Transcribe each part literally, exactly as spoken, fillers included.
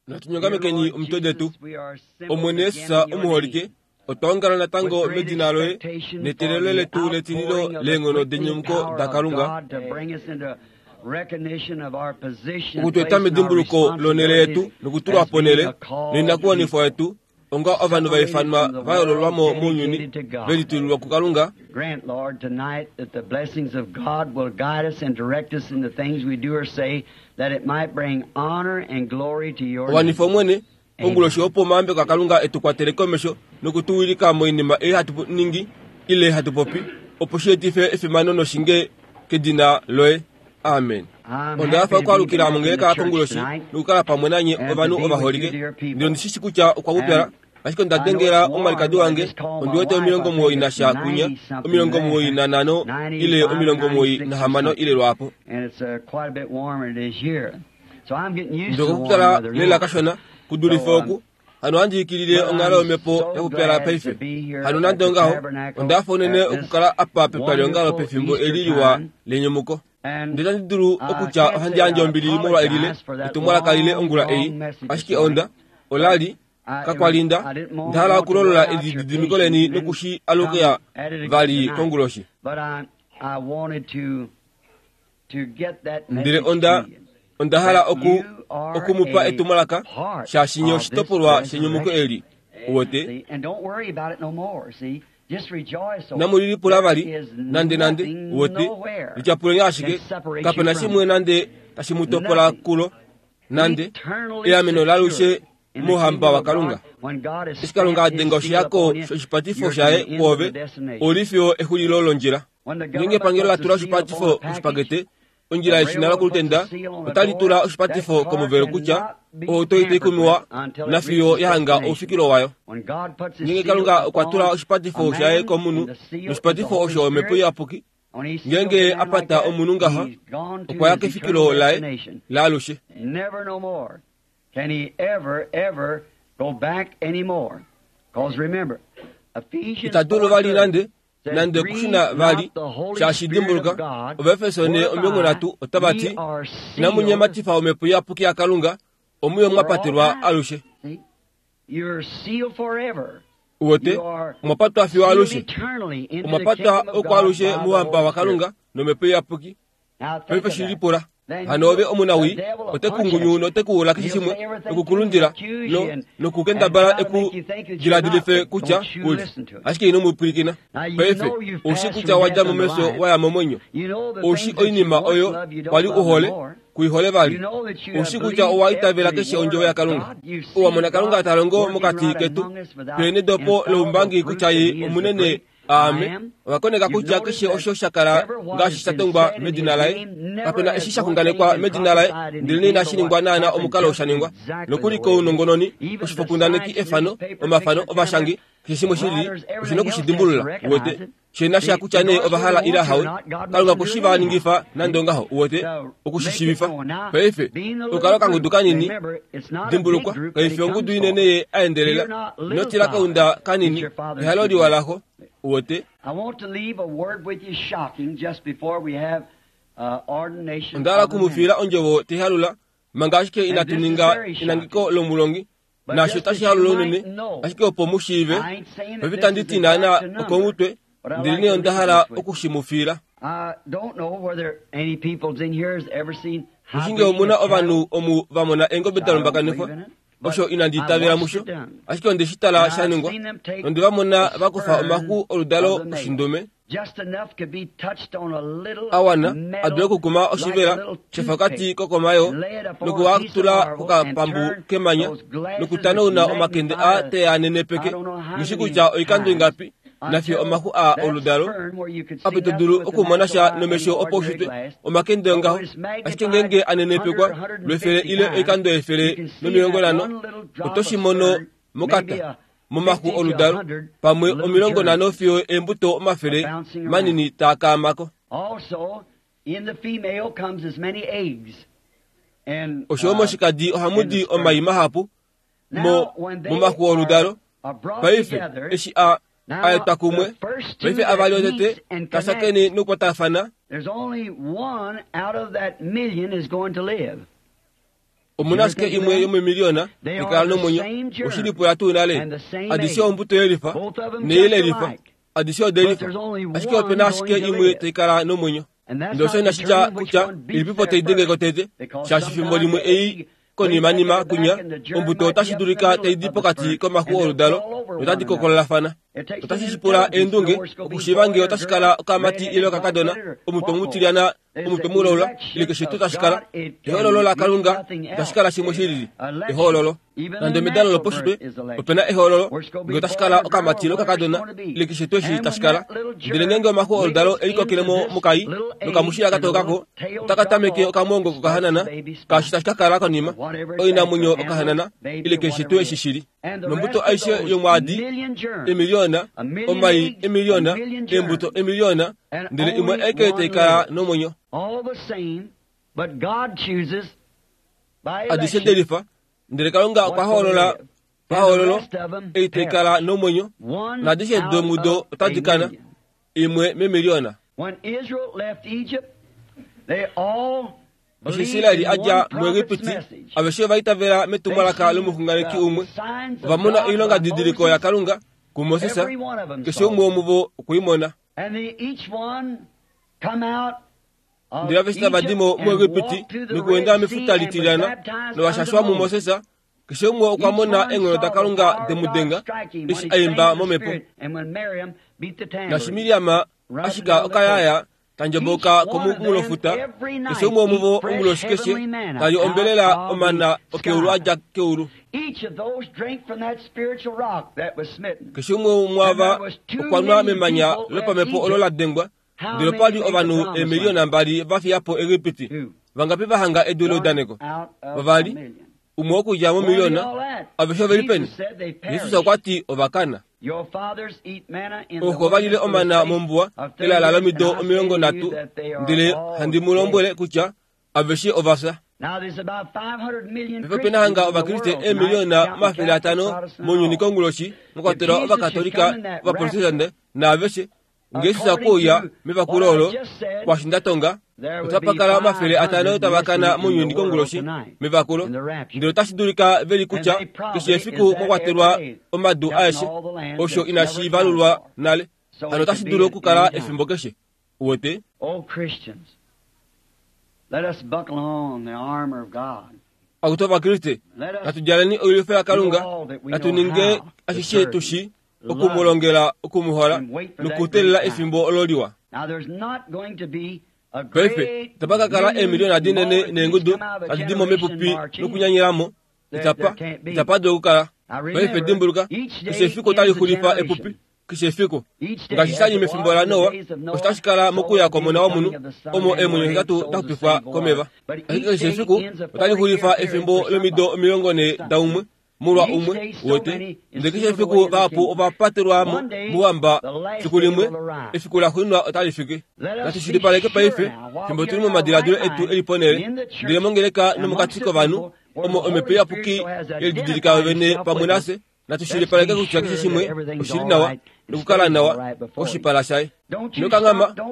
Natunyongamekeni omitwe detu. Omwene Yesus omuholike, otwa ongala natango medina loye netelelo letu letililo leenghono denyumuko daKalunga okutweta medimbuluko lonhele yetu nokutulwa ponhele noinakuwanifwa yetu onga ovanhu va ifanwa va yoololwamo mounyuni ve litulilwa kuKalunga. Grant, Lord, tonight that the blessings of God will guide us and direct us in the things we do or say, that it might bring honor and glory to your name. Wanifa Omwene, onguloshi opo omayambeko aKalunga etu kwatele komesho nokutuwilika moinima ei hatu ningi ile hatu popi, opo shi etife efimano noshinge kedina loye. Amen. Onda hafa okwaalukila mongeleka konguloshi nokukala pamwe nanye ovanhu ovaholike. Ndele ondi shi shi kutya okwa pupyala, ashike onda dengela omwalikadi wange ondi wete omilongo muwoi nasha kunya, omilongo muwoi nanhano ile omilongo muwoi nahamano ile lwaapo. Ndele okwa pupyala lela kashona kudulife oku. Hano ohandi ikilile onghalo yomhepo yakupyala paife. Hano nande ongaho, onda hafa unene okukala apa petwaliongalo pefimbo eli liwa lenyumuko. Ndele itandi dulu okutya ohandi yandje ombili molwa elile etumwalaka lile ongula ei, ashike onda olali kakwalinda nda hala okulolola elididimiko leni nokushi alukila vali konguloshi. Ndele onda onda hala oku okumupa etumwalaka shaashi nye oshitopolwa shenyumuko eli. Uwete? Namulilipula vali nande nande, uwete, lityapuleni ashike, kapena shimwe nande tashi mu topola kulo, nande eameno lalushe mouhamba waKalunga. Eshi Kalunga a denga oshihako shoshipatifo shaye kwoove, oli fiyo exulilo londjila. Ngeenge epangelo la tula oshipatifo koshipakete, ondjila yeshina lokulutenda otali tula oshipatifo komuvelo kutya ohauto itai kumiwa nafiyo ya hanga oufikilo wayo. Ngeenge Kalunga okwa tula oshipatifo shaye komunhu, noshipatifo osho Omhepo Iyapuki, ngeenge a pata omunhu ngaha, okwa ya kefikilo laye laalushe. Ita dulu vali nande nande okushuna vali, shaashi dimbuluka, Ovaefeso ne omilongo nhatu otava ti, inamu nyematifa Omhepo Iyapuki yaKalunga, omuyo mwa patelwa alushe. Uwete, omwa patwa fiyo alushe. Omwa patwa okwaalushe mouhamba waKalunga nOmhepo Iyapuki. Paife shi lipula. Hano ove omunawii, ote ku note ku ula keshe shimwe, nokukulundila, no, nokukendabala eku diladilife kutya kuli. Ashike ino mu pwilikina. Paife, oushi kutya wadja momesho waya momwenyo. Oushi oinima oyo wali uhole, kuihole vali. Oushi kutya owa itavela keshe ondjovo yaKalunga. Owa mona Kalunga ta longo mokati ketu. Peni dopo loumbangi kutya ye omunene aame. Owa koneka kutya keshe osho sha kala ngaashi sha tongwa medina laye. Kapena eshi sha xunganekwa medina laye, ndele inashi ningwa naana omukalo sha ningwa. Nokuli kounongononi, oshifokundaneki efano, omafano ovashangi, keshe shimwe shili, oshina okushidimbulula, uwete. Shena sha kutya nee ova hala ile hawe, Kalunga okwe va ningifa nande ongaho, uwete, okushishiivifa. Paife, okukala okangudu kanini, dimbulukwa, kaifi ongudu inene ye a endelela. Ino tila kaunda kanini, ehalo liwa laxo, uwete. Onda hala okumufiila ondjovo taihalula, manga ashike inatu ninga enangeko lomulongi, naasho otashi halula unene, ashike opo mu shiive. Paife itandi ti naana okomutwe, ndele nee onda hala okushi mu fiila. Nghi omuna ovanhu omu va mona eengobe da lumbakanifwa, osho inandi itavela musho, ashike onde shi tala sha ningwa, nonde va mona va kufa omaxu oludalo oshindume a wana a dule okukuma oshivela shefakati kokomayo, noku a tula kokapambu kemanya, nokutanauna omakende a teanenepeke, ngishi kutya oikando ingapi, nafiyo omaxu a oludalo ape to dulu okumona sha nomesho opaushitwe omakende ongaho, ashike ngeenge anenepekwa lwefele ile oikando efele nomilongo nhano, oto shi mono mokata momaxu oludalo, pamwe omilongo nhano fiyo eembuto omafele manini taa kaamako. Osho moshikadi ohamu di omai mahapu mo momaxu oludalo. Paife eshi a aetwa kumwe, paife avali otete kashakeni nokukwatafana. There's only one out of that million is going to live. Omuna ashike imwe yomemiliona ikala nomwenyo oshilipula tuu nale adishe ombuto yelifa neyelelifa adishe odelifa ashike opena ashike imwe taikala nomwenyo. Ndele osho inashitya kutya ilipipo taidengeko tete shaashi fimbo limwe ei konimanima kunya ombuto otashi dulika taidi pokati komaxu oludalo notadi kokololafana. Otashi shipula eendunge okushiiva ngee otashi kala okamati ile okakadona omutwe mutilyana omutwe mulaula ile keshe tuu tashi kala. Ehoololo laKalunga itashi kala shimwe shilili ehoololo. Nande medalo loposhitwe opena ehoololo ngee otashi kala okamati ile okakadona ile keshe tuu eshi tashi kala. Ndele ngeenge omaxu oludalo elikokele mo mokai nokamushila katookako otakatameke okamongo kokahanana kaashi tashi kakala konima oinamwenyo okahanana ile keshe tuu eshi shili. Nombuto aishe yomwaadi emiliona omai emiliona embuto emiliona ndele imwe aike taikala nomwenyo. Adishe delifa ndele Kalunga okwa hoolola pahoololo ei taikala nomwenyo naadishe domudo otadi kana imwe memiliona. Eshi Israeli adja muEgipiti aveshe vaitavela metumwalaka lomuxunganeki umwe ovamona oilonga didiliko yaKalunga kuMoses keshe umwe womuvo okwiimona. Ndele aveshe tava dimo muEgipiti nokuenda mefuta litilyana novashashwa muMoses keshe umwe okwa mona eenghono daKalunga demudenga eshi aimba momhepo. Naashi Miriam ashika okayaya tandjomboka komunghulofuta keshe umwe womuvo onguloshi keshe tali ombelela omana okeulu adja keulu. Keshe umwe womwaava okwanwa memanya lopamhepo olo la dengwa ndele opali ovanhu eemiliona mbali vafiyapo Egipiti. Vangapi vahanga edu leudaneko? Vavali, umwe okudja momiliona. Aveshe oveli peni? Jesus okwa ti ovakana. Ooxo valile omana mombuwa elala lomido omilongo nhatu ndele handi mu lombwele kutya aveshe ovafya. Paife opena hanga ovakriste eemiliona omafele atano mounyuni konguloshi mwakwatelwa ovakatolika ovaprotestante naaveshe. Ngee Jesus okuuya mevakulo olo kwaashi ndatonga otapa kala omafele atano tava kana mounyuni konguloshi mevakulo ndele otashi dulika veli kutya keshe efiku mwakwatelwa omadu aeshe osho inashi valulwa nale hano otashi dulu okukala efimbo keshe. Uwete? Akutu ovakriste natudjaleni oilwifo yaKalunga natuninge ashishe tushi okumulongela okumuhola nokuteelela efimbo olo liwa. Paife itapa kakala eemiliona dinene neengudu tadi di mo mepupi nokunyanyelamo itapa itapa dulu okukala. Paife dimbuluka keshe efiku otali xulifa epupi keshe efiku. Ngaashi shali mefimbo laNoa osho tashi kala mokuya kwOmona wOmunhu omo eemwenyo hetatu daxupifwa komeva. Ashike keshe efiku otali xulifa efimbo lomido omilongo nhee daumwe molwa umwe wote. Ndele keshe efiku vahapu ovapatelwamo mouhamba fiku limwe efiku laxuuninwa otali fiki. Natushilipaleke paife fimbo tuli momadiladilo etu eli ponhele ndele mongeleka nomokati kovanhu omo omhepo iyapuki yelididilika yovene pamwe nafye. Natushilipaleke kutya keshe shimwe oshili nawa nokukala nawa koshipala shaye. Ino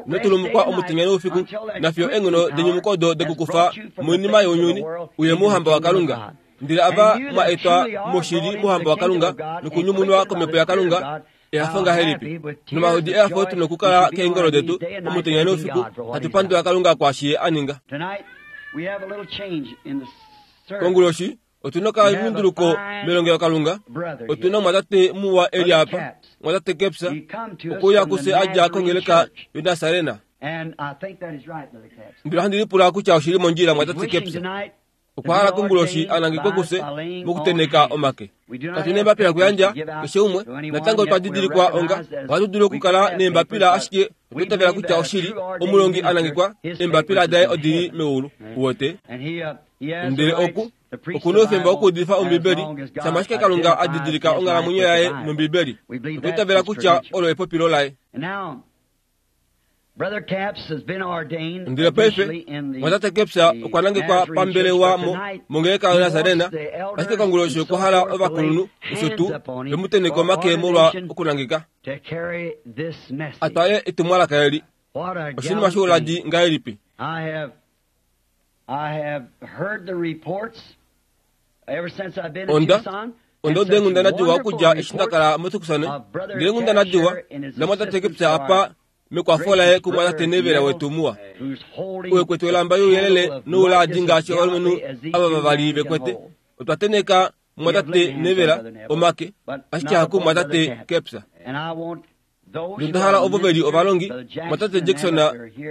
inotulumukwa omutenya noufiku nafiyo eenghono denyumuko odo dekukufa moinima younyuni uye mouhamba waKalunga. Ndele ava mwa etwa moshili mouhamba waKalunga nokunyumunwa komhepo yaKalunga ehafo ngahelipi. Nomahodi ehafo tuna okukala keengolo detu omutenya noufiku hatu pandula Kalunga kwaashi ye a ninga. Konguloshi otuna okalunduluko melongelokalunga. Otuna omwatate muwa eli apa mwatate Kepsa okuuya kufye adja kongeleka yoNasarena. Ndele ohandi lipula kutya oshili mondjila mwatate Kepsa. Okwa hala konguloshi anangekwe kufye mokuteneka omake. Katuna eembapila okuyandja keshe umwe natango otwa didilikwa onga ohatu dulu okukala neembapila ashike otwa itavela kutya oshili omulongi anangekwa eembapila daye odili meulu. Uwete? Ndele oku okuna oufemba wokuudifa Ombibeli shama ashike Kalunga a didilika onghalamwenyo yaye nOmbibeli. Otwa itavela kutya olo epopilo laye. Ndele paife mwatate Kepsa okwa nangekwa pambelewa mo mongeleka yoNasarena ashike konguloshi okwa hala ovakulunhu osho tuu vemuteneka omake molwa okunangeka atwale etumwalaka eli. Oshinima shouladi ngahelipi? Onda onda uda eenghundana diwa okudja eshi ndakala moTucson, ndele eenghundana diwa lamwatate Kepsa apa mekwafo laye kumwatate Neville wetu muwa. Owe elamba youyelele nouladi ngaashi ovalumenhu ava vavali vekwete. Otwa teneka mwatate Neville omake, ashike haku mwatate Kepsa. Onda hala ovo veli ovalongi, mwatate Jackson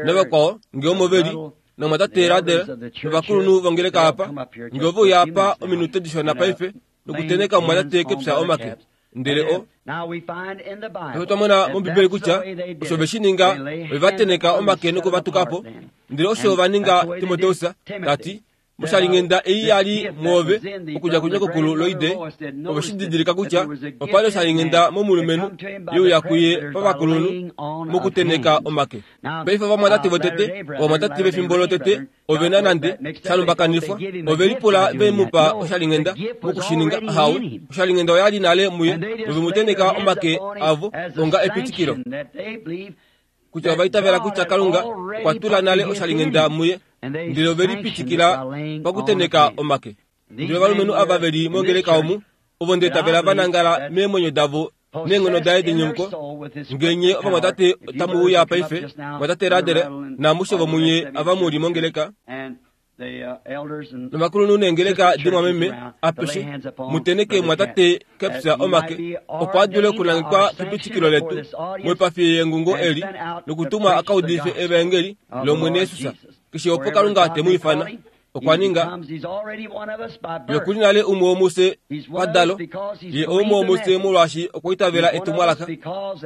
navakwao ngee omo veli, namwatate Radel novakulunhu vongeleka apa, ngee ove uya apa ominute dishona paife nokuteneka mwatate Kepsa omake. Ndele o Paife otwa mona mOmbibeli kutya osho ve shi ninga ove va teneka omake nokuvatuka po. Ndele osho va ninga Timoteus tati moshalinghenda ei yali mwoove okudja kunyokokulu Loide, ove shi didilika kutya opali oshalinghenda momulumenhu ye uya kuye pavakulunhu mokuteneka omake. Paife ovamwatate votete, ovamwatate vefimbo lotete ove na nande shalumbakanifwa, ove lipula ve mu pa oshalinghenda mokushininga. Ahawe, oshalinghenda oyali nale muye nove mu teneka omake avo onga epitikilo kutya ova itavela kutya Kalunga okwa tula nale oshalinghenda muye, ndele ove lipitikila pakuteneka omake. Ndele ovalumenhu ava veli mongeleka omu ovo ndeitavela va nangala meemwenyo davo neenghono daye denyumuko. Ngenye ovamwatate otamu uya paife, mwatate Radele naamushe vomunye ava muli mongeleka novakulunhu neengeleka dimwameme apeshe, muteneke mwatate Kepsa omake opo a dule okunangekwa kepitikilo letu moipafi yengungo eli nokutumwa a ka udife evaengeli lOmwene Jesus. Keshe opo Kalunga te mu ifana, okwa ninga ye okuli nale umwe womufye padalo, ye umwe womufye molwaashi okwa itavela etumwalaka,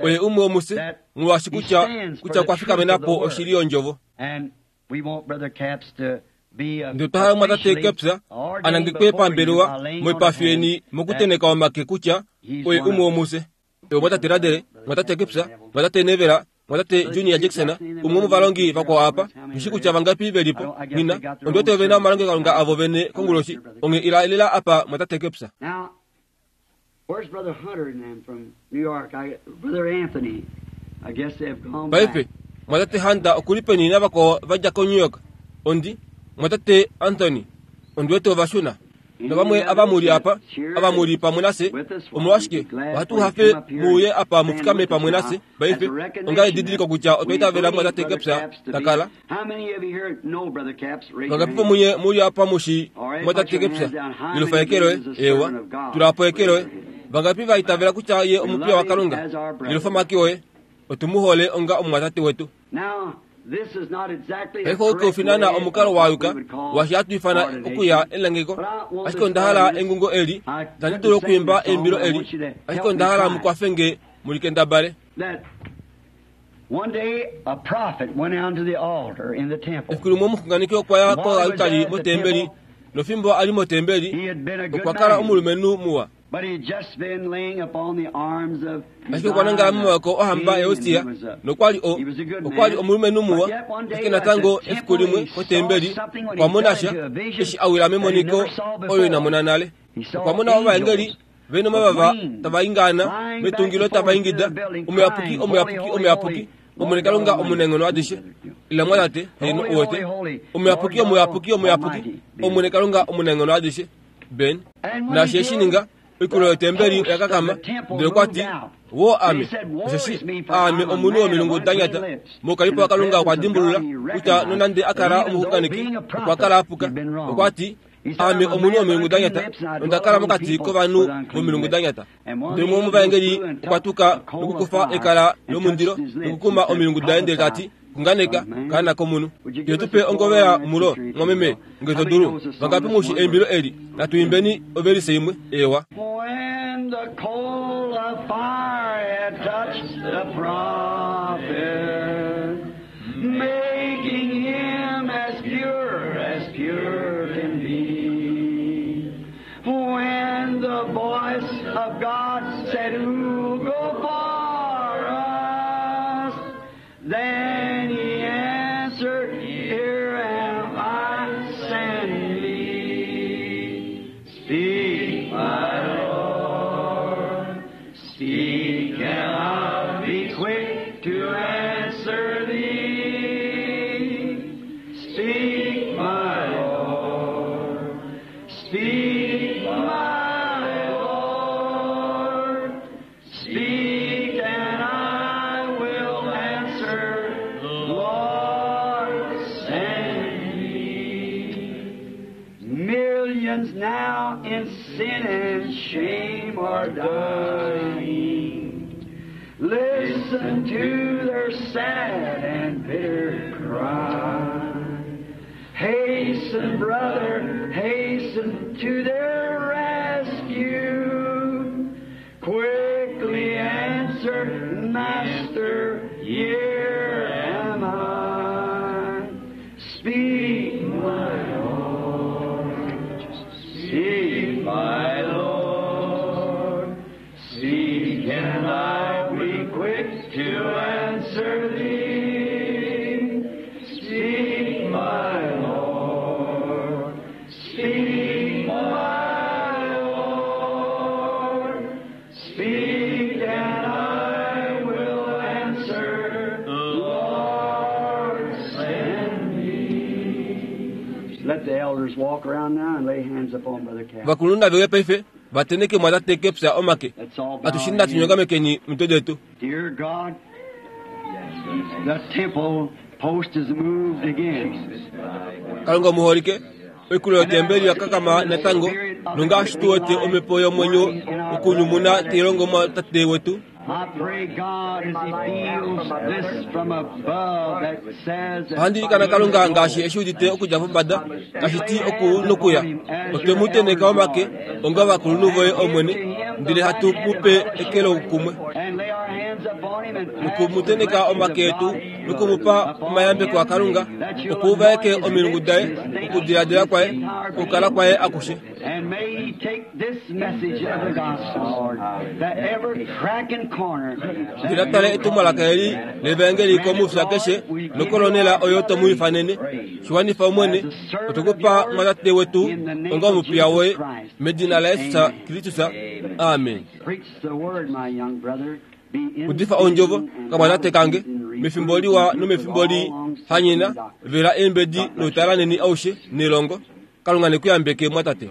oye umwe womufye molwaashi kutya kutya okwa fikamena po oshili yondjovo. Ndele otwa hala mwatate Kepsa a nangekwe pambelewa moipafi yeni mokuteneka omake kutya oye umwe womufye. Ewe mwatate Radele, mwatate Kepsa, mwatate Nevela, mwatate Junior Jackson, umwe womovalongi vakwao apa, nghishi kutya vangapi velipo, nghina, ondi wete ove na omalongelokalunga avo vene konguloshi, onghee ila elela apa mwatate Kepsa. Now, where's Brother Hunter and them from New York? I, Brother Anthony, I guess they've gone Paife, back. mwatate Hunter okuli peni navakwao vadja ko-New York? Ondi, mwatate Anthony, ondi wete ova shuna. Navamwe ava muli apa, ava muli pamwe nafye, omolwashike ohatu hafe muuye apa mufikame pamwe nafye paife, onga edidiliko kutya otwa itavela mwatate Kepsa takala. How many of you here know Brother Capps? Raise your Vangapi hand. vomunye muli apa mushi mwatate Kepsa? Ilufa ekeloe, ewa, tulapo ekeloe. Vangapi va itavela kutya ye omupiya waKalunga? Ilufa make oye, otu mu hole onga omumwatate wetu. Now, this is not exactly the Paife correct ouke ufinana way omukalo of what wa yuka we would call washi hatu ifana ordination. okuya elangeko, But I want ashike this onda hala audience- engungo eli, I itandi dulu couldn't sing okwiimba this song, eimbilo but I eli, want you to help ashike me onda hala try. mukwafenge mulikendabale. That one day a prophet went down to the altar in the temple. Efiku limwe omuxunganeki okwa ya koalutali motembeli, nofimbo ali motembeli He had been a good okwa kala man, omulumenhu muwa, but he had just been laying upon the arms of ashike okwa nangala momaoko ohamba yaUsia nokwali o okwali omulumenhu muwa. Ashike natango efiku limwe kotembeli okwa mona sha eshi a wila memoniko oyo ina mona nale. Okwa mona ovaengeli vena omavava tava ingana metungilo tava ingida, omuyapuki, omuyapuki, omuyapuki, Omwene Kalunga omunaenghono adishe. Ila mwatate, heeno uwete, omuyapuki, omuyapuki, omuyapuki, Omwene Kalunga omunaenghono adishe. Ben, naashi eshi ninga, oikulo yotembeli oya kakama, ndele okwa ti, woo ame, osheshi aame omunhu womilungu da nyata. Moukalipo waKalunga okwa dimbulula kutya nonande a kala omuxunganeki, okwa kala a puka. Okwa ti, aame omunhu womilungu da nyata, nonda kala mokati kovanhu vomilungu da nyata. Ndele umwe womovaengeli okwa tuka nokukufa ekala lomundilo nokukuma omilungu daye ndele tati, xunganeka, kaana komunhu. Ye tupe ongovela mulo, mwameme, nge to dulu. Vangapi mushi eimbilo eli? Natu imbeni ovelise imwe. Ewa. When the coal of fire had touched the prophet, making him as pure as pure can be. When the voice of God said, Who go for us? Then he answered, Here am I, send me. Speak, my Lord. Speak, and I'll be quick to answer thee. Speak, my Lord. Friends now in sin and shame are dying. Listen to their sad and bitter cry. Hasten, brother, hasten to their rescue. Quickly answer, Master, here am I. Speak, my Lord. Speak, my Lord. Speak, and I'll be quick to answer thee. Speak, my Lord. Speak, my Lord. Speak, and I will answer. Lord, send me. Let the elders walk around now and lay hands upon Brother Cap. Vakulunhu veuya paife vateneke mwatate kepya omake. Let's all bow Atushini our natu heads. nyongamekeni mitwe detu. Dear God, the temple post is moved again. Kalunga omuholike oikulo yotembeli yakakama natango nongaashi tuwete omhepo yomwenyo okunyumuna teilongo mwatate wetu. I pray God as He feels this from above that says that Ohandilikana Kalunga ngaashi eshi udite okudja pombada tashi ti oku nokuya. Otwe mu teneka omake onga ovakulunhu voye Omwene, ndele hatu mu pe eke lokumwe. and lay our hands upon him and pass Nokumuteneka the omake blessings etu of God nokumupa omayambeko aKalunga that you'll okuuvaeke anoint his omilungu lips, daye his thinking, okudiladila kwaye his entire okukala kwaye akushe. And may he take this message of the gospel, Lord, that every crack and corner Ndele tale etumwalaka eli levaengeli komufya keshe nokolonela oyo tomu ifanene shiwanifa Omwene otukupa mwatate wetu onga omupiya woye medina la Yesu Kristus. Amen. Preach the word, my young brother. Be in Udifa ondjovo season and kamwatate kange out of season, mefimbo liwa nomefimbo li hanyena vela eembedi noutalaneni aushe nelongo. Kalunga nekuyambeke mwatate.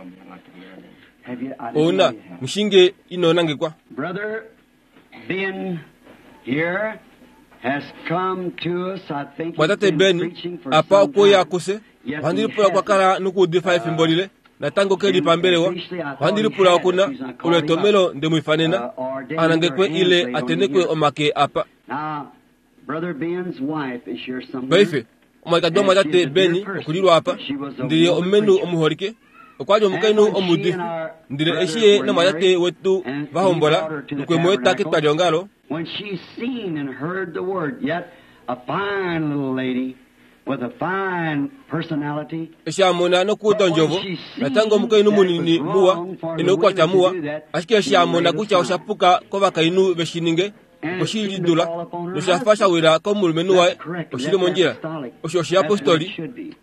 Have you, I didn't Ouna know you had. mushinge inonangekwa. Brother Ben here has come to us. I think he's Mwatate been Beni preaching for apa some okuya time. kuse Yes, ohandilipula he okwa has. kala nokuudifa efimbo lile natango keli pambelewa ohandilipula okuna olwetomelo ndemwifanena anangekwe ile atenekwe omake apa. Now, Brother Ben's wife is here somewhere. Paife omwalikadi wamwatate Beni okulilwa apa ndele omumenhu omuholike okwali omukainhu omuudifi ndele eshi ye namwatate wetu vahombola nokwemu eta ketwaliongalo. When she seen and heard the word, yet a fine little lady with a fine personality, Eshi amona nokuuda ondjovo natango omukainhu munini muwa ena oukwatya muwa, ashike eshi amona kutya oshapuka kovakainhu veshininge okweshilidula noshafa shawila komulumenhu waye oshili mondjila. Osho oshiyapostoli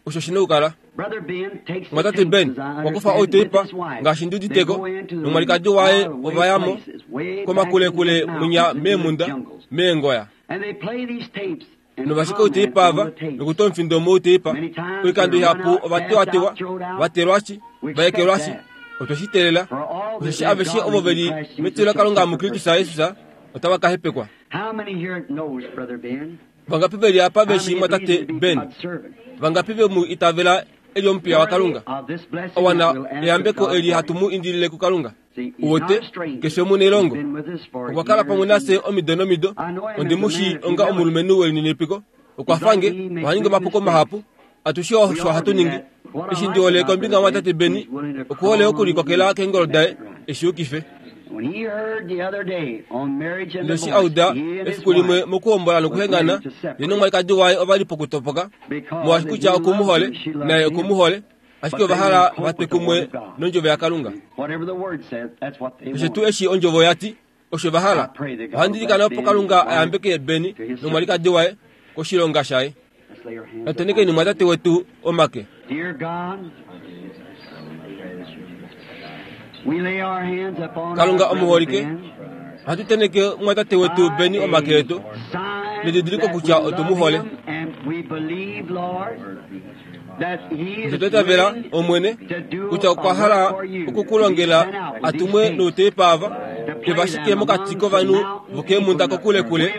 osho shina okukala. Brother Ben takes the Mwatate tapes, Ben as I wakufa understand, with outeipa his wife. ngaashi They ndiuditeko go into the nomwalikadi waye out-of-the-way ovayamo places, way back komakulekule in the munya mountains, into the meemunda jungles. meengoya. And they play these tapes and Novashika comment outeipa on ava the tapes. nokuta omufindo mouteipa oikando ihapu ovatewatewa vatelwashi vaekelwashi otweshitelela For all that osheshi live aveshe ovo godly in veli Christ Jesus metilo shall laKalunga suffer muKristus persecution. Jesus otava ka hepekwa. How many here knows Brother Ben? Vangapi veli apa How veshi many mwatate believes to be Ben? God's servant? Vangapi vemu itavela eli omupiya waKalunga? Worthy of this blessing Owana that we'll ask of eyambeko God eli for hatu him. mu indilile kuKalunga. See, he's Uwote not a stranger. keshe omunailongo He's been with us for okwa kala years pamwe and nafye years. omido nomido. I know him Ondimushi as a man of onga humility. omulumenhu welininipiko okwa fange oha ningi omapuko mahapu atushe We osho all hatu do ningi. that. What I Eshi like ndi hole about kombinga Brother yamwatate Ben, Beni he's willing to okuhole crawl okulikokela on keengolo and daye make it right. eshi yukife. When he heard the other day on marriage and Ndele eshi divorce, auda he and his efiku limwe wife mokuhombola was nokuhengana ready to separate ye nomwalikadi waye ovali pokutopoka because molwaashi if kutya he loved okumuhole her, she loved naye him. okumuhole ashike But they ova hala wouldn't cope vatwe with the kumwe word of God. nondjovo yaKalunga. Whatever the word says, that's what they Keshe tuu want. eshi ondjovo yati osho va I hala. pray that God will Ohandilikana bless opo Ben and Kalunga his wife ayambeke Beni to his service. nomwalikadi waye koshilonga shaye. Let's lay our hands upon Natenekeni him. mwatate wetu omake. Dear God, we lay our hands upon Kalunga our brother omuholike Ben ohatu teneke mwatate wetu by Beni omake a etu sign nedidiliko that we kutya love otumuhole. him and we believe, Lord, that he is Otwetavela willing Omwene to do kutya a okwa hala work for you, to be okukulongela sent out with these atumwe tapes. nouteipa ava Ivashike mokati kovanhu vokeemhunda kokulekule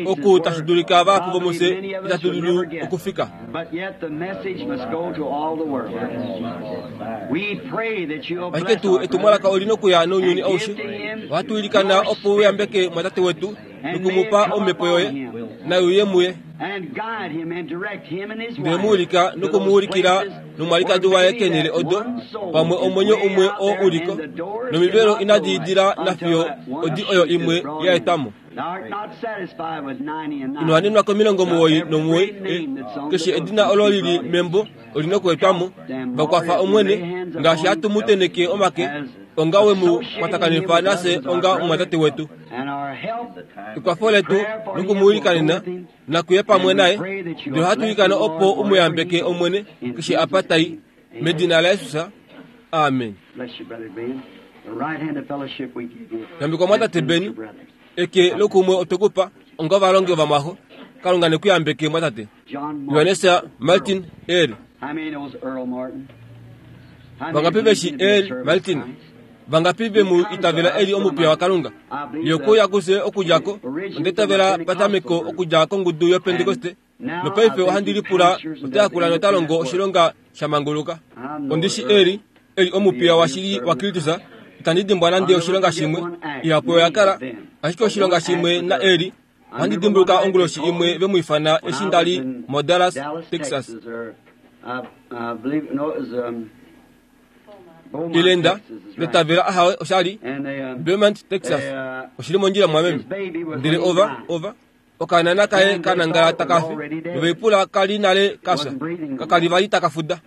oku tashi dulika vahapu vomufye itatu dulu okufika. Ashike tuu etumwalaka oli nokuya nounyuni aushe. Ohatu ilikana opo u yambeke mwatate wetu nokumupa omhepo yoye nai uye muye. Ndele mu ulika nokumuulikila nomwalikadi waye keenhele odo pamwe omwenyo umwe oo uliko nomivelo inadi idila nafiyo odi oyo imwe ya etwamo. Ino wanenwa komilongo muwoi nomuwoi, keshe edina olo lili membo oli nokuetwamo. Vakwafa Omwene ngaashi hatu mu teneke omake onga we mu kwatakanifa nafye onga omwatate wetu. Ekwafo letu nokumuilikanena nakuye pamwe naye, ndele ohatu ilikana opo u mu yambeke Omwene keshe apa tai, medina laJesus, amen. Yambekwa mwatate Beni, eke lokumwe otwekupa onga ovalongi ovamwaxo. Kalunga nekuyambeke mwatate. Johannes Martin Earl. Vangapi veshi Earl Martin? Vangapi vemu itavela eli omupiya waKalunga? Ye okuuya kufye okudja ko onde itavela patameko okudja kongudu yoPentekoste, nopaife ohandi lipula ota yakula nota longo oshilonga sha manguluka. Ondishi eli eli omupiya washili waKristus. Itandi dimbwa nande oshilonga shimwe ihapu oya kala, ashike oshilonga shimwe na eli ohandi dimbuluka onguloshi imwe ve mu ifana eshi ndali moDallas, Texas. Ilenda netavela ahawe oshali Beaumont, Texas. Oshili mondjila mwameme. Ndele ova ova okaanana kaye kanangala takafi noveipula kali nale kafya kakali vali takafuda.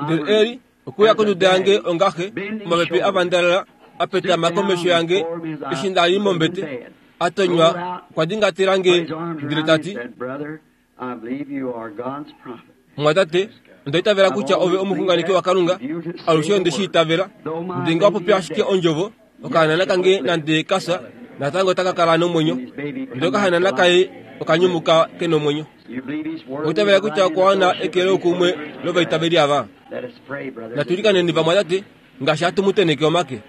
Ndele eli okuya konduda yange ongaxe omapepe avandalala apetama komesho yange eshi ndali mombete atonywa okwa dingatelange ndele tati, mwatate, onda itavela kutya ove omuxunganeki waKalunga. Alushe onde shi itavela. Ndele nga wapopya ashike ondjovo, okahanana kange nande kafya natango otaka kala nomwenyo. Ndele okahanana kaye okanyumuka ke nomwenyo. Oitavela kutya okwa wana eke loukumwe lovaitaveli ava. Natu ilikaneni vamwatate ngaashi hatu mu teneke omake.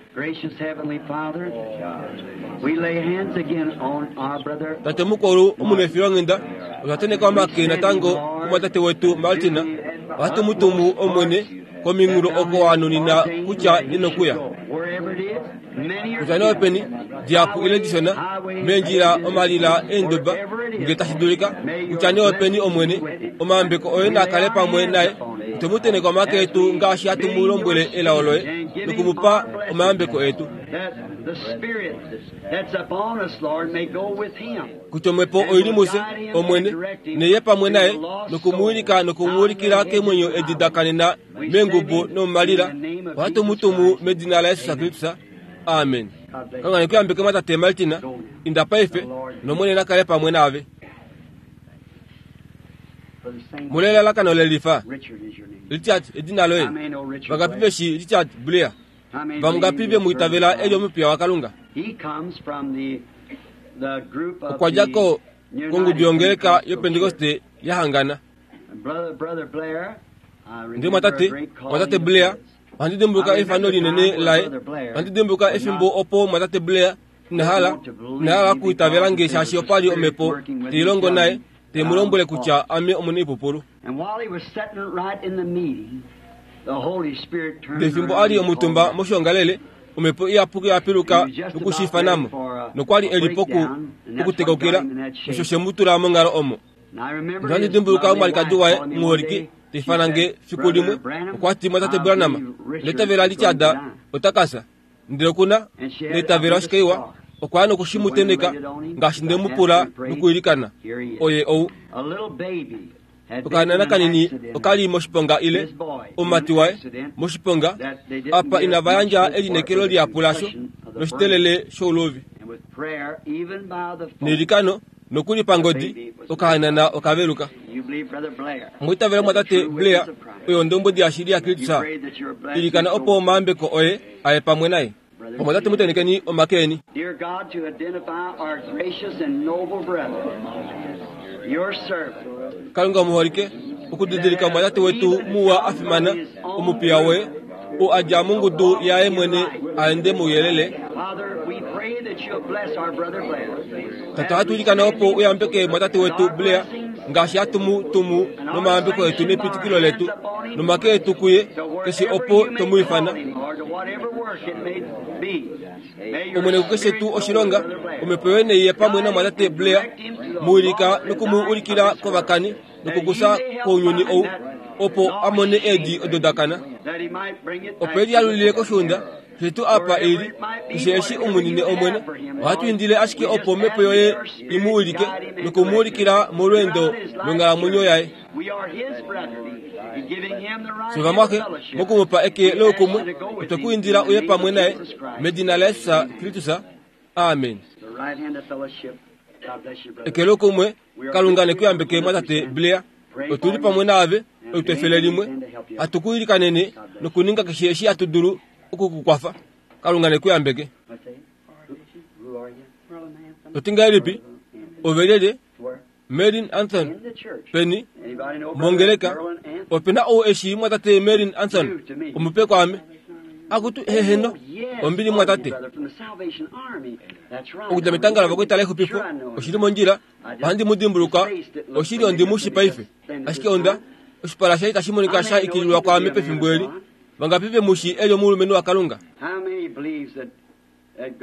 Tate mukulu omunefilonghenda, otwa teneka omake natango kumwatate wetu Martin. Ohatu mu tumu Omwene kominghulo oko wa nunina kutya inokuya. Kutya nee openi dihapu ile dishona meendjila omalila eendoba nge tashi dulika, kutya nee openi Omwene, omayambeko oye na kale pamwe naye. Otwe mu teneka omake etu ngaashi hatu mu lombwele elao loye nokumupa omayambeko etu. Kutya omhepo oili mufye Omwene neye pamwe naye nokumuwilika nokumuulikila keemwenyo edi da kanena meengubu nomomalila. Ohatu mu tumu medina laJesus Kristus, amen. Kalunga nekuyambeke mwatate Martin. Inda paife nOmwene na kale pamwe naave. Mulelalakano lelifa. Richard edina loye. Vangapi veshi Richard Blair? Vangapi ve mu itavela eli omupiya waKalunga? Okwa dja ko kongudu yongeleka yoPentekoste ya hangana. Ndele mwatate, mwatate Blair, ohandi dimbuluka efano linene laye. Ohandi dimbuluka efimbo opo mwatate Blair inahala inahala okuitavela nge shaashi opali omhepo teilongo naye te mu lombwele kutya ame omunaipupulu. Ndele fimbo ali omutumba moshiongalele, omhepo iyapuki oya piluka nokushiifanamo, nokwali eli poku okutekoukila, osho she mu tula monghalo omo. Ohandi dimbuluka omwalikadi waye muholike teifana nge fiku limwe, okwa ti, mwatate Branham, neitavela Richard ota kafya. Ndele okuna neitavela oshikaiwa, okwa ya nokushi mu teneka ngaashi nde mu pula nokuilikana. Oye ou. Okahanana kanini okali moshiponga ile omumati waye moshiponga apa inava yandja elineekelo lihapu lasho noshitelele shouluvi. Neilikano nokuli pangodi okahanana okaveluka. Omwiitavela mwatate Blair oyo ondombwedi yashili yaKristus. Ilikana opo omayambeko oye aye pamwe naye. Omwatate mutenekeni omake eni. Kalunga omuholike, okudidilika omwatate wetu muwa a fimana, omupiya woye, ou a dja mongudu yaye mwene a ende mouyelele. Tate, ohatu ilikana opo u yambeke mwatate wetu Blair ngaashi hatu mu tumu nomayambeko etu nepitikilo letu nomake etu kuye keshe opo tomu ifana. Omwene kukeshe tuu oshilonga omhepo yoye neiye pamwe namwatate Blair, mu wilika nokumu ulikila kovakani nokukusa kounyuni ou opo amone eedi odo dakana, opo e lialulile koshiunda keshe tuu apa eli, keshe eshi umunine Omwene. Ohatu indile ashike opo omhepo yoye imu wilike nokumu ulikila molweendo longhalamwenyo yaye. Fye vamwaxe mokumupa eke loukumwe, otwe ku indila uye pamwe naye medina laJesus Kristus. Amen. Eke loukumwe, Kalunga nekuyambeke mwatate Blair. Otuli pamwe naave otu efele limwe, hatu ku ilikanene nokuninga keshe eshi hatu dulu okukukwafa. Kalunga nekuyambeke. Oti ngahelipi? Ove lyelye? Merlin Anthon. Peni? Mongeleka. Opena ou eshi mwatate Merlin Anthon omupe kwaame? Akutu heheno ombili mwatate. Okudja metanga lavakwetala exupifo oshili mondjila, ohandi mu dimbuluka, oshili ondi mu shi paife. Ashike onda oshipala shaye itashi monika sha ikililwa kwaame pefimbo eli. Vangapi ve mu shi eli omulumenhu waKalunga?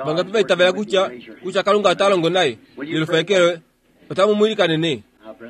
Vangapi va itavela kutya kutya Kalunga ota longo naye? Yelufa eke loye. Otamu mu ilikanene.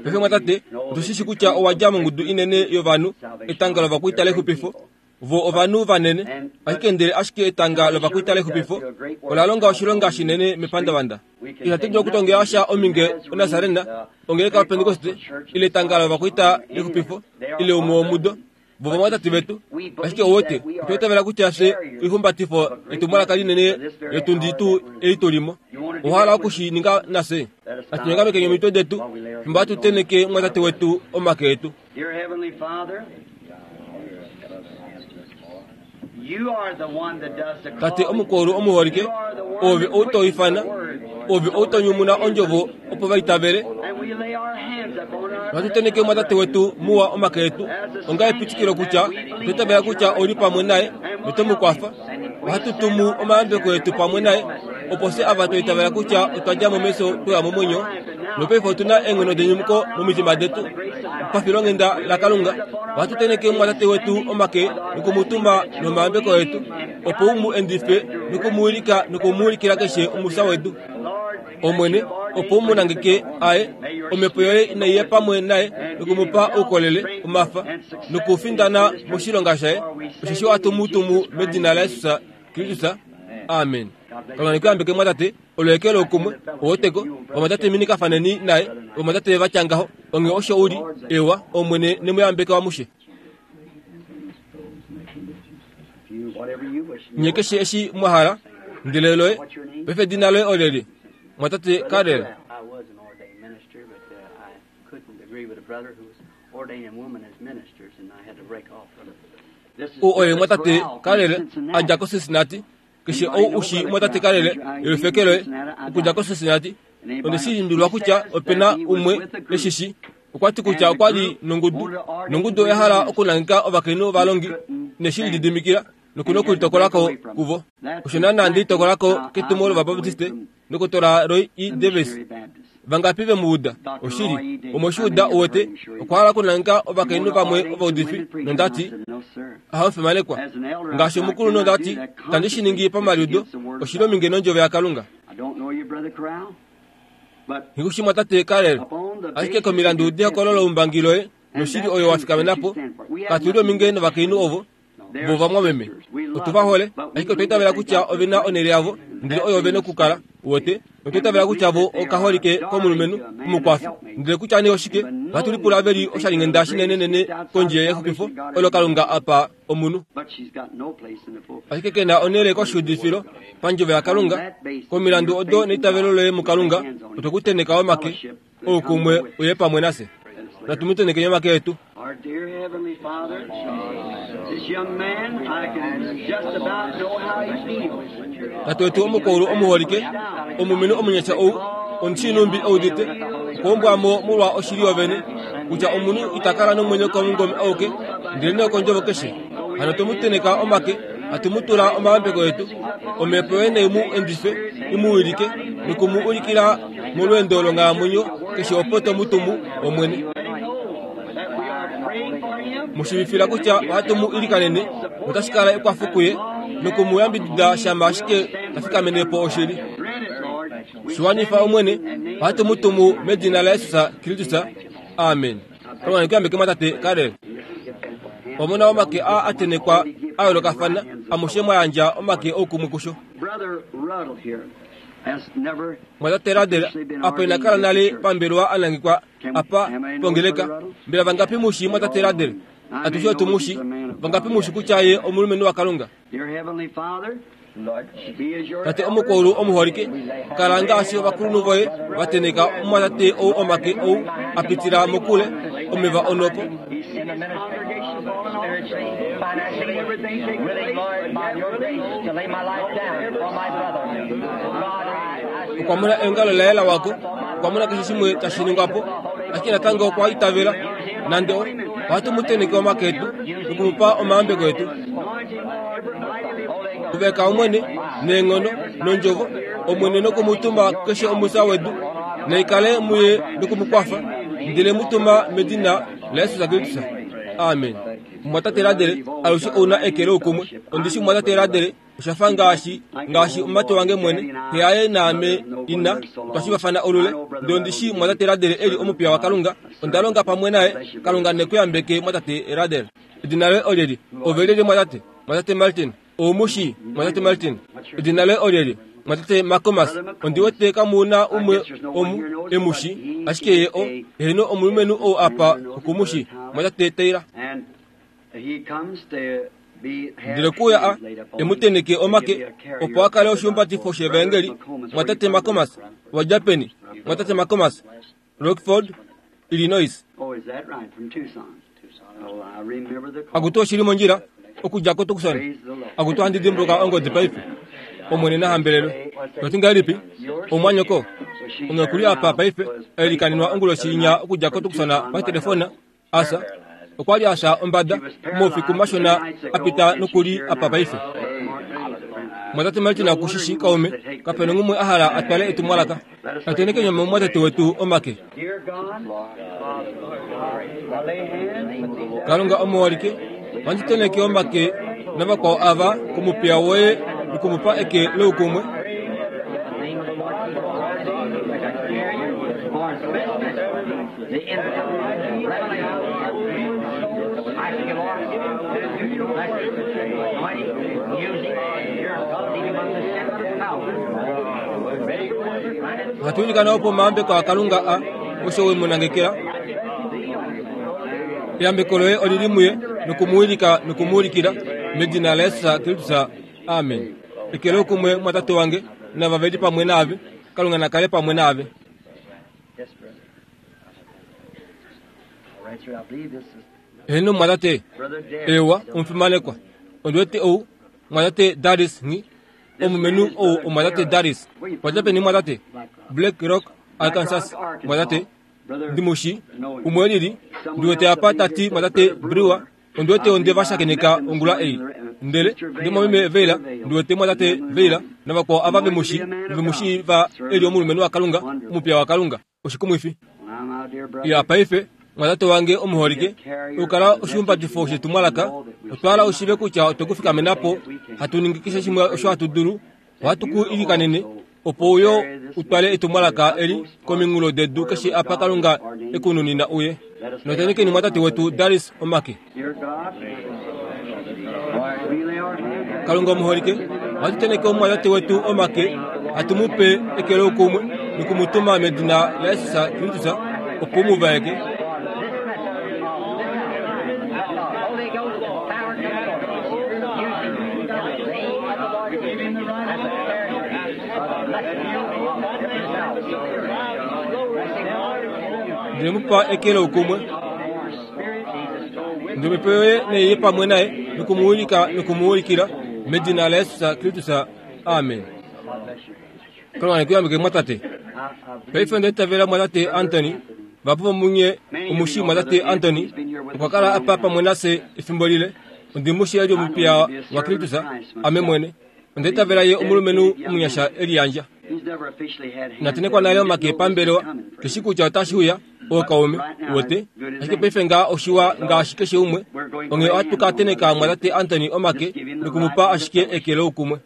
Paife mwatate, otu shi shi kutya owa dja mongudu inene yovanhu, etanga lovakwaita lexupifo. Vo ovanhu vanene, ashike ndele ashike etanga lovakwaita lexupifo ola longa oshilonga shinene mepandavanda. Ihatu dulu okutongela sha ominge oNasarena, ongeleka yoPentekoste, ile etanga lovakwaita lexupifo, ile umwe womudo. Vo vamwatate vetu, ashike ouwete, otwa itavela kutya fye oihumbatifo etumwalaka linene letundi tuu eli tulimo. Owa hala oku shi ninga nafye? Natu nyongamekeni omitwe detu fimbo hatu tenheke mwatate wetu omake etu. Tate omukulu omuholike, ove ou to ifana, ove ou to nyumuna ondjovo opo va itavele. Ohatu tenheke mwatate wetu muwa omake etu onga epitikilo kutya otwa itavela kutya ouli pamwe naye noto mu kwafa. Ohatu tumu omayambeko etu pamwe naye opo fye ava twa itavela kutya otwa dja momesho twaya momwenyo, nopaife otu na eenghono denyumuko momitima detu. Pafilonghenda laKalunga, ohatu tenheke mwatate wetu omake nokumutuma nomayambeko etu opo u mu endife nokumuwilika nokumuulikila keshe omusa wedu. Omwene, opo u mu nangeke aye, omhepo yoye inaiye pamwe naye nokumupa oukolele, omafa nokufindana moshilonga shaye, osheshi ohatu mu tumu medina laJesus Kristus. Amen. Kalunga nekuyambeke mwatate, olo eke loukumwe, oweteko, vamwatate minikafaneni naye, vamwatate vatya ngaho, onge osho uli, ewa, Omwene nemuyambeke wamushe. Nye keshe eshi mwa hala, ndele loye, paife edina loye oleli, mwatate Karel. I was an ordained minister, but uh, I couldn't agree with a brother who was ordaining women as ministers, and I had to break off from it. Ou oye mwatate Karel a dja koCincinnati. Keshe ou ushi mwatate Karel elufeke loye okudja koCincinnati. Onde shi limbililwa kutya opena umwe eshishi. Okwa ti kutya okwa li nongudu, nongudu oya hala okunangeka ovakainhu ovalongi, neshi lididimikila nokuna okulitokolako kuvo. Osho naana nde litokolako ketumo lOvabaptiste nokutola Roy E. Davis. Vangapi ve mu uda? Oshili, omweshiuda uwete, okwa hala okunangeka ovakainhu vamwe ovaudifi, nondati hamufimanekwa ngaashi omukulu, nondati itandi shi ningi pamaliudo, oshili ominge nondjovo yaKalunga. Nghikushi mwatate Karel, ashike komilandu dehokololo loumbangi loye noshili oyo wa fikamena po, katuli ominge novakainhu ovo vo vamwameme. Otu va hole, ashike otwa itavela kutya ove na onhele yavo, ndele oyo ve nokukala, uwete. Otwa itavela kutya vo okaholike komulumenhu omukwafi, ndele kutya nee oshike, ohatu lipula ve li oshalinghenda shinenenene kondje yexupifo olo Kalunga apa omunhu. Ashike ke na onhele koshiudifilo pandjovo yaKalunga, komilandu odo neitavelo loye muKalunga, otwe ku tenheka omake oukumwe uye pamwe nafye. Natu mu tenhekeni omake etu. Our dear Heavenly Father, this young man, I can just about know how he feels. Tate wetu omukulu omuholike, omulumenhu omunyasha ou, omushinumbi oudite, okwombwamo molwa oshili yovene, kutya omunhu ita kala nomwenyo komungome auke, ndele nokondjovo keshe. Hano twemu teneka omake, hatu mu tula omayambeko etu. Omhepo yoye nai mu endife, i mu wilike, noku mu ulikila molweendo longhalamwenyo keshe opo to mu tumu, Omwene. Mu shiivifila kutya ohatu mu ilikanene, notashi kala ekwafo kuye, noku mu yambidida shama ashike ta fikamene po oshili. Shiwanifa Omwene, ohatu mu tumu medina laJesus Kristus. Amen. Kalunga nekuyambeke mwatate Karel. Omona omake a atenekwa a yoolokafana, amushe mwa yandja omake oukumwe kusho. Mwatate Radel apa ina kala nale pambelwa anangikwa apa pongeleka. Mbela vangapi mushi mwatate Radel? Atushe otu mushi. Vangapi mushi kutya ye omulumenhu waKalunga? Tate omukulu omuholike, kala ngaashi ovakulunhu voye vateneka omwatate ou omake ou apitila mokule omeva onhopo. Okwa mona eongalo laye la wako, okwa mona keshe shimwe tashi ningwa po, ashike natango okwa itavela. Nande ohatu mu teneke omake etu nokumupa omayambeko etu. Kuveka Omwene neenghono nondjovo, Omwene nokumutuma keshe omusa wedu, naikale muye nokumukwafa, ndele mutuma medina laJesus Kristus. Amen. Mwatate Radele alushe ouna eke loukumwe. Ondishi mwatate Radele oshafa ngaashi ngaashi omumati wange mwene, xe yaye naame ina twashivafana olule. Ndele ondishi mwatate Radele eli omupiya waKalunga, onda longa pamwe naye. Kalunga nekuyambeke mwatate Radele. Edina loye olyeli? Ove lyelye mwatate? Mwatate Martin. Oumushi mwatate Martin. Edina loye olyeli? Mwatate Makomas. Ondi wete kamu na umwe omu emushi, ashike ye o eheno omulumenhu ou apa okumushi, mwatate Taylor. Ndele kuya a emuteneke omake opo a kale oshihumbatifo shevangeli. Mwatate Makomas, wadja peni? Mwatate Makomas, Rockford, Illinois. Akutu oshili mondjila okudja koTucson. Akutu handi dimbuluka ongodi paife. Omwene nahambelelwe. Toti ngahelipi? Omwanyoko ongekuli apa paife ailikaninwa onguloshi inya okudja koTucson patelefona. Asa okwa li asha ombada moufiku mashona apita nokuli apa paife. Mwatate Martin akushishi kaume kapena ngumwe ahala atwale etumwalaka. Ateneke nyama mwatate wetu omake. Kalunga omuholike, wanditeneke omake navakwao ava kumupiya woye nokumupa eke loukumwe. Hatuilikana opo omayambeko aKalunga a osho wemunangekela. Eyambeko loye olili muye nokumuwilika nokumuulikila medina laJesus Kristus. Amen. Eke loukumwe mwatate wange nava veli pamwe naave. Kalunga nakale pamwe naave. Eheno mwatate ewa omufimanekwa. Ondiwete ou mwatate Darius nghi omumenhu ou omwatate Darius. Wadja peni mwatate? Black Rock, Arkansas. Mwatate ndimushi umwe lili ndiwete apa tati mwatate Brewer. Ondiwete onde vashakeneka ongula ei. Ndele ndimwameme Veila, ndiwete mwatate Veila navakwao ava vemushi vemushi va eli omulumenhu waKalunga, omupiya waKalunga. Oshikumwifi. Ya paife mwatate wange omuholike, okukala oshihumbatifo shetumwalaka, otwala ushive kutya otwekufikamenapo, hatu ningi keshe shimwe osho hatu dulu, ohatu ku ilikanene opo uyo utwale etumwalaka eli kominghulo dedu keshe apa Kalunga ekununina uye. Notenekeni mwatate wetu Darius omake. Kalunga omuholike, ohatu teneke omwatate wetu omake, hatu mupe eke loukumwe nokumutuma medina laJesus Kristus opo muvaeke. Ndele mupa eke loukumwe. Ndomhepo yoye neiye pamwe naye nokumuwilika nokumuulikila medina laJesus Kristus. Amen. Kalunga nekuyambeke mwatate. Paife ondaitavela mwatate Anthony. Vapo vomunye omushi mwatate Anthony okwa kala apa pamwe nafye efimbo lile. Ondi mu shii eli omupiya waKristus, ame mwene. Onda itavela ye omulumenhu omunyasha e liyandja. Inatenekwa nale omake pambelewa, keshi kutya otashi uya, ookaume, uwete. Ashike paife ngaa oshiwa ngaashi keshe umwe. Onghee ohatu ka teneka mwatate Anthony omake nokumupa ashike eke loukumwe.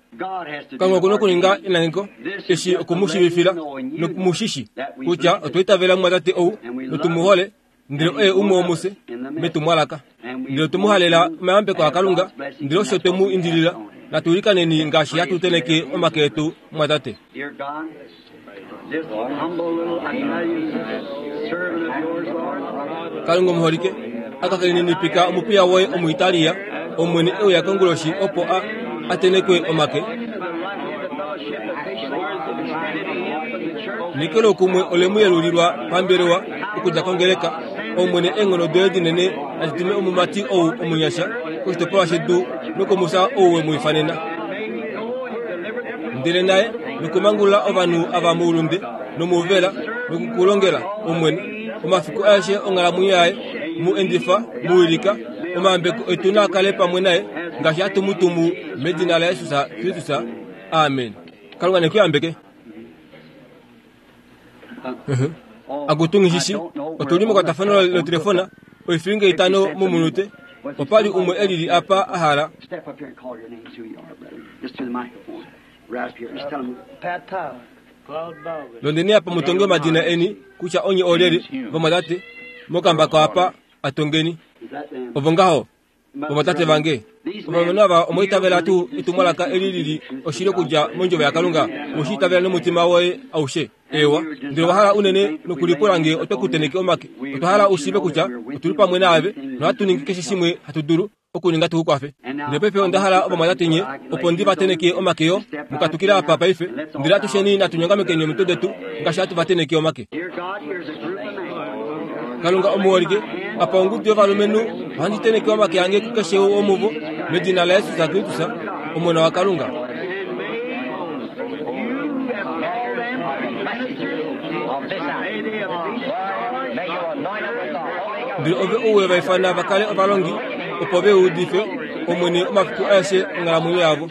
Kalunga okuna okuninga enangeko eshi okumushivifila nokumushishi kutya otwa itavela mwatate ou notumuhole, ndele oye umwe womufye metumwalaka. Ndele otwe mu halela omayambeko aKalunga, ndele osho twe mu indilila. Natu ilikaneni ngaashi hatu teneke omake etu mwatate. Kalunga omuholike, akakelininipika omupiya woye Omuitalia, Omwene e uya konguloshi opo a atenekwe omake. Neke loukumwe ole mu yelulilwa pambelewa okudja kongeleka. Omwene eenghono doye dinene nadi tume omumati ou omunyasha koshitopolwa shedu nokumusa ou we mu ifanena. Ndele naye nokumangulula ovanhu ava moulunde nomouvela nokukulongela Omwene omafiku aeshe onghalamwenyo yaye, mu endifa, mu wilika, omayambeko etu naa kale pamwe naye ngaashi hatu mu tumu medina laJesus Kristus. Amen. Kalunga ne ku yambeke. Akutu nghishishi, otuli mekwatafano lotelefona oifilinga itano momunute. Opa li umwe e lili apa a hala. Londeni apa mutonge omadina eni kutya onye oolyelye, vamwatate, mokambako apa atongeni. Ovo ngaho, vamwatate vange. Ovalumenhu ava omwa itavela tuu etumwalaka eli lili oshili okudja mondjovo yaKalunga? Owe shi itavela nomutima woye aushe? Eewa, ndele owa hala unene nokulipula nge otwe ku teneke omake. Otwa hala u shiive kutya otuli pamwe naave nohatu ningi keshe shimwe hatu dulu okuninga tu ku kwafe. Ndele paife onda hala ovamwatate nye opo ndi va teneke omake yo mukatukile apa paife. Ndele atusheni natu nyongamekeni omitwe detu ngaashi hatu va teneke omake. Kalunga omuholike, apa ongudu yovalumenhu ohandi teneke omake ange kukeshe womuvo medina laJesus Kristus, Omona waKalunga. Ndele ove ou we va ifana va kale ovalongi opo ve udife Omwene omafiku aeshe onghalamwenyo yavo.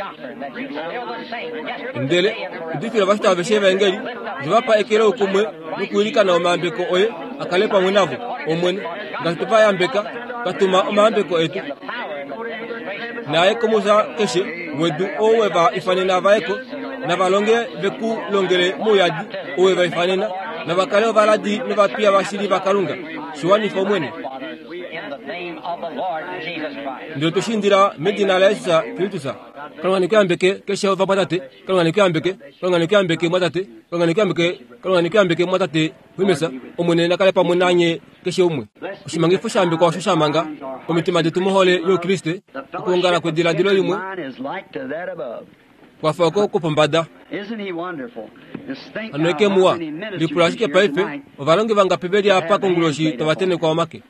Ndele udifila ovafita aveshe evaengeli, ove va pa eke loukumwe nokuilikana omayambeko oye a kale pamwe navo, Omwene, ngaashi twe va yambeka, twa tuma omayambeko etu. Naye komusa keshe wedu ou we va ifanena va ye ko, nava longe ve ku longele mouyadi ou we va ifanena, nava kale ovaladi novapiya vashili vaKalunga. Shi wanifa Omwene. Ndele otwe shi indila medina laJesus Kristus. Kalunga ne ku yambeke keshe ovamwatate. Kalunga ne ku yambeke. Kalunga ne ku yambeke mwatate. Kalunga ne ku yambeke. Kalunga ne ku yambeke mwatate Wimesa. Omwene na kale pamwe nanye keshe umwe. Oshimangifo sha yambekwa osho sha manga omitima detu mohole youKriste, okuongala kwediladilo limwe kwafa oko kwopombada. Hano eke muwa, lipula ashike paife, ovalongi vangapi ve li apa konguloshi tava tenekwa omake?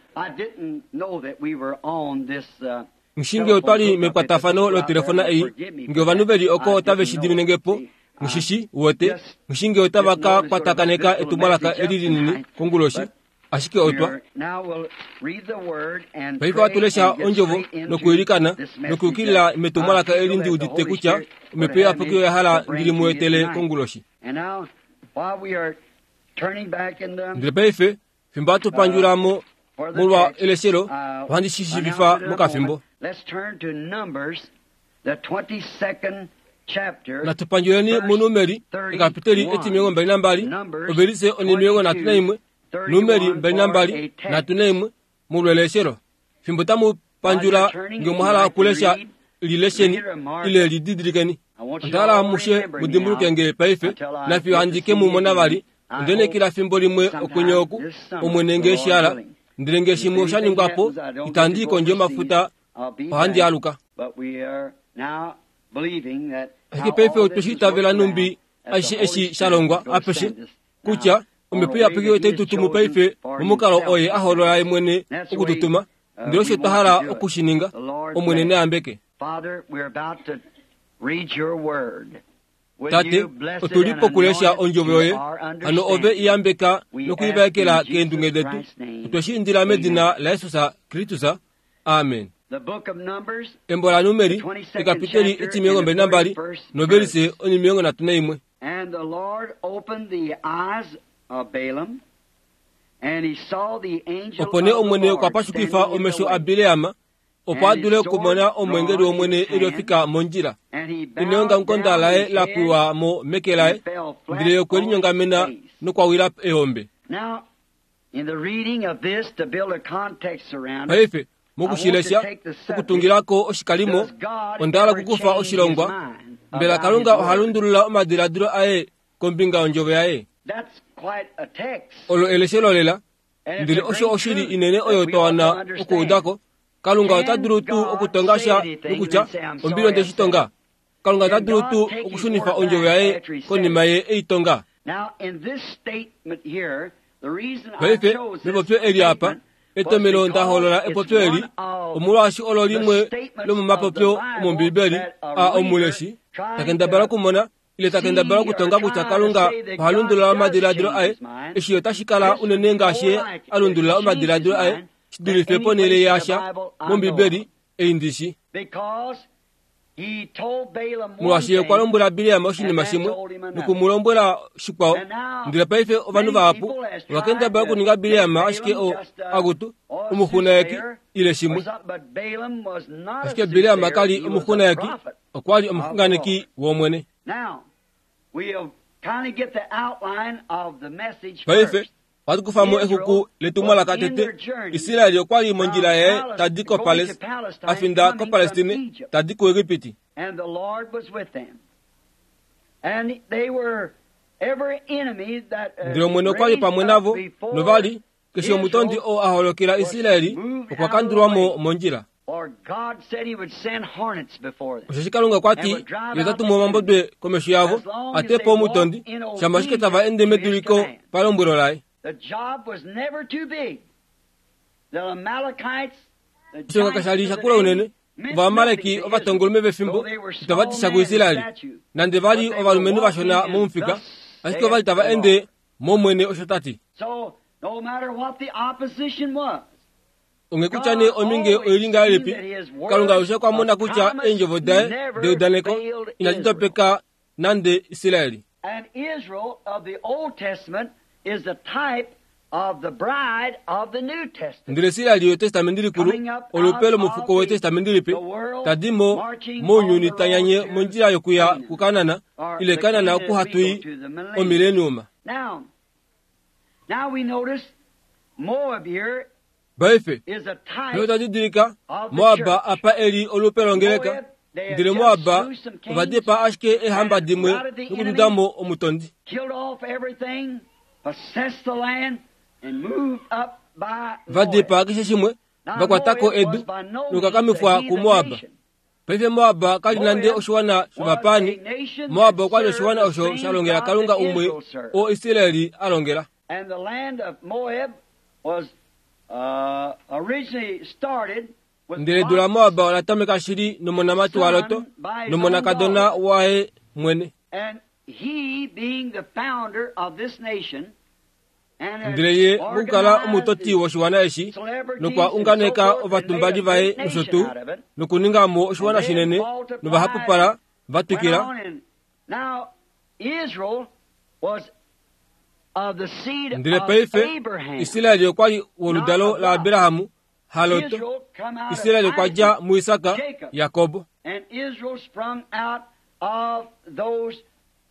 Nghishinge otwa li mekwatafano lotelefona ei, nge ovanhu ve li oko otave shi dimine nge po, nghishishi, uwete, nghishinge otava ka kwatakaneka etumwalaka eli linini konguloshi, ashike otwa. Paife ohatu lesha ondjovo nokuilikana nokuyukilila metumwalaka eli ndi udite kutya Omhepo Iyapuki oya hala ndi li mu etele konguloshi. Ndele paife, fimbo hatu pandjula mo molwa eleshelo, ohandi shi shiivifa mokafimbo. Natu pandjuleni muNumeri ekapiteli etimilongo mbali nambali, ovelise onimilongo nhatu naimwe, Numeri mbali nambali nhatu naimwe molwa eleshelo. Fimbo tamu pandjula nge omwa hala okulesha li lesheni ile li didilikeni. Onda hala amushe mu dimbuluke nge paife, nafiyo handi ke mu mona vali. Onda nekila fimbo limwe okwenye oku, Omwene nge eshi hala, ndele nge shimwe osha ningwa po, itandi i kondje yomafuta, ohandi aluka. Ashike paife otwe shi itavela nhumbi aishe eshi sha longwa apeshe, kutya Omhepo Iyapuki otai tu tumu paife momukalo oye a holola ye mwene oku tu tuma. Ndele osho twa hala oku shi ninga. Omwene ne yambeke. Tate, otu li pokulesha ondjovo yoye, hano ove i yambeka nokuivaekela keendunge detu. Otwe shi indila medina laJesus Kristus. Amen. Embo la Numeri ekapiteli etimilongo mbali nambali novelise onimilongo nhatu naimwe. And the Lord opened the eyes of Balaam, and he saw the angel Opo nee Omwene okwa pashukifa omesho aBileam, opo a dule okumona omweengeli wOmwene e lifika mondjila. Neongamukonda laye la pwiwa mo meke laye, ndele ye okwe linyongamena nokwa wila eombe. Now, in the reading of this, to build a context around it, Paife mokushilesha okutungilako oshikalimo, onda hala okukufa oshilongwa. Mbela Kalunga oha lundulula omadiladilo aye kombinga yondjovo yaye. That's quite a text. Olo eleshelo lela, And it's ndele a osho great oshili truth inene oyo that we twa ought to wana understand. okuudako. Kalunga ota dulu tuu okutonga sha nokutya ombili onde shi tonga. Kalunga ota dulu tuu okushunifa ondjovo yaye konima ye ei tonga. Now, in this statement here, the reason I Paife chose this mepopyo eli apa, statement was etomelo nda holola because epopyo it's eli, one of omolwaashi olo limwe lomomapopyo omOmbibeli a omuleshi takendabala okumona ile takendabala okutonga kutya Kalunga oha lundulula omadiladilo aye. Eshi otashi kala unene ngaashi ye a lundulula omadiladilo aye shi dulife ponhele yasha mOmbibeli ei ndishi. because he told Balaam one Molwaashi ye okwa thing, lombwela Bileam oshinima shimwe noku mu lombwela shikwao. Ndele paife ovanhu vahapu ova kendabala okuninga Bileam ashike o akutu omuxunayeki ile or shimwe. something, but Balaam was not a Ashike Bileam soothsayer, kali he was a omuxunayeki, prophet. okwa li omuxunganeki wOmwene. Now, we'll kind of get the outline of the message Paife first. ohatu kufa mo exuku letumwalaka tete. Israeli okwa li mondjila yaye tadi ko Pales-, a finda koPalestine tadi kuEgipiti. And the Lord was with them. And they were every enemy that uh, Ndele Omwene okwa li raised pamwe up navo, before novali keshe omutondi oo a holokela Israeli okwa kandulwa mo mondjila. For God said he would send hornets before them. Osheshi Kalunga okwa ti ye ota tumu omambodwe komesho yavo a te po omutondi, shama ashike tava ende meduliko palombwelo laye. The job was never too big. The Amalekites, the Oshilonga giants kasha li of the shakula day, unene. meant Ovaamaleki nothing to ovatongolume Israel, vefimbo though they were itava ti small sha men in kuIsraeli, stature. nande va li But they ovalumenhu were vashona walking momufika, and thus ashike ova li tava saith the ende Lord. mOmwene osho ta ti. So, no matter what the opposition was, Onge kutya nee ominge oili ngahelipi, Kalunga alushe okwa mona kutya eendjovo daye deudaneko inadi topeka nande Israeli. And Israel of the Old Testament is the type of the bride of the New Testament. Ndele Israeli yetestamenti likulu olupe lomufuko wetestamenti lipe tadi mo mounyuni tanyanye mondjila yokuya kuKanana ile Kanana okuhatui omileniuma. Now, now we notice Moab here Paife is a type paife otwa didilika Moab apa eli olupe longeleka, ndele Moab ova dipa ashike eehamba dimwe nokududa mo omutondi. killed off everything, possessed the land, and moved up by Va Moab. dipa keshe shimwe, Now, va kwatako Moab edu was by no means nokukakamifwa a heathen kuMoab. nation. Paife Moab kali nande oshiwana shovapani. Moab okwa li oshiwana osho sha longela Kalunga umwe oo Israeli a longela. And the land of Moab was uh, originally started with Ndele edu la Moab ola tameka shili nomonamati waLot nomonakadona waye mwene. And he being the founder of this nation, and had Ndele ye mokukala organized omutoti woshiwana eshi celebrities nokwa and so unganeka forth, and ovatumbali made a vaye great nosho nation tuu out of it. nokuninga mo oshiwana shinene novahapupala va Went twikila. on and now Israel was of the seed Ndele of paife Abraham. Israeli okwa li woludalo laAbrahamu haLot. Israel come out of Israeli okwa dja Isaac, muIsaka Jacob. Yakobo. And Israel sprung out of those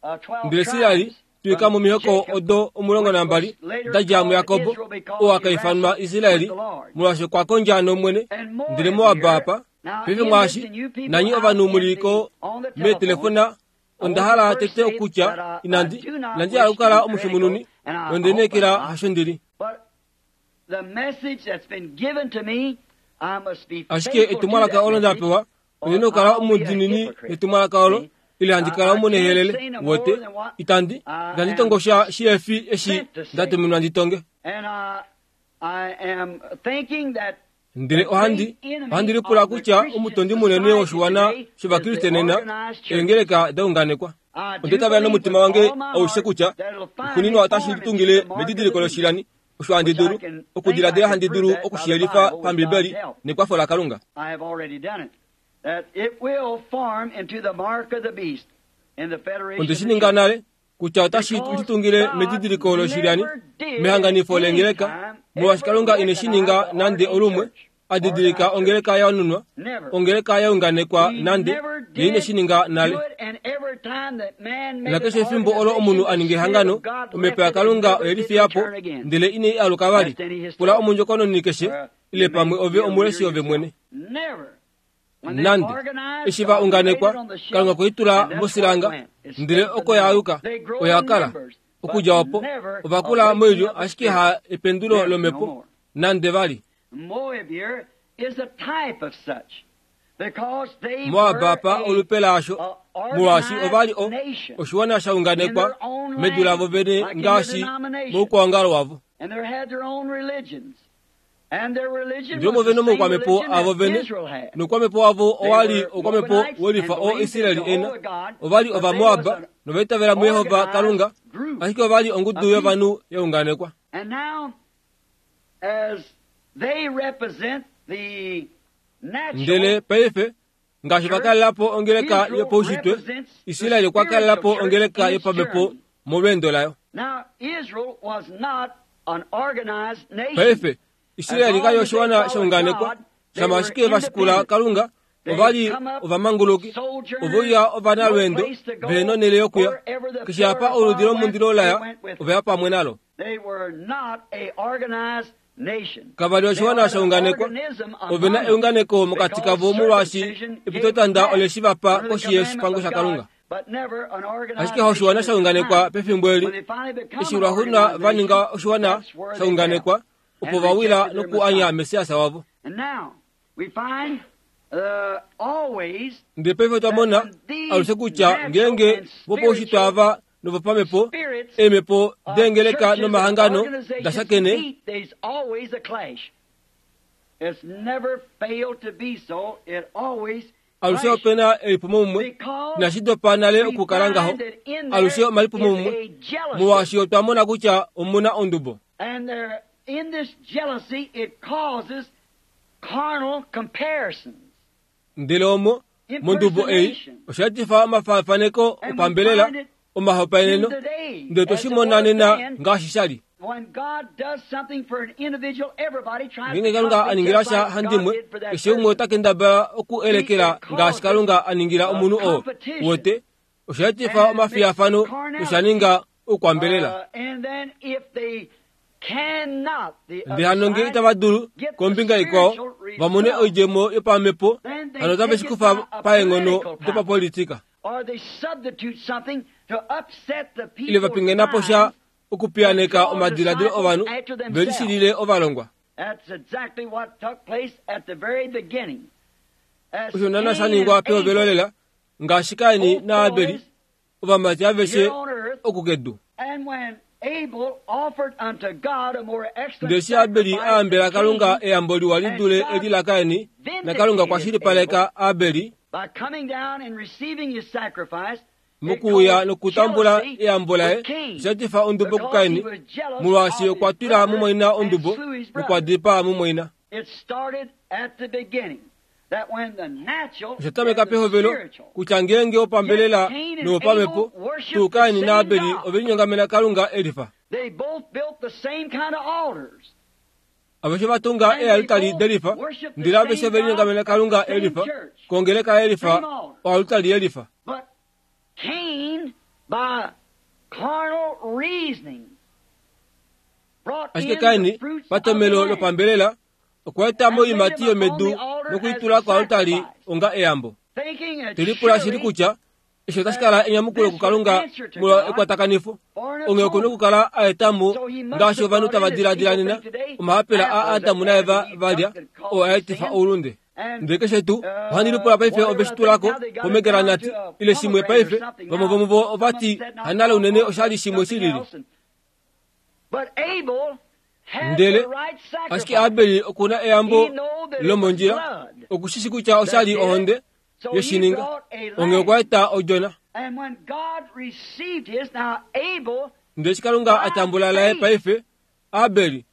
uh, twelve Ndele Israeli tribes twika from momihoko Jacob, odo omulongo which nambali was later da dja called muYakobo Israel because oo he akaifanwa wrestled Israeli with the Lord. molwaashi okwa kondja nOmwene. And Moab Ndele Moab here, apa now paife in mwaashi this, and you people nanyi out ovanhu in muliko the- on the telephone, meetelefona onda hala tete okutya inandi inandi hala okukala omushimununi nondenekela hasho ndili. But the message that's been given to me, I must be Ashike faithful to etumwalaka that olo nda message, pewa or ondina okukala I'll be a omudinini hypocrite. netumwalaka olo See? ile handi kala I- I can't omunehelele say no more wote than what itandi I itandi am tongo sha shihefi eshi sent to say. ndatuminwa ndi tonge. And I, I am thinking that Ndele ohandi ohandi lipula kutya omutondi munene woshiwana shovakriste nena eengeleka daunganekwa. I do Onde tavela believe nomutima with wange all my aushe heart kutya that it'll find kunino its otashi form tungile into the mark of medidiliko the loshilani Osho handi dulu okudiladila handi dulu okushiyelifa pambibeli nekwafo laKalunga. Onde shi ninga nale kutya otashi litungile medidiliko loshilyani mehanganifo lengeleka, molwaashi Kalunga ine shi ninga nande olumwe adidilika ongeleka ya nunwa, ongeleka ya unganekwa nande ye ine shi ninga nale. Nakeshe efimbo olo omunhu a ninga ehangano, omhepo yaKalunga oye lifiya po ndele ine i aluka vali. Pula omundjokononi keshe ile pamwe ove omuleshi ove mwene. Nande eshi va unganekwa, Kalunga okwe i tula mosilanga ndele oko ya aluka, oya kala. Okudja opo ova kula moilyo, ashike ha ependulo lomhepo nande vali. Moab apa olupe laasho, molwaashi ova li oshiwana sha unganekwa medu lavo vene ngaashi moukwaongalo wavo. Ndele ovo vene omoukwamhepo avo vene, noukwamhepo wavo owa li oukwamhepo welifa oo Israel ena. Ova li Ovamoab nova itavela muYehova Kalunga, ashike ova li ongudu yovanhu ya unganekwa. Ndele paife ngaashi va kalela po ongeleka yopaushitwe, Israel okwa kalela po ongeleka yopamhepo molweendo layo. Paife Israel kali oshiwana sha unganekwa, shama ashike va shikula Kalunga, ova li ovamanguluki, ove uya ovanalweendo ve nonhele yokuya. Keshe apa oludi lomundilo laya, ova ya pamwe nalo. Kava li oshiwana sha unganekwa, ove na eunganeko mokati kavo molwaashi epitotanda ole shi va pa koshi yoshipango shaKalunga. Ashike oshiwana sha unganekwa pefimbo eli, eshi lwaxuuninwa va ninga oshiwana sha unganekwa, opo va wila nokuanya Messias wavo. Ndele paife otwa mona alushe kutya ngeenge vopaushitwe ava novopamhepo, eemhepo deengeleka nomahangano da shakene, alushe ope na elipumomumwe, inashi dopa nale okukala ngaho, alushe omalipumomumwe, molwaashi otwa mona kutya omuna ondubo. Ndele omo mondubo ei osha etifa omafaafaneko opambelela, omahopaeneno, ndele tweshi mona nena ngaashi sha li. Ngeenge Kalunga a ningila sha handimwe, keshe umwe ota kendabala oku elekela ngaashi Kalunga a ningila omunhu oo wote, osha etifa omafiyafano nosha ninga oukwambelela. Ndele hano ngee itava dulu kombinga ikwao va mone oidjemo yopamhepo, hano otave shi kufa paenghono dopapolitika. Ile va pingena po sha okupiyaneka omadiladilo ovanhu ve lishilile ovalongwa. Osho naana sha ningwa pehovelo lela, ngaashi Kain naAbeli, ovamati aveshe okukedu. Ndele eshi Abeli a yambela Kalunga eyambo liwa li dule eli laKain, naKalunga okwa shilipaleka Abeli mokuuya nokutambula eyambo laye, osha etifa ondubo kuKain, molwaashi okwa twila mumwaina ondubo nokwa dipaa mumwaina. Osha tameka pehovelo kutya ngeenge wopambelela nowopamhepo, tuu Kain naAbeli ove linyongamena Kalunga elifa. Aveshe va tunga ealutali delifa, ndele aveshe ve linyongamena Kalunga elifa, kongeleka elifa, oalutali yelifa. Ashike Kain, patomelo lopambelela, okwa eta moimati yomedu nokuitula koalutali onga eyambo. Telipula shili kutya eshi otashi kala enyamukulo kuKalunga molwa ekwatakanifo, onghee oku na okukala a eta mo ngaashi ovanhu tava diladila nena, omahapela a Adamu naEva va lya, oo a etifa oulunde. Ndele keshe tuu ohandi lipula paife ove shi tulako pomegranati ile shimwe paife, vamwe vomuvo ovati hanale unene osha li shimwe shi lili. Ndele ashike Abeli oku na eyambo lomondjila, okushishi kutya osha li ohonde yeshininga, onghee okwa eta odjona. Ndele eshi Kalunga a tambula laye paife, Abeli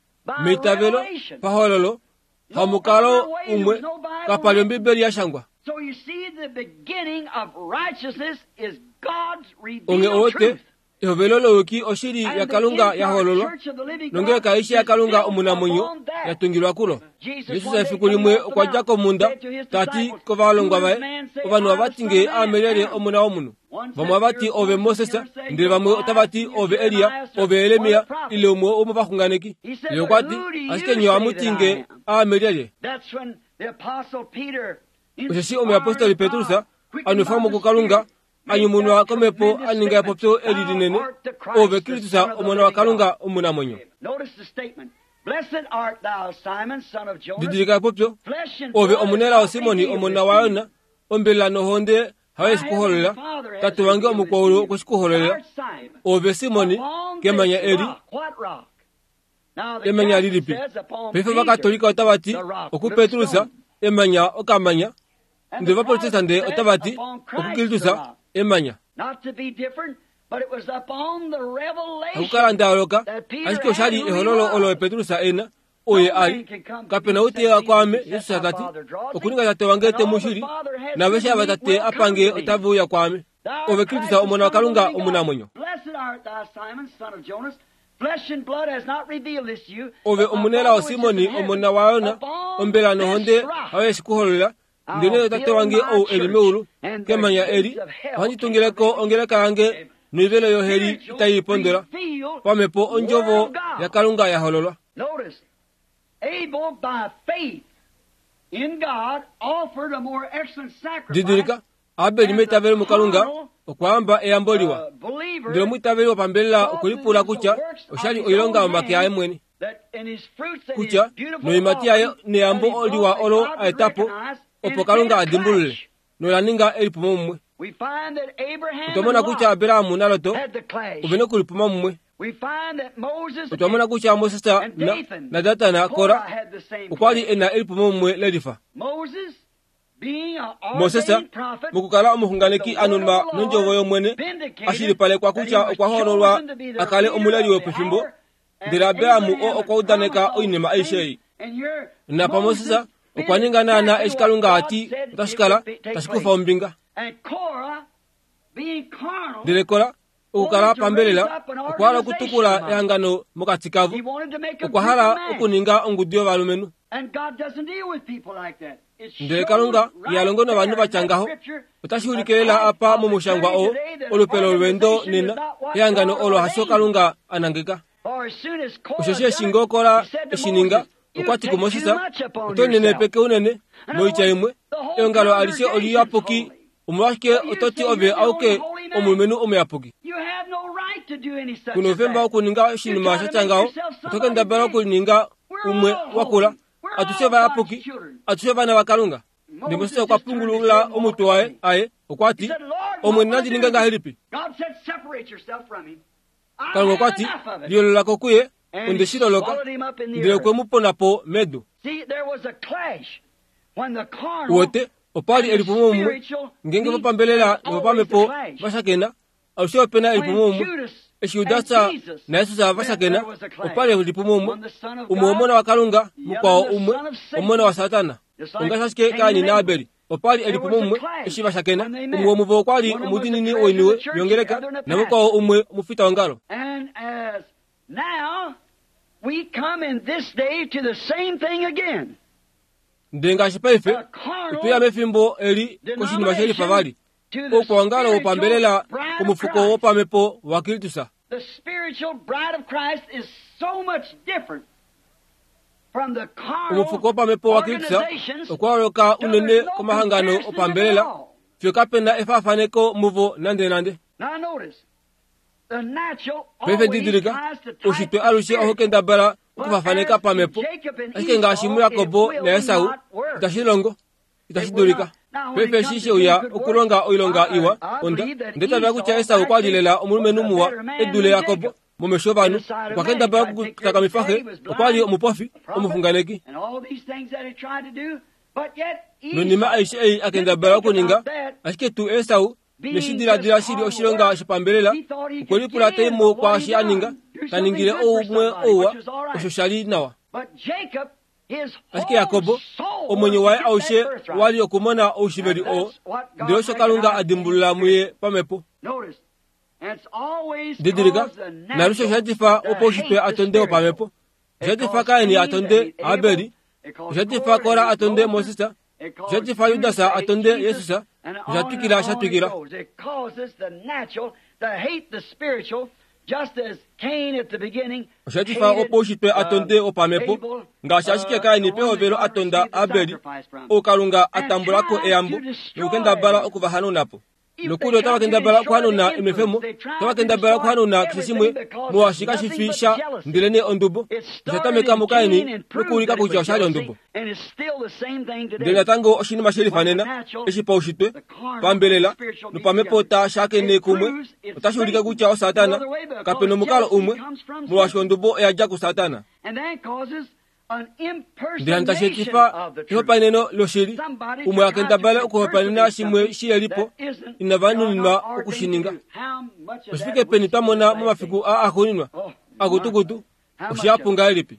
Meitavelo pahololo hamukalo umwe kapali Ombibeli ya shangwa. Onge owote ehovelo loyuki oshili ya Kalunga ya hololwa nongeleka aishe ya Kalunga omunamwenyo ya tungilwa kulo. Jesus efiku limwe okwa dja komunda tati kovalongwa vaye ovanhu avati nge aame omuna womunhu. Vamwe avati ove Moses, ndele vamwe otavati ove Elia, ove Yeremia ile umwe womovaxunganeki. Ye okwa ti ashike nye ohamuti nge aame lyelye. Osheshi omuyapostoli Petrus anwefwamo kuKalunga anyumunwa komhepo a ninga epopyo eli linene, ove Kristus omona waKalunga omunamwenyo. Didilika epopyo, ove omunelao Simoni omona waYona, ombelela nohonde hayo yeshikuhololela, Tate wange omukwaulu okweshikuhololela. Ove Simoni kemanya eli, emanya lilipi? Paife Ovakatolika otavati oku Petrus emanya okamanya, ndele Ovaprotestante otavati oku Kristus emanya. Hakukala ndayooloka, ashike oshali ehololo olo Petrus ena oye ali. Kapena ou teya kwaame, Jesus tati, okuninga Tate wange te mu shili, naaveshe ava Tate apange otave uya kwaame. Ove Kristus omona waKalunga omunamwenyo. Ove omunelao Simoni omona waYona, ombela nohonde hayo yeshikuhololela, ndele Tate wange ou eli meulu, kemanya eli, ohandi tungileko ongeleka yange noivelo yoheli itai pondola. Pamhepo ondjovo yaKalunga ya hololwa. Didilika, Abeli meitavelo muKalunga okwa amba eyambo liwa, ndele omwiitaveli wopambelela okwelipula kutya oshali oilonga yomake aye mwene, kutya noimati yaye neyambo liwa olo aetapo opo Kalunga a dimbulule, nola ninga elipumo mumwe. Otwa mona kutya Abrahamu naLot ove okulipuma mumwe. Otwa mona kutya Moses na, na Datan Kora okwa li ena elipumo mumwe lelifa. Moses mokukala omuxunganeki anunwa nondjovo yOmwene ashilipalekwa kutya okwa hoololwa a kale omuleli wopefimbo, ndele Abrahamu oo okwa udaneka oinima aishe ei. Napa Moses okwa ninga naana eshi Kalunga ati otashi kala tashi kufa ombinga. Ndele Kora okukala pambelela okwa hala okutukula ehangano mokati kavo, okwa hala okuninga ongudu yovalumenhu. Ndele Kalunga iha longo novanhu vatya ngaho. Otashi ulike lela apa momushangwa oo olupe lolweendo nena ehangano olo hasho Kalunga a nangeka. Osheshi eshi ngoo Kora eshi ninga, okwa ti kuMoses, oto nenepeke unene noitya imwe, eongalo alishe oliyapuki, omolwashike oto ti ove auke omulumenhu omuyapuki? Kuna oufemba wokuninga oshinima shatya ngaho, oto kendabala okulininga umwe wakula. Atushe ovayapuki, atushe ovana vaKalunga. Ndele Moses okwa pungulula omutwe waye aye, okwa ti, Omwene nandi ninge ngahelipi? Kalunga okwa ti, liyoolola ko kuye, onde shi loloka, ndele okwe mu pona po medu. Uwete, opa li elipumo mumwe, ngeenge vopambelela novopamhepo vashakena, alushe opena elipumo mumwe. Eshi Judas naJesus vashakena, opa li elipumo mumwe, umwe omona waKalunga, mukwao umwe omona waSatana. Ongaashi ashike Kaini naAbeli, opa li elipumo mumwe eshi vashakena, umwe womuvo okwa li omudiinini woiniwe yongeleka, namukwao umwe omufitaongalo. Ndele ngaashi paife, otweya mefimbo eli koshinima shelifa vali, oukwaongalo wopambelela komufuko wopamhepo waKristus. Omufuko wopamhepo waKristus okwa yooloka unene komahangano opambelela, fiyo kapena efaafaneko muvo nande nande. Paife didilika, ushitwe alushe ohau kendabala okufafaneka pamhepo, ashike ngaashi muJakobo naEsau, itashi longo, itashi dulika. Paife eshi sheuya okulonga oilonga iwa, onda ndetavela kutya Esau okwa li lela omulumenhu muwa e dule Jakobo momesho ovanhu, okwa kendabala okutakamifa xe, okwa li omupofi, omuxunganeki. Noinima aishe ei a kendabala okuninga, ashike tuu Esau neshidiladila shili oshilonga shopambelela, okwe lipula taimo kwaashi a ninga, ta ningile oumwe ouwa, osho sha li nawa. Ashike Jakobo, omwenyo waye aushe wali okumona oushiveli oo, ndele osho Kalunga a dimbulula muye pamhepo. Didilika, nalushe oshatifa opo oushitwe a tonde wopamhepo. Oshatifa Kaini a tonde Abeli, oshatifa Kora a tonde Moses, oshatifa Judas a tonde Jesus, oshatwikila shatwikila. Oshatifa opo oushitwe a tonde wopamhepo, ngaashi ashike Kaini pehovelo a tonda Abeli, ou Kalunga a tambula ko eyambo nokukendabala okuvahanuna po. Nokuli otava kendabala okuhanuna emefemo, otava kendabala okuhanuna keshe shimwe molwaashi kashifi sha ndelenee ondubo. Osha muKaini nokuulika kutya oshali ondubo. Ndele natango oshinima she lifanena eshi paushitwe, pambelela nopamhepo ta shakene kumwe, otashi ulike kutya oSatana kape nomukalo umwe, molwaashi ondubo oya dja kuSatana. Ndele tashi etifa ehopaeneno loshili, umwe a kendabale okuhopaenena shimwe shilelipo inava nuninwa okushininga. Oshifike peni twa mona momafiku aa axuuninwa akutukutu, oshihapu ngahelipi?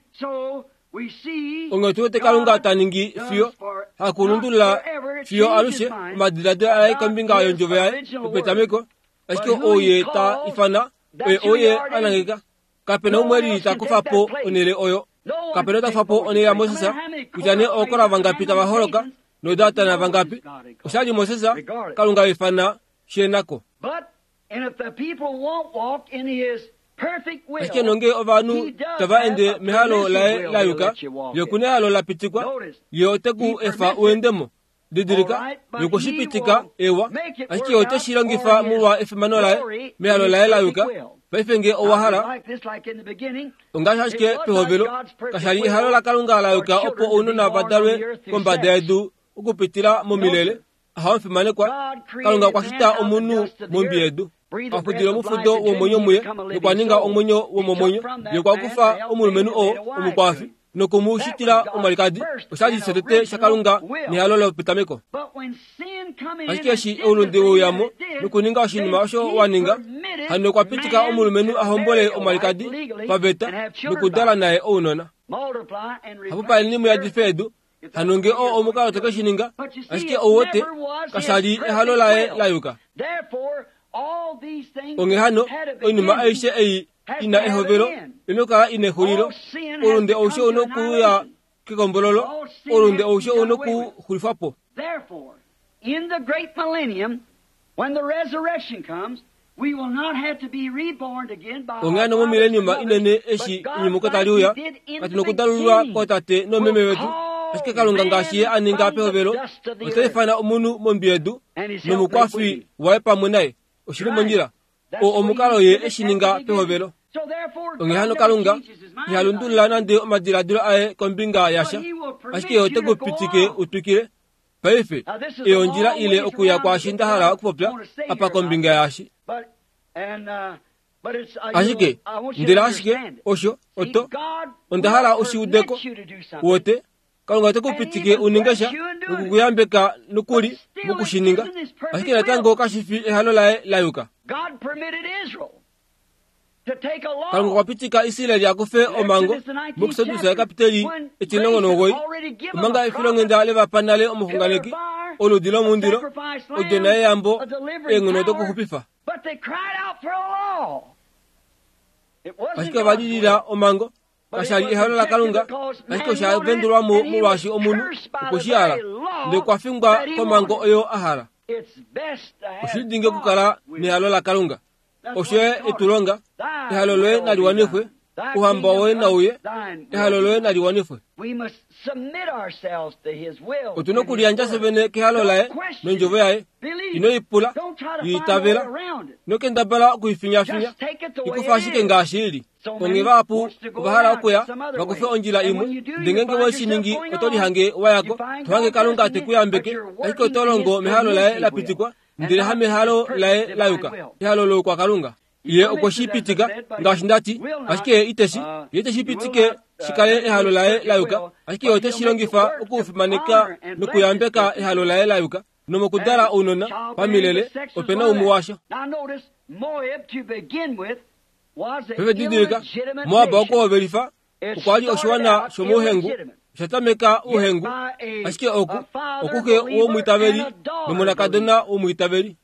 Onghee tu wete Kalunga ta ningi fiyo hakulundulula fiyo alushe omadiladilo aye kombinga yondjovo yaye yopetameko, ashike ou ye ta ifana oye ou ye a nangeka. Kapena umwe lili ta kufa po onhele oyo. Kapena ta kufa po onhele yaMoses, kutya nee ookora vangapi tava holoka nodatana vangapi. Oshali Moses, Kalunga ifana shenako. Ashike nonge ovanhu tava ende mehalo laye la yuka, ye okuna ehalo la pitikwa, ye ote ku efa uendemo. Didilika, ye okwe shi pitika ewa, ashike ye ote shi longifa molwa efimano laye mehalo laye la yuka. Paife nge owa hala, ongaashi ashike pehovelo, kashali ehalo laKalunga la yuka opo ounona va dalwe kombada yedu okupitila momilele. Ahamufimanekwa, Kalunga okwa shita omunhu mombi yedu. Afudile omufudo womwenyo muye, nokwa ninga omwenyo womomwenyo. Ye okwa kufa omulumenhu oo omukwafi nokumushitila omwalikadi. Oshali shetete shaKalunga nehalo lopetameko. Ashike eshi oulunde weuyamo nokuninga oshinima osho wa ninga, hano okwa pitika omulumenhu a hombole omwalikadi paveta nokudala naye ounona. Hapupaleni muyadife edu, hano nge oo omukalo toke shi ninga, ashike ouwote kashali ehalo laye la yuka. Onghee hano oinima aishe ei ina ehovelo inokala ina exulilo. Oulunde aushe ou nokuuya kekombololo, oulunde aushe ou nokuxulifwa po. Onghee hano momileniuma inene eshi enyumuko tali uya, katu nokudalululwa kootate noomeme vetu, ashike Kalunga ngaashi ye a ninga pehovelo, ota ifana omunhu mombi yedu nomukwafi waye pamwe naye. Oshili mondjila, oo omukalo ye eshi ninga pehovelo. Onghee hano Kalunga iha lundulula nande omadiladilo aye kombinga yasha, ashike ye ote ku pitike utwikile. Paife eyo ondjila ile okuya kwaashi nda hala okupopya apa kombinga yaashi. Ashike ndele ashike osho oto onda hala ushiudeko wote Kalunga ote ku pitike uninge sha nokukuyambeka nokuli mokushininga, ashike natango kashifi ehalo laye la yuka. Kalunga okwa pitika Israeli akufe omango mokusedusa ekapiteli etilongo nomugoyi, omanga efilonghenda levapa nale omuxunganeki, oludi lomundilo, odjona yeyambo, eenghono dokuxupifa. Ashike ova lilila omango, kashali ehalo laKalunga, ashike osha vendulwa mo molwaashi omunhu okwe shi hala, ndele okwa fingwa komango oyo a hala. Oshili dingi okukala nehalo laKalunga. Osho ye etu longa, ehalo loye nali wanifwe, ouhamba woye nauye, ehalo loye nali wanifwe. Otu na okuliyandja fye vene kehalo laye nondjovo yaye. Ino ipula, yiitavela, nokendabala okuifinyafinya, ikufa ashike ngaashi ili. Onghee vahapu ova hala okuya vakufe ondjila imwe, ndele ngeenge we shi ningi oto lihange wayako, to hange Kalunga te ku yambeke, ashike oto longo mehalo laye la pitikwa, ndele hamehalo laye la yuka, ehalo loukwakalunga. Ye okwe shi pitika ngaashi ndati, ashike ye iteshi, ye iteshi pitike shikale ehalo laye la yuka, ashike ye ote shi longifa okufimaneka nokuyambeka ehalo laye la yuka, nomokudala ounona pamilele opena umwe washo. Pefedidilika Moab okuhovelifa okwa li oshiwana shomouhengu oshatameka ouhengu ashike oku okuxe womwiitaveli nomonakadona womwiitaveli.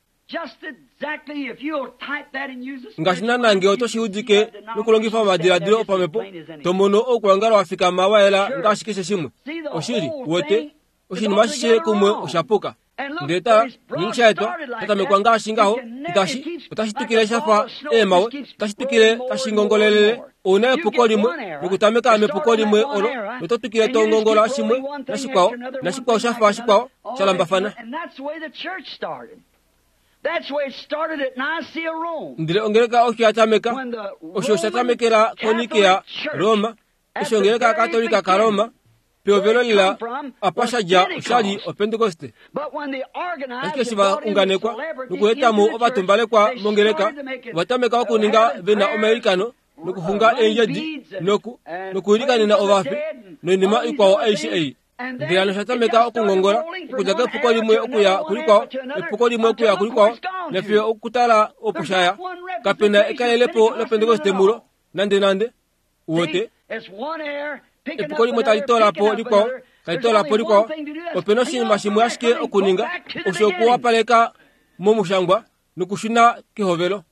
Ngaashi naana ngee oto shi udike nokulongifa omadiladilo opamhepo to mono oukwangalo wa fikama wa yela ngaashi keshe shimwe. Oshili uwete oshinima ashishe kumwe oshapuka. Ndele tala ngeenge shaetwa shatamekwa ngaashi ngaho itashi otashi twikile shafa eemawe otashi twikile tashi ngongolelele. Ouna epuko limwe nokutameka mepuko limwe olo noto twikile to ngongola shimwe nashikwao nashikwao shafa shikwao shalambafana. Ndele ongeleka osho yatameka osho shatamekela koNikea Roma eshi ongeleka Katolika kaRoma pehovelo lela apa shadja oshali oPentekoste. Ashike eshi va unganekwa nokuetamo ovatumbalekwa mongeleka ovatameka okuninga vena omailikano nokuxunga eendjedi noku nokuilikanena ovafi noinima ikwao aishe ei. Ndele hano oshatameka okungongola okudja kepuko limwe okuya kulikwao epuko limwe okuya kulikwao nafiyo okutala opo shaya. Kapena ekalelepo loPentekoste mulo nande nande. Uwete epuko limwe tali toola po likwao tali toola po likwao. Opena oshinima shimwe ashike okuninga osho okuwapaleka momushangwa nokushuna kehovelo.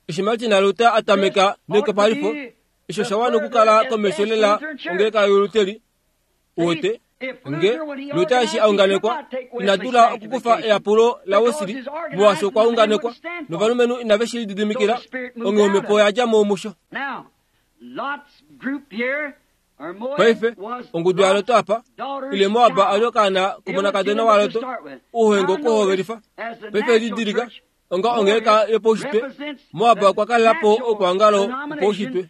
Eshi Martin Luther atameka neyukipalifo osho osha okukala komesho lela ongeleka yoLuteri. Uwete nge Luther eshi aunganekwa ina dula okukufa eyapulo laWesley molwaashi okwa unganekwa novalumenhu inave shi lididimikila onghee omhepo yadja mo musho. Paife ongudu yaLot apa ile Moab ali okaana komonakadona waLot ouhengu okuhovelifa. Paife didilika onga ongeleka yopaushitwe Moab okwa kalelapo oukwangalo wopaushitwe.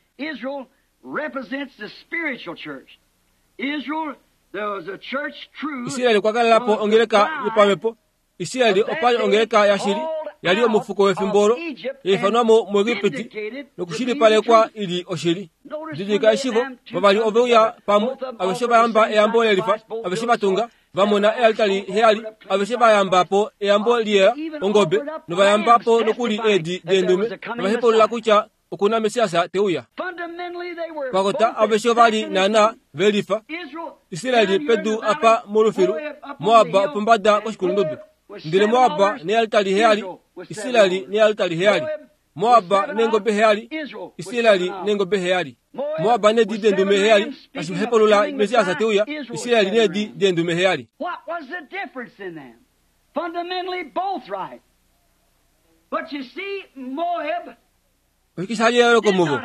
Israel okwa kalelapo ongeleka yopamhepo. Israel opali ongeleka yashili yali omufuko wefimbo olo yaifanwamo muEgipiti nokushilipalekwa ili oshili. Didilika eshivo vavali oveuya pamwe aveshe vayamba eyambo lelifa aveshe vatunga vamona ealtari heyali aveshe vayamba po eyambo liyela ongobe novayamba po nokuli eedi deendume novahepaulula kutya okuna Messias teuya. Pakota aveshe ovali naana velifa. Israel pedu apa molufilu Moab opombada koshikulundudu. Ndele Moab nealtari heyali Israel nealtari heyali. Moab neengobe heyali Israel neengobe heyali. Moab needi deendume heyali tashi hepaulula Messias teuya. Israel needi deendume heyali. Oshike shali eyooloko muvo?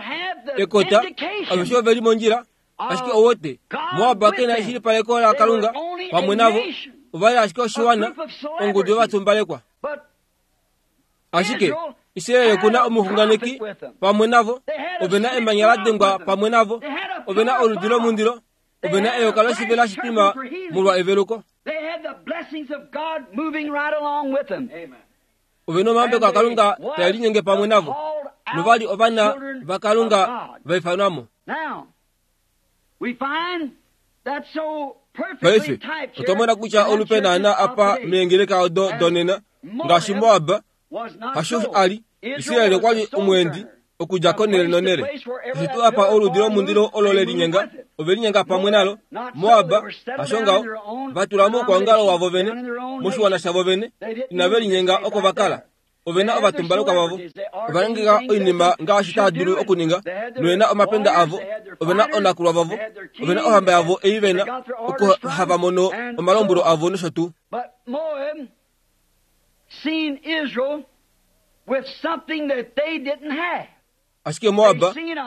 Ekota aveshe oveli mondjila ashike owote Moab kena eshilipaleko laKalunga pamwe navo ovali ashike oshiwana ongudu yovatumbalekwa. Ashike Israel okuna omuxunganeki pamwe navo ovena emanya la dengwa pamwe navo ovena oludi lomundilo ovena eyoka loshivela shitima molwa eveluko. Ovena omahambeko aKalunga tae linyenge pamwe navo novali ovana vaKalunga vaifanwamo. Paife otwa mona kutya olupe naana apa meengeleka odo donena ngaashi Moab hasho ali Israel okwali omweendi okudja konele nonele. Eshi tuu apa oludi lomundilo olo lelinyenga ovelinyenga pamwe nalo. Moab hasho ngaho vatula moukwangalo wavo vene moshiwana shavo vene inave linyenga oko vakala. Ovena ovatumbalekwa vavo ovalongeka oinima ngaashi tava dulu okuninga novena omapenda avo ovena onakulwa vavo ovena ohamba yavo ei vena oko hava mono omalombwelo avo nosho tuu. Ashike Moab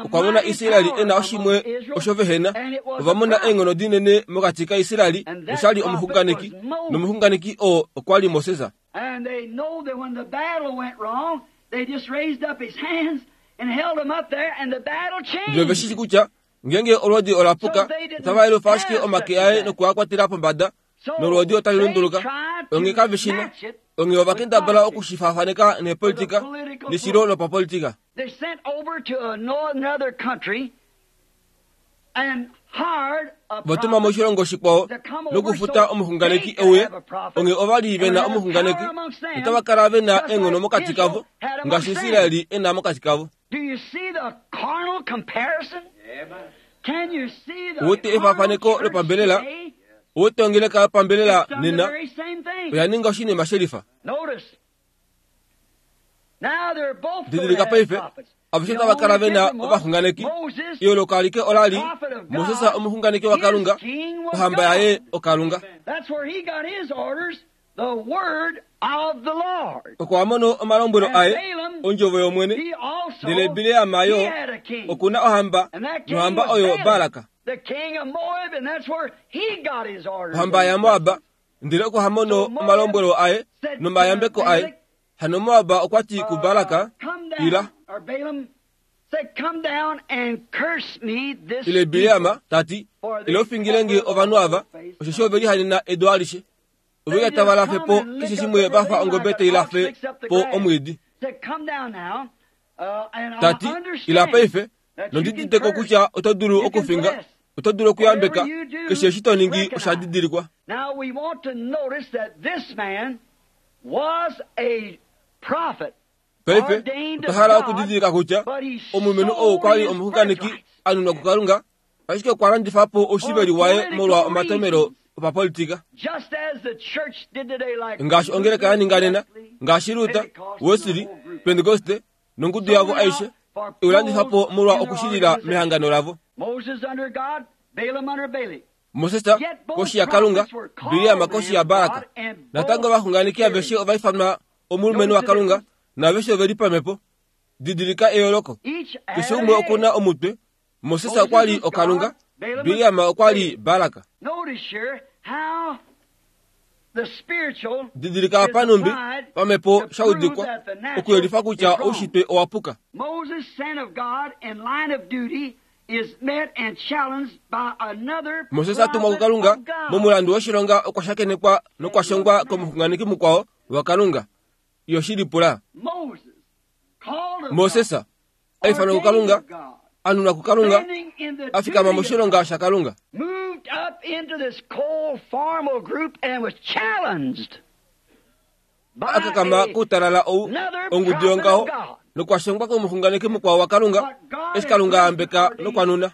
okwa mona Israel ena oshimwe osho vehena. Ova mona eenghono dinene mokati kaIsrael noshali omuxunganeki nomuxunganeki oo okwa li Moses. And they know that when the battle went wrong, they just raised up his hands and held him up there, and the battle Ndele veshi changed. kutya ngeenge olwoodi olapuka otava elufa ashike omake aye nokuakwatela pombada nolwoodi otali lunduluka. Onghee kaveshina onghee ovakendabala okushifaafaneka neepolitika neshilo lopapolitika. They sent over to another country and Vatuma moshilongo shikwao nokufuta omuxunganeki euye, onge ova li ve na omuxunganeki, notava kala ve na eenghono mokati kavo, ngaashi Israeli e na mokati kavo. Uwete efafaneko lopambelela, uwete ongeleka yopambelela nena, oya ninga oshinima shelifa. Didilika paife, aveshe otava kala ve na ovaxunganeki. Eyooloko alike ola li Moses omuxunganeki waKalunga, ohamba yaye oKalunga. Oko a mono omalombwelo aye, ondjovo yOmwene. Ndele Bileam yo oku na ohamba, nohamba oyo Balak, ohamba yaMoab. Ndele oko ha mono omalombwelo aye nomayambeko aye. Hano Moab okwa ti kuBalak, ila. Ile Bileam tati, ila ufingile nge ovanhu ava, osheshi ove lihanena edu alishe. Ove tava lafe po keshe shimwe va fa ongobe tai lafe po omwiidi. Tati, ila paife, nondidideko kutya oto dulu okufinga, oto dulu okuyambeka, keshe eshi to ningi osha didilikwa. Paife, otwa hala okudidilika kutya omulumenhu ou okwa li omuxunganeki a nunwa kuKalunga, ashike okwa landifa po oushiveli waye molwa omatomelo opapolitika. Ngaashi ongeleka ya ninga nena, ngaashi Luther, Wesley, Pentecoste nongudu yavo aishe, eulandifa po molwa okushilila mehangano lavo. Moses koshi yaKalunga, Bileam koshi yaBalak. Natango ovaxunganeki aveshe ova ifanwa omulumenhu waKalunga, naaveshe ove li pamhepo. Didilika eyooloko. Keshe umwe oku na omutwe. Moses okwa li oKalunga, Bileam okwa li Balak. Didilika apa numbi pamhepo shaudikwa okuyelifa kutya oushitwe owa puka. Moses atumwa kuKalunga momulandu woshilonga okwa shakenekwa nokwashongwa komuxunganeki mukwao waKalunga. Yoshilipula. Moses aifanwa kuKalunga, anunwa kuKalunga, afikama moshilonga shaKalunga. Akakama kutalala ou ongudu yongaho nokwashongwa komuxunganeki mukwao waKalunga, eshi Kalunga ambeka nokwanuna.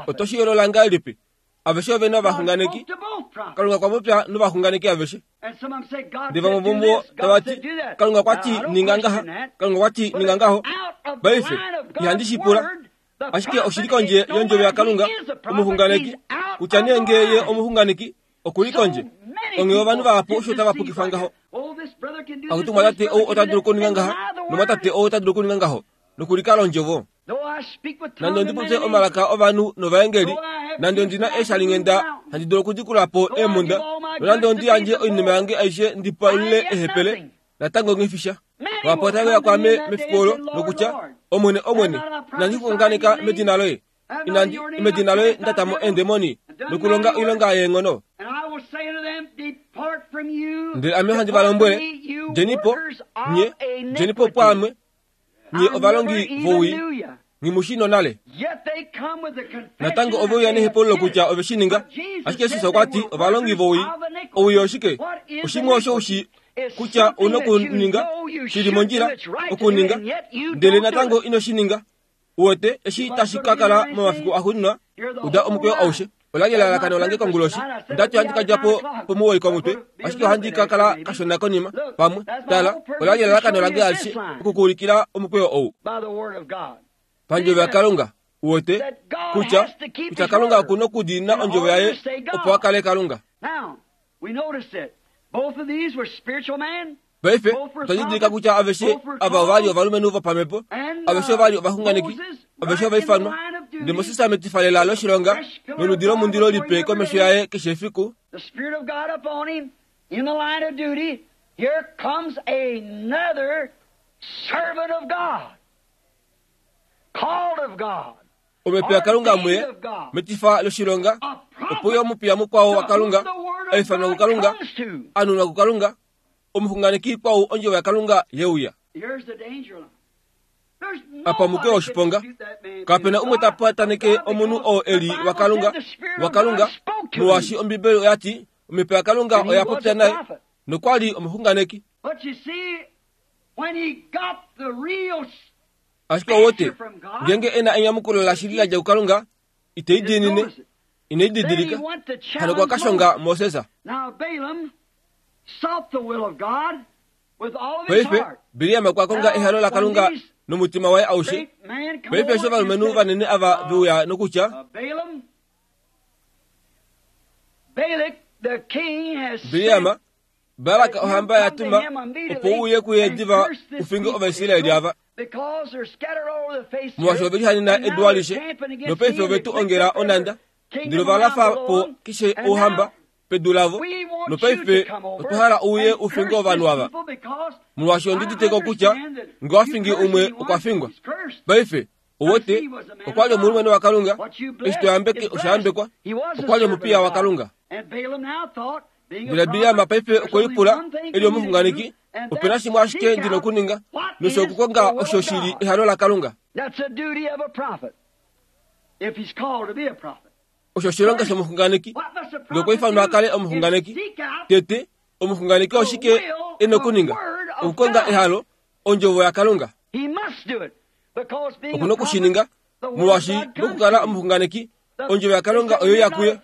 Oto shi yoolola ngahelipi? Aveshe ove na ovaxunganeki. Kalunga okwa popya novaxunganeki aveshe. Ndele vamwe vomuvo tava ti, Kalunga okwa ti ninga ngaha, Kalunga okwa ti ninga ngaho. Paife, ihandi shi pula. Ashike oshi li kondje yondjovo yaKalunga, omuxunganeki, kutya nee ngee ye omuxunganeki, oku li kondje. Onghee ovanhu vahapu osho tava pukifa ngaho. Akutu mwatate ou ota dulu okuninga ngaha, nomwatate ou ota dulu okuninga ngaho, nokulikala ondjovo. Nande ondi popye omalaka ovanhu novaengeli, nande ondi na eeshalinghenda handi dulu okudikula po eemhunda, nonande ondi yandje oinima yange aishe ndi palule ehepele, natango nghifisha. Vahapu otave uya kwaame mefiku olo nokutya, Omwene, Omwene, inandi xunganeka medina loye, inandi medina loye nda ta mo eendemoni nokulonga oilonga yeenghono. Ndele ame handi va lombwele, djeni po, nye, djeni po pwaame, nye ovalongi vowii, nghi nonale. Natango ove uya nehepululo kutya ove shi ninga, ashike Jesus okwa ti ovalongi vowii. Owii oshike? Oshimwe osho ushi kutya una okuninga shili mondjila okuninga, ndele natango ino shi ninga. Uwete eshi tashi ka kala momafiku axuuninwa, uda omukweyo aushe. Ola li elalakano lange konguloshi. Ondati ohandi ka dja po pomuwoi komutwe, ashike ohandi ka kala kashona konima. Pamwe, tala, ola li elalakano lange alishe okukuulikila omukweyo ou. Pandjovo yaKalunga, uwete kutya kutya Kalunga oku na okudiinina ondjovo yaye opo a kale Kalunga. Paife, otwa didilika kutya aveshe ava ova li ovalumenhu vopamhepo, aveshe ova li ovaxunganeki, aveshe ova ifanwa. Ndele Moses metifa lela loshilonga noludi lomundilo lipe komesho yaye keshe efiku. Omhepo yaKalunga muye metifa loshilonga, opo yo omupiya mukwao waKalunga, a ifanwa kuKalunga, a nunwa kuKalunga, omuxunganeki kwau ondjovo yaKalunga yeuya. Apa omukweyo woshiponga. Kapena umwe ta pataneke omunhu oo eli waKalunga, waKalunga, molwaashi Ombibeli oya ti omhepo yaKalunga oya popya naye nokwa li omuxunganeki. Ashike owote, ngeenge e na enyamukulo lashili la dja kuKalunga, ite i diinine, ine i didilika. Hano okwa ka shonga Moses. Paife Bileam okwa konga ehalo laKalunga nomutima waye aushe. Paife eshi ovalumenhu vanene ava ve uya nokutya, Bileam, Balak ohamba ya tuma opo u uye kuye diva u finge Ovaisraeli ava. Molwaashi ove lihanena edu alishe, nopaife ove tu ongela onhanda, ndele ova lafa po keshe ouhamba pedu lavo, nopaife otwa hala u uye u finge ovanhu ava. Molwaashi ondi udite kutya ngee owa fingi umwe okwa fingwa. Paife owote okwa li omulumenhu waKalunga, eshi to yambeke osha yambekwa, okwa li omupiya waKalunga. Ndele Bileam paife okwe lipula e li omuxunganeki, ope na shimwe ashike ndi na okuninga, nosho okukonga osho shi li ehalo laKalunga. Osho oshilonga shomuxunganeki, ngee okwa ifanwa a kale omuxunganeki. Tete, omuxunganeki oshike e na okuninga? Okukonga ehalo, ondjovo yaKalunga. Oku na okushininga, molwaashi mokukala omuxunganeki, ondjovo yaKalunga oyo ya kuye.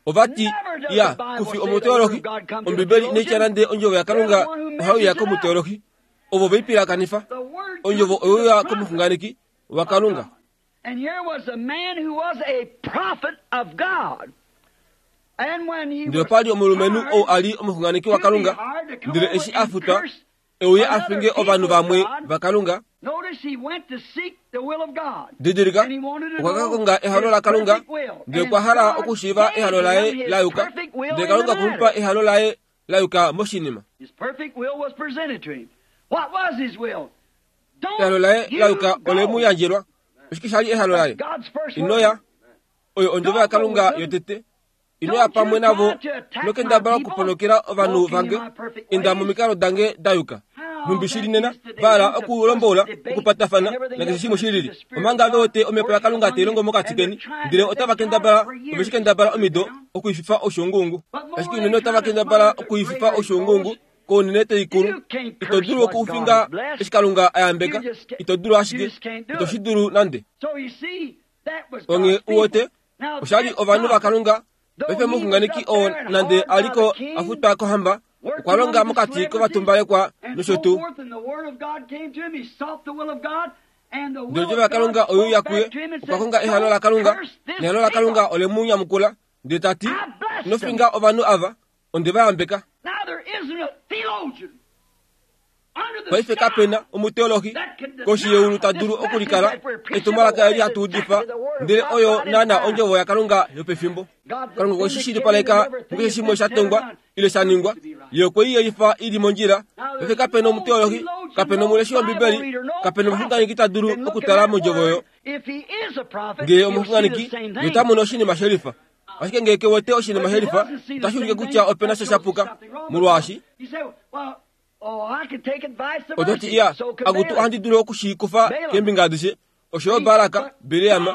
Ova ti, ya, kufi omuteolohi. Ombibeli inai tya nande ondjovo yaKalunga ohai uya komuteolohi. Ovo ve i pilakanifa. Ondjovo oyo uya komuxunganeki waKalunga. Ndele opa li omulumenhu ou a li omuxunganeki waKalunga, ndele eshi a futwa e uye a finge ovanhu vamwe vaKalunga. Didilika, okwa ka konga ehalo laKalunga, ndele okwa hala okushiiva ehalo laye la yuka, ndele Kalunga okwe mu pa ehalo laye la yuka moshinima. Ehalo laye la yuka ole mu yandjelwa. Oshike sha li ehalo laye? Ino ya. Oyo ondjovo yaKalunga yotete. Ino ya pamwe navo nokendabala okuponokela ovanhu vange, inda momikalo dange da yuka. Nhumbi shi li nena, va hala okulombola, okupatafana, nakeshe shimwe shi lili. Omanga ve wete omhepo yaKalunga tai longo mokati keni, ndele otava kendabala, ove shi kendabala omido, okuififa oshuunguungu. Ashike unene otava kendabala okuififa oshuunguungu kounene taikulu. Ito dulu okufinga eshi Kalunga a yambeka. Ito dulu ashike. Ito shi dulu nande. Onghee u wete, osha li ovanhu vaKalunga. Paife omuxunganeki oo nande a li ko a futwa kohamba, okwa longa mokati kovatumbalekwa nosho tuu. Ndele ondjovo yaKalunga oyo ya kuye, okwa konga ehalo laKalunga, nehalo laKalunga ole mu nyamukula, ndele ta ti, ino finga ovanhu ava, onde va yambeka. Paife kape na omuteolohi koshi yeulu ta dulu okulikala etumwalaka eli hatu udifa, ndele oyo naana ondjovo yaKalunga yopefimbo. Kalunga okwe shi shilipaleka mukeshe shimwe sha tongwa ile sha ningwa, ye okwe i yelifa i li mondjila. Paife kape na omuteolohi, kape na omuleshi wOmbibeli, kape na omuxunganeki ta dulu okutala mondjovo oyo. Ngee omuxunganeki, ye ota mono oshinima shelifa. Ashike ngee ke wete oshinima shelifa, otashi ulike kutya ope na sha sha puka, molwaashi oto ti, iya, akutu ohandi dulu okushikufa keembinga adishe, osho yo Balak, Bileam,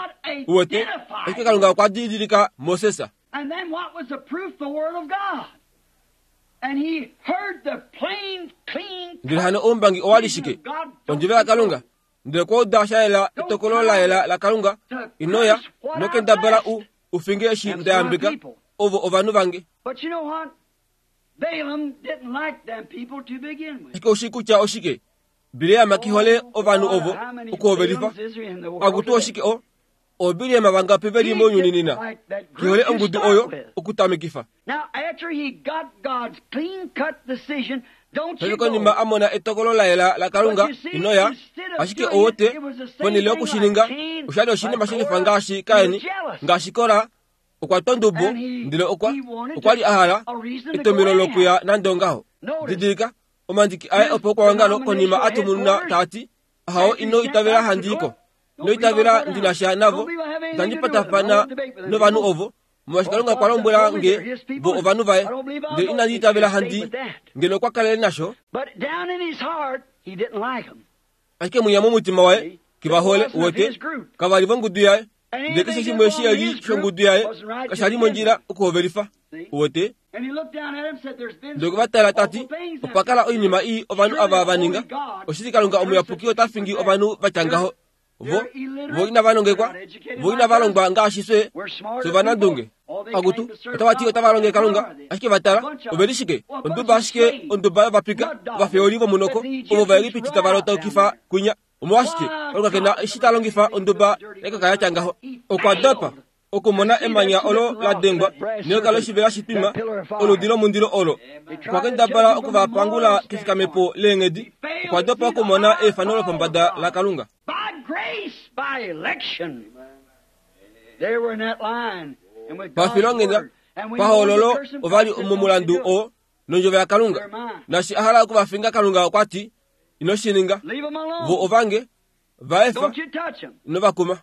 u wete, ashike Kalunga okwa didilika Moses. Ndele hano oumbangi owa li shike? Ondjovo yaKalunga. Ndele okwa uda sha yela etokolo la yela laKalunga, ino ya, nokendabala u u finge eshi nda yambeka, ovo ovanhu vange. Ashike oushii kutya oshike? Bileam ke hole ovanhu ovo okuhovelifa. Akutu oshike o? Oobileam vangapi ve li mounyuni nena? Ke hole ongudu oyo okutamekifa. Paife konima a mona etokolo la yela laKalunga, ino ya, ashike owote, ponhele yokushininga, osha li oshinima shelifa ngaashi Kain, ngaashi Kora, okwa twa ondubo, ndele okwa, okwa li a hala etomhelo lokuya nande ongaho. Didilika, omandiki aye opokwaongalo konima a tumununa taa ti, Ahao, ino itavela handi i ko. Ino itavela ndi na sha navo. Itandi patafana novanhu ovo, molwaashi Kalunga okwa lombwela nge vo ovanhu vaye. Ndele inandi itavela handi ngeno okwa kalele nasho. Ashike mwinya momutima waye kivahole uwete kavali vongudu yaye ndele keshe shimwe shiyali shongudu yaye kashali mondjila okuhovelifa uwete. Ndele vatala tati opakala oinima ii ovanhu ava vaninga oshili Kalunga omuyapuki ota fingi ovanhu vatya ngaho vo vo inavanongekwa vo inavalongwa ngaashi fye fye ovanandunge akutu otavati otavalonge Kalunga ashike vatala oveli shike onduba ashike onduba yovapika ovafeoli vomunoko ovo vaEgipiti tavalotaukifa kwinya omolwashike Kalunga kena eshi talongifa onduba yakaka yatya ngaho. Okwa dopa okumona emanya olo la dengwa neyoka loshivela shitwima oludi lomundilo olo. Okwa kendabala okuvapangula kefikamepo leenghedi. Okwa dopa okumona efano lopombada laKalunga. Pafilonghenda pahoololo ovali momulandu oo nondjovo yaKalunga. Nashi a hala okuvafinga Kalunga okwa ti ino shi ninga. Vo ovange vaefa inovakuma.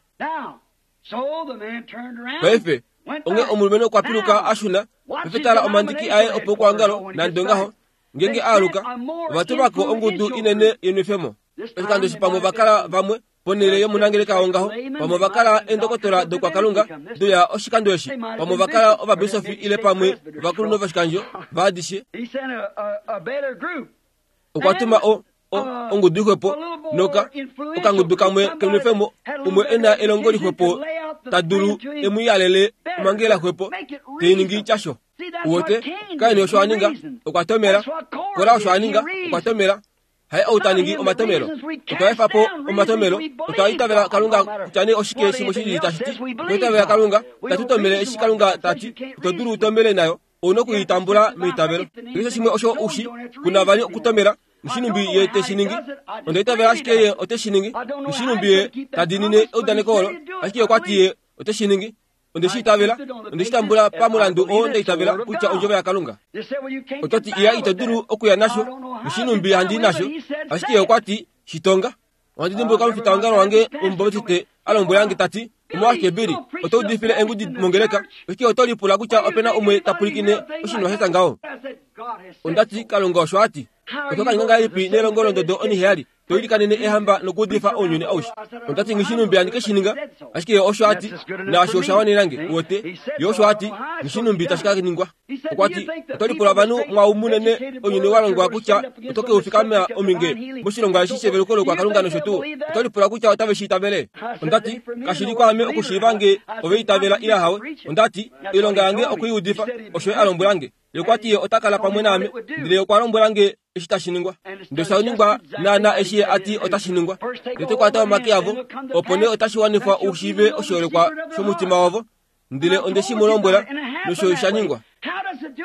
Paife onge omulumenhu okwa piluka a shuna paife tala omandiki aye opo kuangalo nande ngaho ngenge aaluka ovatulwako ongudu inene yenwefemo. Oshikando eshi pamwe vakala vamwe ponhele yomunangeleka wongaho pamwe vakala eendokotola dokwakalunga doya oshikando eshi pamwe vakala ovabisofi ile pamwe ovakulunhu voshikandjo vaadishe. Okwa tuma o ongudu ixwepo noka okangudu kamwe kenwefemo umwe ena elongo lixwepo tadulu emuyalele omangela xwepo teiningi tyasho. Uwete Kaini osho aninga okwa tomela. Kora osho aninga okwa tomela. Haye ou taningi omatomelo. Otwa efa po omatomelo. Otwa itavela Kalunga kutya nee oshike shimwe shili tashi ti. Otwa itavela Kalunga tatutomele eshi Kalunga tati ito dulu utomele nayo. Ouna okuitambula meitavelo. Keshe shimwe osho ushi kuna vali okutomela. Mushinumbi ye teshiningi onda itavela ashike ye oteshiningi. Mushinumbi ye tadinine eudaneko olo ashike okwa ti ye oteshiningi. Onde shi itavela onde shi tambula pamulandu oo nda itavela kutya ondjovo yaKalunga. Otati iya ito dulu okuya nasho. Mushinumbi handi nasho ashike okwa ti shitonga. Ohandi dimbuluka omufitaongalo wange omubaptiste a lombwela tati omolwashike Bili oto udifile engudi mongeleka ashike oto lipula kutya opena umwe ta pwilikine oshinima shatya ngaho. Ondati Kalunga osho ati oto kaninga ngahelipi nelongo londodo oniheyali to ilikanene ehamba nokuudifa ounyuni aushe. Ondati ngishinumbi handi keshininga ashike osho ati naasho osha wanenange uwete ye osho ati ngishinumbi tashi ka ningwa. Okwa ti oto lipula ovanhu mwau munene ounyuni wa longwa kutya oto keufikama ominge moshilongo eshi sheveluko lokwakalunga nosho tuu. Oto lipula kutya otave shi itavele. Ondati kashili kwaame okushiiva nge ove itavela ila hawe. Ondati oilonga yange okuiudifa osho a lombwelange. Ye okwa ti ye ota kala pamwe naame ndele okwa lombwelange eshi tashi ningwa. Ndele osha ningwa naana eshi a ti otashi ningwa. Tete kwata omake avo opo nee otashi wanifwa ushiive oshiholekwa shomutima wavo. Ndele onde shi mu lombwela nosho sha ningwa.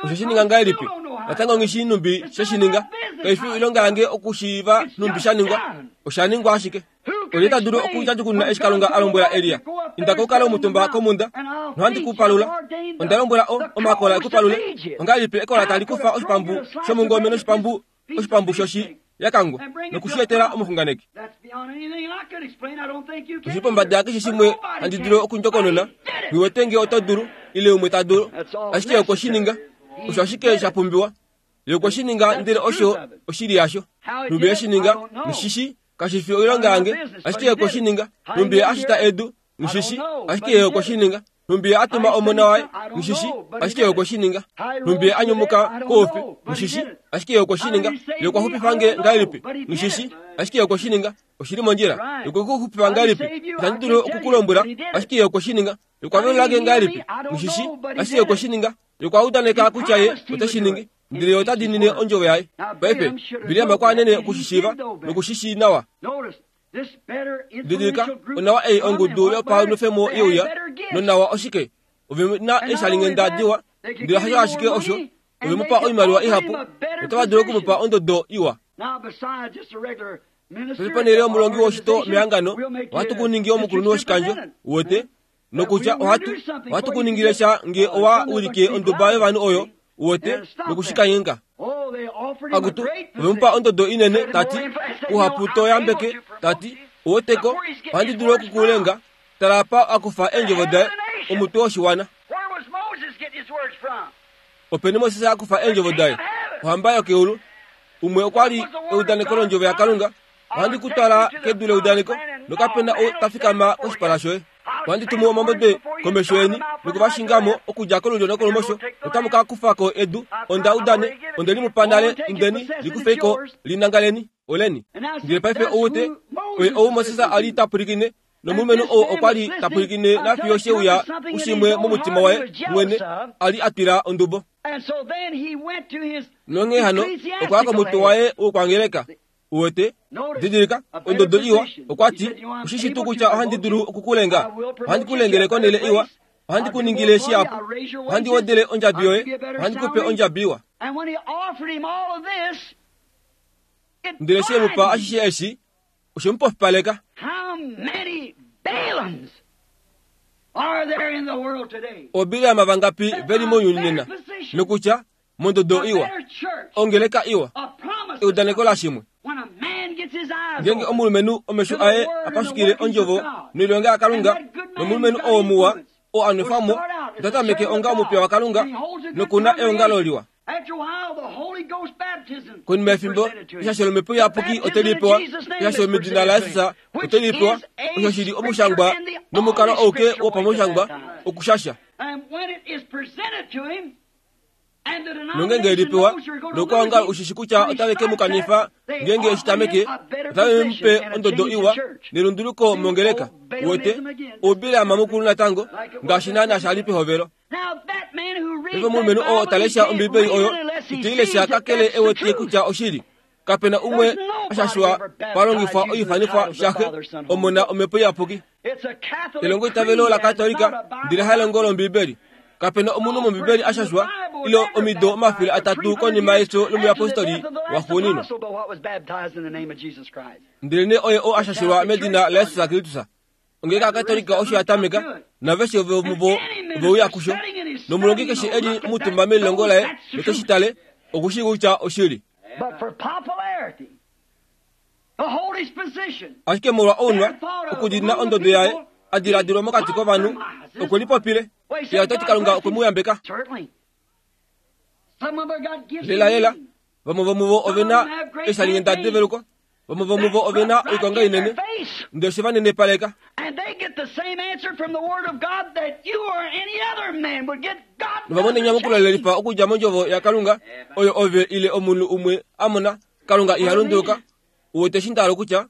Osho shi ninga ngahelipi? Natango ngishi numbi sheshininga. Kaifi oilonga yange okushiiva numbi sha ningwa. Osha ningwa ashike. Olye ta dulu okudjadjukununa eshi Kalunga a lombwela Elia inda koukale omutumba komunda nohandi kupalula. Onda lombwela omakola ekupalule. Ongahelipi ekola tali kufa oshipambu shomungome noshipambu oshipambu shoshi yakangwa nokushietela omuxunganeki. Oshi pombada keshe shimwe handi dulu okundjokonona. Ngiwete nge oto dulu ile umwe ta dulu ashike okweshininga. Osho ashike sha pumbiwa. Ye okweshininga ndele osho oshili yasho. Numbi yeshininga nishishi kashifi oilonga yange ashike okweshininga. Numbi ashita edu nishishi ashike okweshininga. Numbi atuma omona waye nishishi ashike okweshininga. Numbi anyumuka koufi nishishi ashike okweshininga. Ye okwaxupifa nge ngahelipi nishishi ashike okweshininga. Oshili mondjila. Ye okwaxupifa ngahelipi itandi dulu okukulombwela ashike okweshininga. Ye okwavelulange ngahelipi nishishi ashike okweshininga. Ye okwaudaneka kutya ye oteshiningi ndele ota dinine ondjovo yaye. Paife Biliam okwa anene okushishiiva nokushishi nawa. Didilika onawa ei ongudu yopaunufemo yeuya nonawa oshike ove na eshalingenda diwa ndele hasho ashike osho ove mupa oimaliwa ihapu otava dulu okumupa ondodo iwa. Ponhele yomulongi woshito mehangano ohatu kuningi omukulunhu woshikandjo uwete nokutya ohatu ohatu kuningile sha nge owa ulike onduba yovanhu oyo uwete nokushikanyenga. Akutu ovemupa ondodo inene tati uhapu toyambeke tati uweteko ohandi dulu okukulenga tala pa akufa eendjovo daye omutwe woshiwana. Openi Moses akufa eendjovo daye ohamba yokeulu. Umwe okwa li eudaneko londjovo yaKalunga Ohandi ku twala kedu leudaneko nokapena ou ta fikama koshipala shoye. Ohandi tumu omambode komesho yeni nokuvashingamo okudja kolulyo nokolumosho. Otamu ka kufa ko edu onda udane onde li mu pa nale, indeni likufeiko linangaleni oleni. Ndele paife ouwete oye ou Moses a li ta pwilikine nomulumenhu oo okwa li ta pwilikine nafiyo sheuya kushimwe momutima waye mwene a li a twila ondubo. Nonghee hano okwa ya komutwe waye wokwangeleka. Uwete didilika ondodo iwa. Okwa ti ushishi tuu kutya ohandi dulu okukulenga, ohandi kulengele konele iwa, ohandi kuningile shihapu, ohandi wedele ondjabi yoye, ohandi kupe ondjabi iwa. Ndele she mu pa ashishe eshi oshe mu pofipaleka. Obileama vangapi veli mounyuni nena nokutya mondodo iwa, ongeleka iwa, eudaneko lashimwe. Ngenge omulumenhu omesho aye apashukile ondjovo noilonga yaKalunga, nomulumenhu oo muwa oo a nwefwa mo otatameke onga omupiya waKalunga nokuna eongalo liwa. Konima yefimbo eshasho lomhepo iyapuki ote li pewa, eshasho medina laJesus ote li pewa, osho shili omushangwa nomukalo ouke wopamushangwa okushasha. Nongenge li pewa nokwaongalo ushishi kutya otave ke mu kanifa ngenge eshi tameke, otave mu pe ondodo iwa nelunduluko mongeleka. Uwete oubileama mukulu natango ngaashi naana sha li pehovelo. Paife omulumenhu oo ta lesha Ombibeli oyo ite i lesha kakele e wete kutya oshili. Kapena umwe ashashwa palongifwa oifanifwa shaxe omona omhepo iyapuki. Elongo itavelo laKatolika ndele halongo lOmbibeli. Kapena omunhu mOmbibeli ashashwa ilo omido omafele atatu konima yefyo lomuyapostoli waxuuninwa. Ndelenee oye oo ashashilwa medina laJesus Kristus. Ongeleka yaKatolika osho ya tameka naveshe vomuvo oveuya kusho. Nomulongi keshe e li omutumba melilongo laye noteshi tale okushii kutya oshili. Ashike molwa ounwa okudina ondodo yaye a diladilwa mokati kovanhu okwe lipopile ye ota ti Kalunga okwe mu yambeka. Lela lela vamwe vomuvo ove na eeshalinghenda develuko, vamwe vomuvo ove na oikonga inene, ndele oshe va nenepaleka. Novamona enyamukulo lelifa okudja mondjovo yaKalunga oyo ove ile omunhu umwe a mona. Kalunga iha lunduluka. Uwete eshi nda hala kutya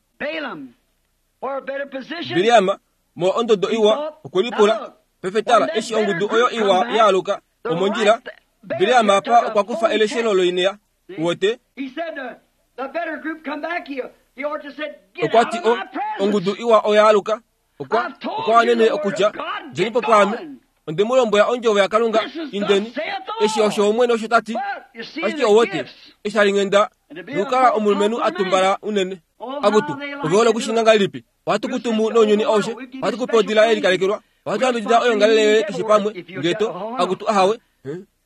Bileam molwa ondodo iwa okwe lipula. Paife tala eshi ongudu oyo iwa yaaluka omondjila, Bileam apa okwa kufa eleshelo loinea. Uwete okwa ti o ongudu iwa oyaaluka okwa okwa wanene okutya djeni po pwaame. Onde mu lombwela ondjovo yaKalunga, indeni. Eshi osho Omwene osho ta ti. Ashike ouwete eshi hali nghenda nokukala omulumenhu a tumbala unene. Akutu, ove hole okushinga ngahelipi? Ohatu ku tumu nounyuni aushe, ohatu ku pe odila ye likalekelwa, ohatu yambidida oyoongalele yoye keshe pamwe. Ngeto, akutu ahawe.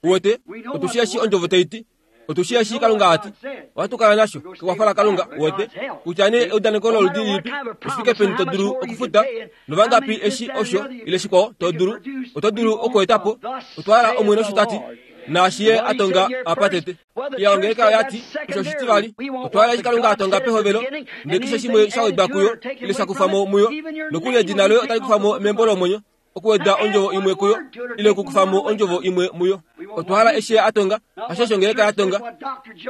Uwete, otu shii eshi ondjovo tai ti, otu shii eshi Kalunga a ti. Ohatu kala nasho kekwafo laKalunga. Uwete, kutya nee eudaneko loludi lilipi, oshifike peni to dulu okufuta, novangapi eshi osho ile shikwao to dulu, oto dulu okweeta po. Otwa hala Omwene osho ta ti, naashi ye a tonga apa tete. Iya ongeleka oya ti osho oshitivali. Otwa hala eshi Kalunga a tonga pehovelo, ndele keshe shimwe sha wedwa kuyo ile sha kufa mo muyo, nokuli edina loye otali kufa mo membo lomwenyo, okuweda ondjovo imwe kuyo ile okukufa mo ondjovo imwe muyo. Otwa hala eshi ye a tonga, hasho ongeleka ya tonga,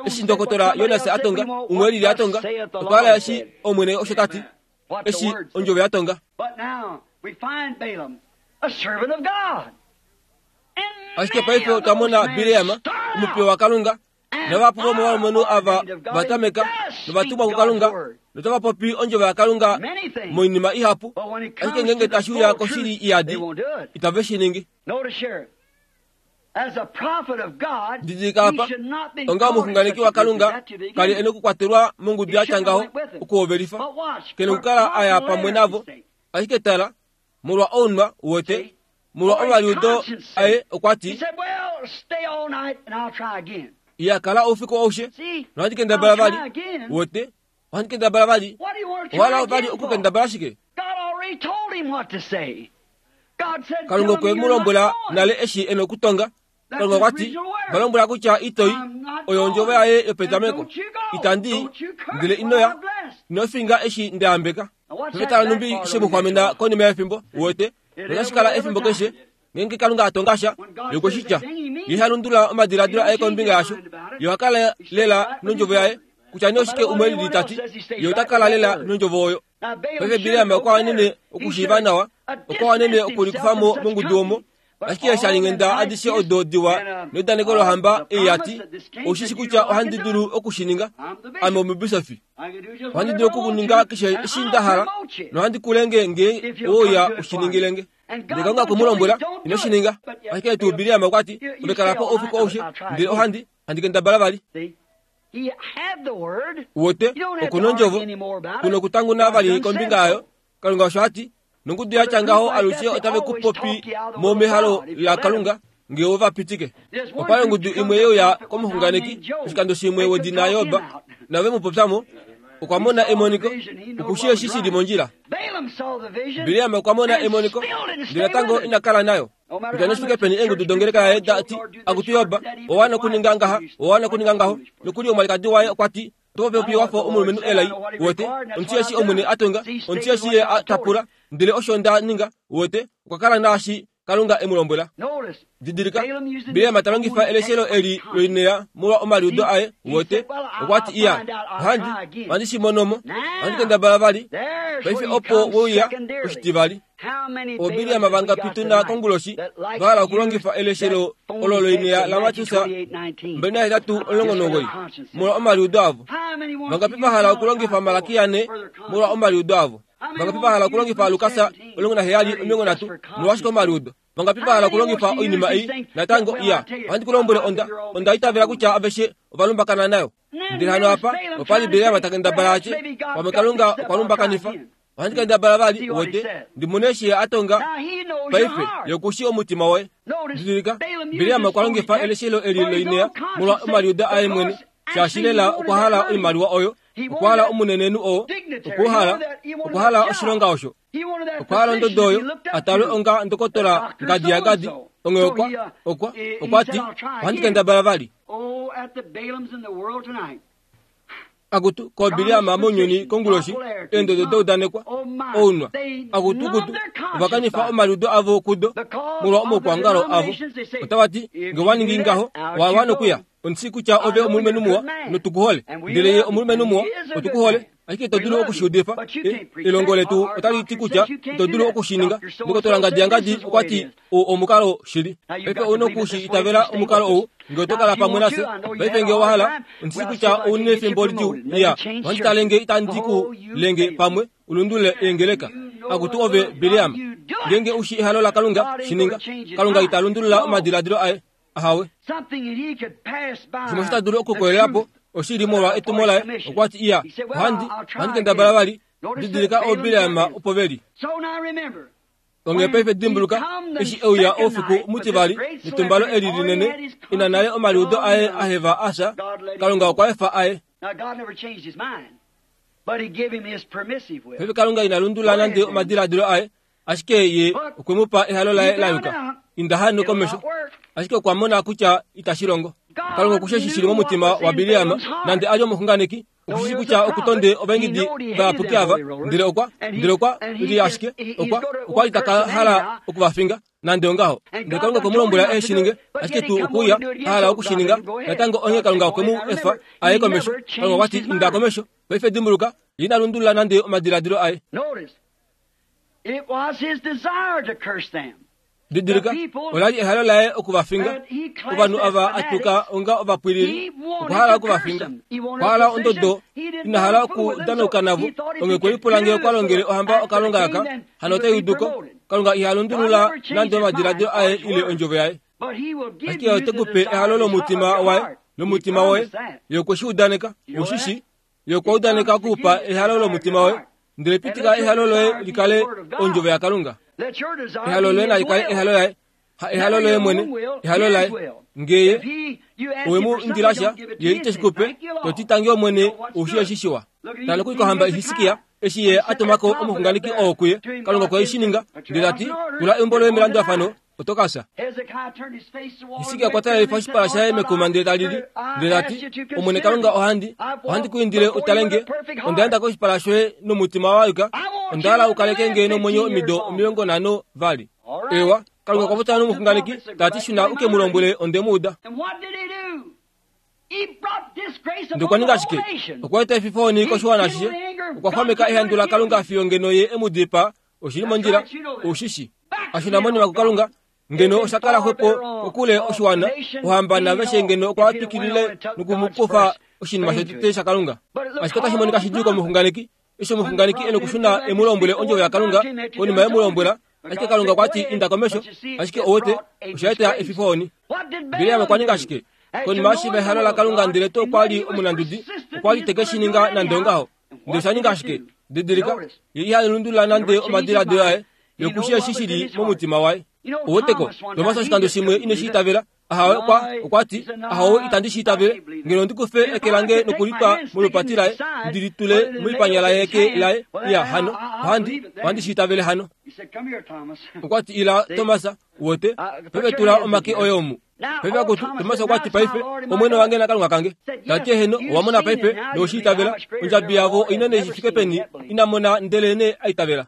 eshi ndokotola Jonas a tonga, umwe lili a tonga. Otwa hala eshi Omwene osho ta ti, eshi ondjovo ya tonga. Ashike paife otwa mona Bileam, omupiya waKalunga, navahapu vomovalumenhu ava va tameka novatumwa kuKalunga notava popi ondjovo yaKalunga moinima ihapu, ashike ngenge tashi uya koshili iyadi itave shi ningi. Didilika apa, onga omuxunganeki waKalunga kali e nokukwatelwa mongudu ya tya ngaho okuhovelifa, ke nokukala a ya pamwe navo. Ashike tala, molwa ounwa uwete, molwa omaliudo aye okwa ti, Iya kala oufiku aushe nohandi kendabala vali. Uwete, ohandi kendabala vali. Owa hala vali okukendabala shike? Kalunga okwe mu lombwela nale eshi e nokutonga. Kalunga okwa ti, va lombwela kutya itoi oyo ondjovo yaye yopetameko. Itandi i, ndele ino ya, Ino finga eshi ndayambeka. Pefetala numbi shemuxwamena konima yefimbo uwete otashi kala efimbo keshe ngeenge Kalunga atonga sha yokweshitya ye halundula omadiladilo aye kombinga yasho ye ohakala lela nondjovo yaye kutya nee oshike umwe lili tati ye otakala lela nondjovo oyo. Paife Bileam okwa wanene okushiiva nawa, okwa wanene okulikufamo mongudu omo, ashike eeshalinghenda adishe odo diwa neudaneko lohamba ei yati oushishi kutya ohandi dulu okushininga, ame omubisofi. Ohandi dulu okukuninga keshe eshi nda hala nohandi kulenge ngee ouya ushiningilenge. Ndele Kalunga okwe mu lombwela ino shininga. Ashike tuu Bileam okwa ti ove kala po oufiku aushe ndele ohandi handi kendabala vali. Uwete okuna ondjovo kuna okutanguna vali kombinga yayo. Kalunga osho ati nongudu yatya ngaho alushe otave ku popi mo mehalo laKalunga ngee ova pitike. Opa ongudu imwe yeuya komuxunganeki oshikando shimwe wedina Job nave mu popyamo okwa mona emoniko okushi eshi shili mondjila. Bileam okwa mona emoniko ndele natango ina kala nayo. Kutya neshifike peni eengudu dongeleka yaye dati akutu Job owa okuninga ngaha owa okuninga ngaho nokuli omwalikadi waye okwa ti oto popi wafa omulumenhu elai uwete omuti eshi Omwene a tonga omuti eshi ye a tapula ndele osho nda ninga uwete okwa kala naashi Kalunga e mu lombwela. Didilika Bileam ta longifa eleshelo eli loinea molwa omaliudo aye uwete okwa ti iya ohandi ohandi shi monomo ohandi kendabala vali paife opo wouya oshitivali. Obileam vangapi tuna konguloshi vahala okulongifa eleshelo olo loinea laMateus mbali nahetatu omulongo nomugoyi molwa omaliudo avo. Vangapi vahala okulongifa Malaki ane molwa omaliudo avo. Vangapi vahala okulongifa Lukas omulongo naheyali omilongo nhatu molwa ashike omaliudo. Vangapi vahala okulongifa oinima ei natango iya ohandi ku lombwele onda onda itavela kutya aveshe ovalumbakana nayo. Ndele hano apa opali Bileam ta kendabala atye pamwe Kalunga okwa lumbakanifa. Ohandi kendabala vali uwete ndimone eshi ye a tonga paife yokushi omutima woye. Didilika Bileam okwa longifa eleshelo eli loinea molwa omaliudo aye mwene shaashi lela okwa hala oimaliwa oyo okwa hala omunenenhu oo okwa hala okwa hala oshilonga osho okwa hala ondodo oyo atalwe onga ndokotola ngadi ya gadi onge okwa okwa okwa ti ohandi kendabala vali. Akutu ko Bileam mounyuni konguloshi eendodo doudanekwa ounwa akutukutu ovakanifa omaliudo avo kudo molwa omaukwangalo avo otava ti nge waningi ngaho wawa nokuya omusi kutya ove omulumenhu muwa notukuhole ndele ye omulumenhu muwa otukuhole ashike ito dulu okushiudifa elongo letu otali ti kutya ito dulu okushininga ndokotola ngadi yangadi okwa ti omukalo shili paife ouna okushi itavela omukalo ou nge oto kala pamwe nafye paife nge owahala omusi kutya ouna efimbo lidjuu iya ohandi tale nge itandi ku lenge pamwe ulundule eengeleka akutu ove Bileam ngenge ushi ehalo laKalunga shininga Kalunga ita lundulula omadiladilo aye ahawe shimwe shita dulu okukolelapo oshili molwa etumo laye okwa ti iya ohandi ohandi kendabala vali didilika ooBileam opo veli. Onge paife dimbuluka eshi euya oufiku mutivali netumbalo eli linene ina nale omaliudo aye aheva asha Kalunga okwa efa aye. Paife Kalunga ina lundula nande omadiladilo aye ashike ye okwe mu pa ehalo laye la yuka inda hano komesho ashike okwa mona kutya itashi longo. Kalunga okushe shili momutima wa Bileam nande ali omuxunganeki okushi kutya okutonde ovaengidi vayapuki ava ndele okwa ndele okwa li ashike okwa okwa li taka hala okuvafinga nande ongaho ndele Kalunga okwe mu lombwela e shininge ashike tuu okuuya a hala okushininga natango onghee Kalunga okwe mu efa aye komesho. Kalunga okwa ti inda komesho paife dimbuluka ye ina lundulula nande omadiladilo aye. Didilika olali ehalo laye okuvafinga ovanhu ava atuka onga ovapwilili okwa hala okuvafinga okwa hala ondodo ina hala okudanauka navo onge kwelipula ngee okwa longele ohamba okalunga aka hano otai uduko Kalunga iha lundulula nande omadiladilo aye ile ondjovo yaye ashike ote kupe ehalo lomutima waye lomutima woye ye okwe shi udaneka ushishi ye okwa udaneka okupa ehalo lomutima woye ndele pitika ehalo loye likale ondjovo yaKalunga ehalo loye nalikale ehalo laye ha ehalo loye mwene ehalo laye ngeye owe mu indilasha ye iteshikupe toti tangi omwene ushi eshishiwa tala kuikohamba Hisikia eshi ye atumako omuxunganeki oo kuye Kalunga okwe shi ninga ndele tati tula eumbo loye melandulafano oto ka fya. Hisikia okwa talelifa oshipala shaye mekuma ndele ta lili, ndele ta ti, Omwene Kalunga ohandi, ohandi ku indile u tale nge, onda enda koshipala shoye nomutima wa yuka, onda hala u kaleke nge nomwenyo omido omilongo nhano vali. Ewa, Kalunga okwa popya nomuxunganeki, ta ti shuna u ke mu lombwele onde mu uda. Ndele okwa ninga shike? Okwa eta efifoni koshiwana ashishe, okwa xwameka ehandu laKalunga fiyo ngeno ye e mu dipaa. Oshili mondjila, ushishi. Ashuna monima kuKalunga, ngeno osha kala xwepo kokule oshiwana, ohamba naveshe ngeno okwa twikilile nokumukufa oshinima shotete shaKalunga. Ashike otashi monika shidjuu komuxunganeki, eshi omuxunganeki e nokushuna e mu lombwele ondjovo yaKalunga konima ye mu lombwela, ashike Kalunga okwa ti inda komesho, ashike owete osha eta efifoni. Bileam okwa ninga shike? Konima eshi ehalo laKalunga ndele to okwa li omunandudi, okwa li teke shi ninga nande ongaho. Ndele osha ninga shike? Didilika, ye iha lundulula nande omadiladilo aye, yokushi eshi shili momutima waye. Oweteko, Tomas oshikando shimwe ine shi itavela, ahawe okwa, okwa ti, ahawe itandi shi itavele, ngeno ndi kufe eke lange nokulitwa molupati laye, ndi litule moipanya laye eke laye, ya hano, ohandi, ohandi shi itavele hano. Okwa ti, ila Tomas, wote, peve tula omake oye omu. Peve akutu, Tomas okwa ti paife, Omwene wange naKalunga kange. Ta ti eheno, owa mona paife, noweshi itavela, ondjabi yavo oinene shi fike peni, ina mona ndele ne a itavela.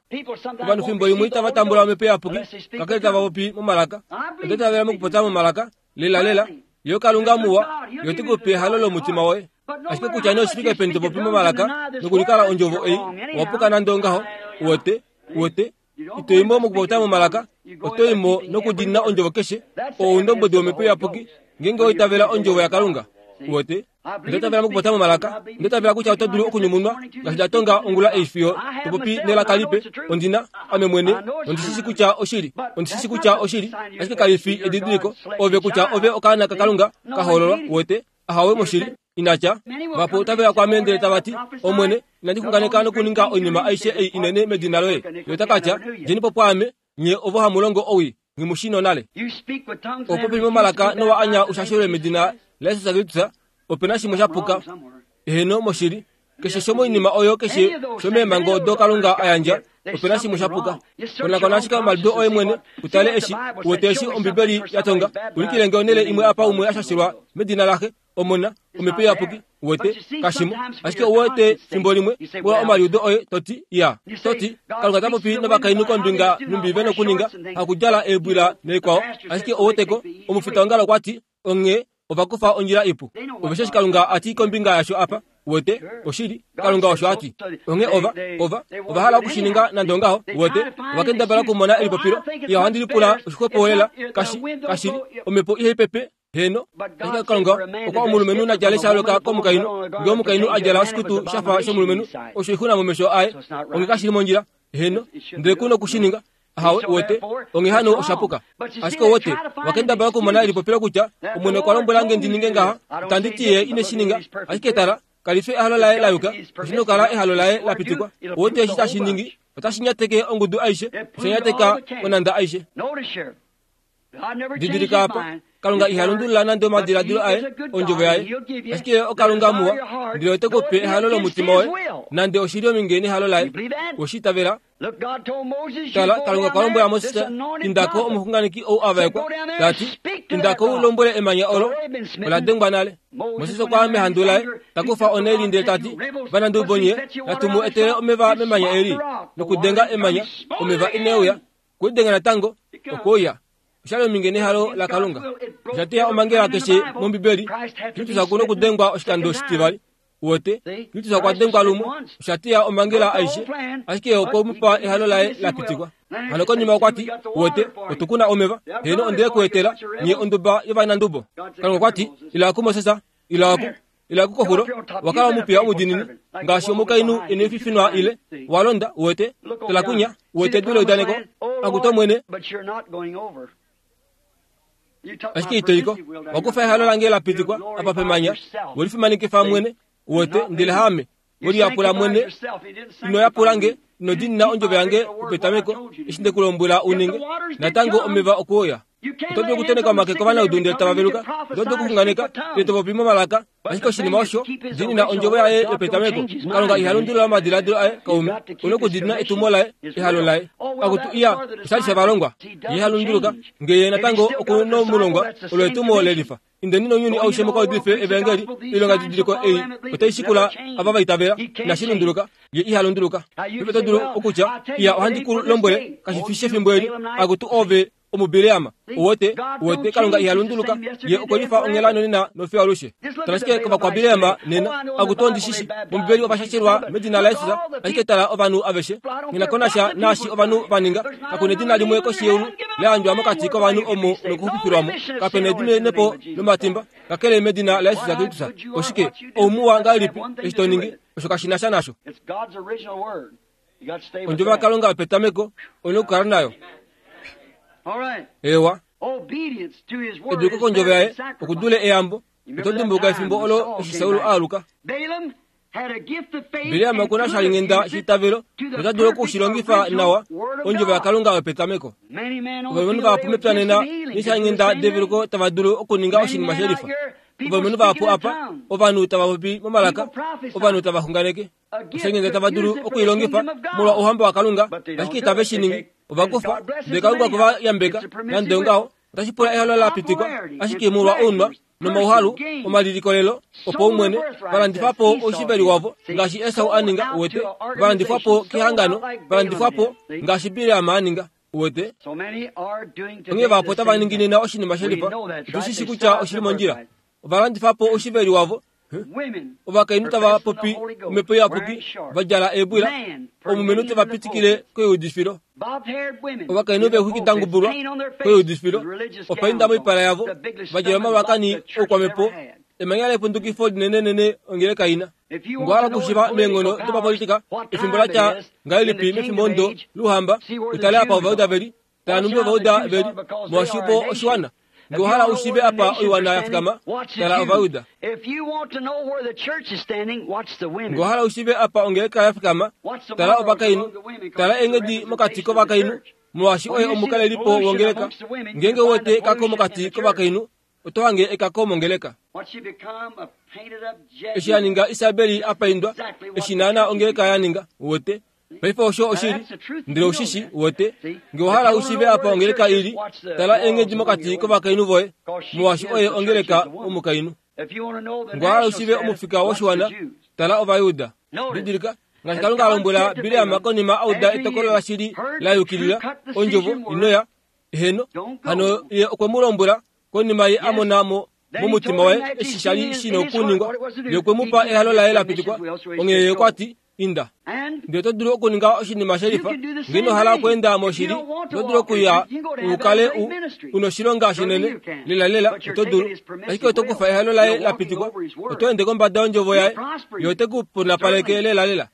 Ovanhu fimbo limwe itava tambula omhepo iyapuki, kakele tava popi momalaka. Onda itavela mokupopya momalaka, lela lela, yo Kalunga muwa, yo te ku pe ehalo lomutima woye. Ashike kutya nee oshifike peni to popi momalaka, nokulikala ondjovo ei, owa puka nande ongaho, wote, wote, ito imo mokupopya momalaka, oto imo nokudina ondjovo keshe, oundombwedi womhepo iyapuki, ngeenge oitavela ondjovo yaKalunga. Wote, onda itavela mokupopya momalaka, onda itavela kutya oto dulu okunyumunwa, ngaashi nda tonga ongula ei fiyo to popi nelaka lipe, ondina, ame mwene, ondishishi kutya oshili, ondishishi kutya oshili, ashike kali fi edidiliko, ove kutya ove okaana kaKalunga ka hoololwa, wote, ahawe moshili, inatya. Vapo otave kwaame ndele tava ti, Omwene, inandi xunganeka nokuninga oinima aishe ei inene medina loye. Ye ota ka tya, djeni po pwaame, nye ovo hamu longo owii, nghi nale. Opopi momalaka nowa anya ushashelwe medina laJesus Kristus, ope na shimwe sha puka. Eheno moshili, keshe shomoinima oyo keshe shomeemhango odo Kalunga a yandja, ope na shimwe sha puka. Konakona ashike omaliudo oye mwene, utale eshi, uwete eshi Ombibeli ya tonga, ulikile nge onhele imwe apa umwe a shashelwa medina laxe, Omona, omhepo iyapuki, uwete, kashimo. Ashike uwete fimbo limwe, pula omaliudo oye, toti, ya, toti, Kalunga ta popi novakainhu kombinga numbi ve nokuninga, hakudjala eebwila neikwao. Ashike uweteko, omufitaongalo okwa ti, onghee ova kufa ondjila ipu. Ove eshi Kalunga a ti kombinga yasho apa, uwete, oshili, Kalunga osho a ti. Onghee ova, ova, ova hala okushininga nande ongaho, uwete, ova kendabala okumona elipopilo, iya ohandi lipula oshixwepo kashi, kashili, omhepo ihai pepe, heno, ashike Kalunga okwa omulumenhu na djale sha loka komukainhu, ngee omukainhu a djala oshikutu shafa shomulumenhu, osho oixuna momesho aye, onghee kashili mondjila, heno, ndele ku nokushininga. Ahawe, uwete, onghee hano osha puka. Ashike uwete, wakendabala okumona elipopilo kutya, Omwene okwa lombwela nge ndi ninge ngaha, itandi ti ye ine shi ninga, ashike tala, kali fi ehalo laye la yuka, oshi nokukala ehalo laye la pitikwa. Uwete eshi tashi ningi, otashi nyateke ongudu aishe, osha nyateka onhanda aishe. Didilika apa, Kalunga iha lundulula nande omadiladilo aye, ondjovo yaye. Ashike oKalunga muwa, ndele ote ku pe ehalo lomutima woye, nande oshili ominge nehalo laye. Oshi itavela. Tala, Kalunga okwa lombwela Moses, indako omuxunganeki ou a vaekwa, ta ti, indako u lombwele emanya olo, ola dengwa nale. Moses okwa ya mehandu laye, ta kufa oneli ndele ta ti, vanandubo nye, natu mu etele omeva memanya eli, nokudenga emanya, omeva ine uya, kudenga natango, okouya. Oshali ominge nehalo laKalunga. Osha teya omhangela keshe mOmbibeli, Kristus oku nokudengwa oshikando oshitivali. Uwete, Kristus okwa dengwa lumwe, osha teya omhangela aishe, ashike okwe mu pa ehalo laye la pitikwa. Hano konima okwa ti, uwete, otu na omeva, heno onde ku etela, nye onduba yovanandubo. Kalunga okwa ti, ila kuMoses, ila ku, ila kukoxulo, wakala omupiya omudinini, ngaashi omukainhu ine fifinwa ile, walonda, uwete, tala kunya, uwete edu leudaneko, akuta Omwene, ashike itoiko, wakufa ehalo lange la pitikwa, apa pemanya, welifimanekifa mwene, uwete, ndele haame, weliyapula mwene, ino yapula nge, Inodinina ondjovo yange petameko eshi ndekulombwela uninge natango omeva okuuya. Oto dulu okuteneka omake kovanaudu ndele tava veluka, oto dulu okuxunganeka ndele to popi momalaka, ashike oshinima osho diinina ondjovo yaye yopetameko. Kalunga iha lundulula omadiladilo aye kaume, una okudiinina etumo laye, ehalo laye. Akutu iya oshali shavalongwa, ye iha lunduluka ngee ye natango okunomulongwa olo etumo lelifa. Indeni nounyuni aushe mukaudife evangeli, oilonga didiliko ei otai shikula ava va itavela, inashi lunduluka, ye iha lunduluka. Paife oto dulu okutya, iya ohandi ku lombwele, kashi fi shefimbo eli, akutu ove omubileama. Uwete, uwete, Kalunga iha lunduluka, ye okwe lifa onghela nonena nofiyo alushe. Tala ashike kovakwabileama nena, akutu ondishishi, mOmbibeli ovashashelwa medina laJesus, ashike tala ovanhu aveshe. Nghi ko nasha naashi ovanhu va ninga, kaku nedina limwe koshi yeulu la yandjwa mokati kovanhu omo nokuxupifilwamo. Kape na edimenepo lomatimba, kakele medina laJesus Kristus. Oshike, oumuwa ngahelipi eshi to ningi, osho kashi na sha nasho. Ondjovo yaKalunga yopetameko oina okukala nayo. Ewa, eduliko kondjovo yaye okudule eyambo. Oto dimbuluka efimbo olo eshi Saul a aluka. Bileam okuna oshalinghenda sheitavelo nota dulu okushilongifa nawa ondjovo yaKalunga yopetameko. Ovalumenhu vahapu mepya nena neeshalinghenda develuko tava dulu okuninga oshinima shelifa. Ovalumenhu vahapu apa, ovanhu tava popi momalaka, ovanhu tava xunganeke. Oshalinghenda tava dulu okuilongifa molwa ouhamba waKalunga, ashike itave shi ningi. Ovakufa, ndele Kalunga okwe va yambeka, nande ongaho, otashi pula ehalo la pitikwa, ashike molwa ounwa nomauhalu omalilikolelo opaumwene, valandifa po oushiveli wavo ngaashi Esau a ninga, uwete, valandifwa po kehangano, valandifwa po ngaashi Bileam a ninga, uwete. Onghee vahapu otava ningi nena oshinima shelifa, otu shi shi kutya oshili mondjila. Ovalandifa po oushiveli wavo, ovakainhu tava popi omhepo iyapuki, va djala eebwila, omulumenhu teva pitikile koiudifilo. Ovakainhu veexwiki da ngubulwa koiudifilo, opainda moipala yavo, va djala omalwakani oukwamhepo, emanya lepundukifo linenenene ongeleka ina. Ngohala okushiiva meenghono dopapolitika efimbo la tya ngahelipi mefimbo ndo louhamba, utale apa Ovayuda veli, tala nhumbi Ovayuda veli, molwaashi vo oshiwana. Ngohala ushiive apa oiwana ya fikama, tala Ovayuda. Ngohala ushiive apa ongeleka ya fikama, tala ovakainhu, tala eenghedi mokati kovakainhu, molwaashi oye omukalelipo wongeleka. Ngeenge u wete ekako mokati kovakainhu, oto hange ekako mongeleka. Eshi a ninga Isabeli a paindwa, eshi naana ongeleka ya ninga, uwete. Paife osho oshili, ndele ushishi, uwete. Nge owahala ushiive apa ongeleka ili, tala eenghedi mokati kovakainhu voye, molwaashi oye ongeleka omukainhu. Nge owahala ushiive omufika woshiwana, tala Ovayuda. Didilika, ngaashi Kalunga a lombwela Bileam konima a uda etokolo lashili la yukilila, ondjovo inoya, eheno, hano ye okwe mu lombwela konima ye a mona mo momutima waye eshi sha li shi na okuningwa, ye okwe mu pa ehalo laye la pitikwa, onghee ye okwa ti, inda. Ndele oto dulu okuninga oshinima shelifa, ngee ino hala okweenda moshili, oto dulu okuya u kale u unoshilonga shinene, lelalela, oto dulu. Ashike oto kufa ehalo laye la pitikwa, oto ende kombada yondjovo yaye, ye ote ku punapaleke lelalela.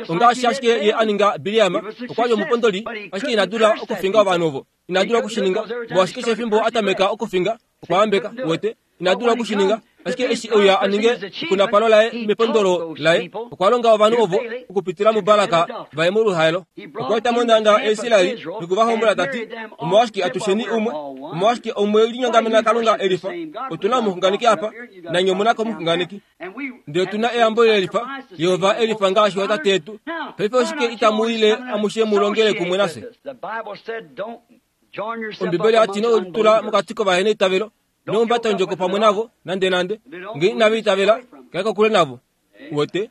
Ongaashi ashike ye a ninga Bileam, okwa li omupondoli, ashike ina dula okufinga ovanhu ovo. Ina dula okushininga, molwaashi keshe efimbo a tameka okufinga, okwa yambeka, uwete. Ina dula okushininga, ashike eshi euya a ninge epunapalo laye mepondolo laye, okwa longa ovanhu ovo okupitila muBalak vaye moluhaelo. Okwa eta monhanda yaIsraeli nokuvahombola ta ti, omolwashike atusheni umwe, omolwashike omwe linyongamena Kalunga elifa? Otu na omuxunganeki apa, nanye omu na komuxunganeki. Ndele otu na eyambo lelifa, Jehova elifa ngaashi ootate yetu. Paife oshike itamu ile amushe mu longele kumwe nafye? Ombibeli oya ti ino litula mokati kovaheneitavelo, ino humbata ondjoko pamwe navo nande nande. Ngee inava itavela, kala kokule navo. Uwete?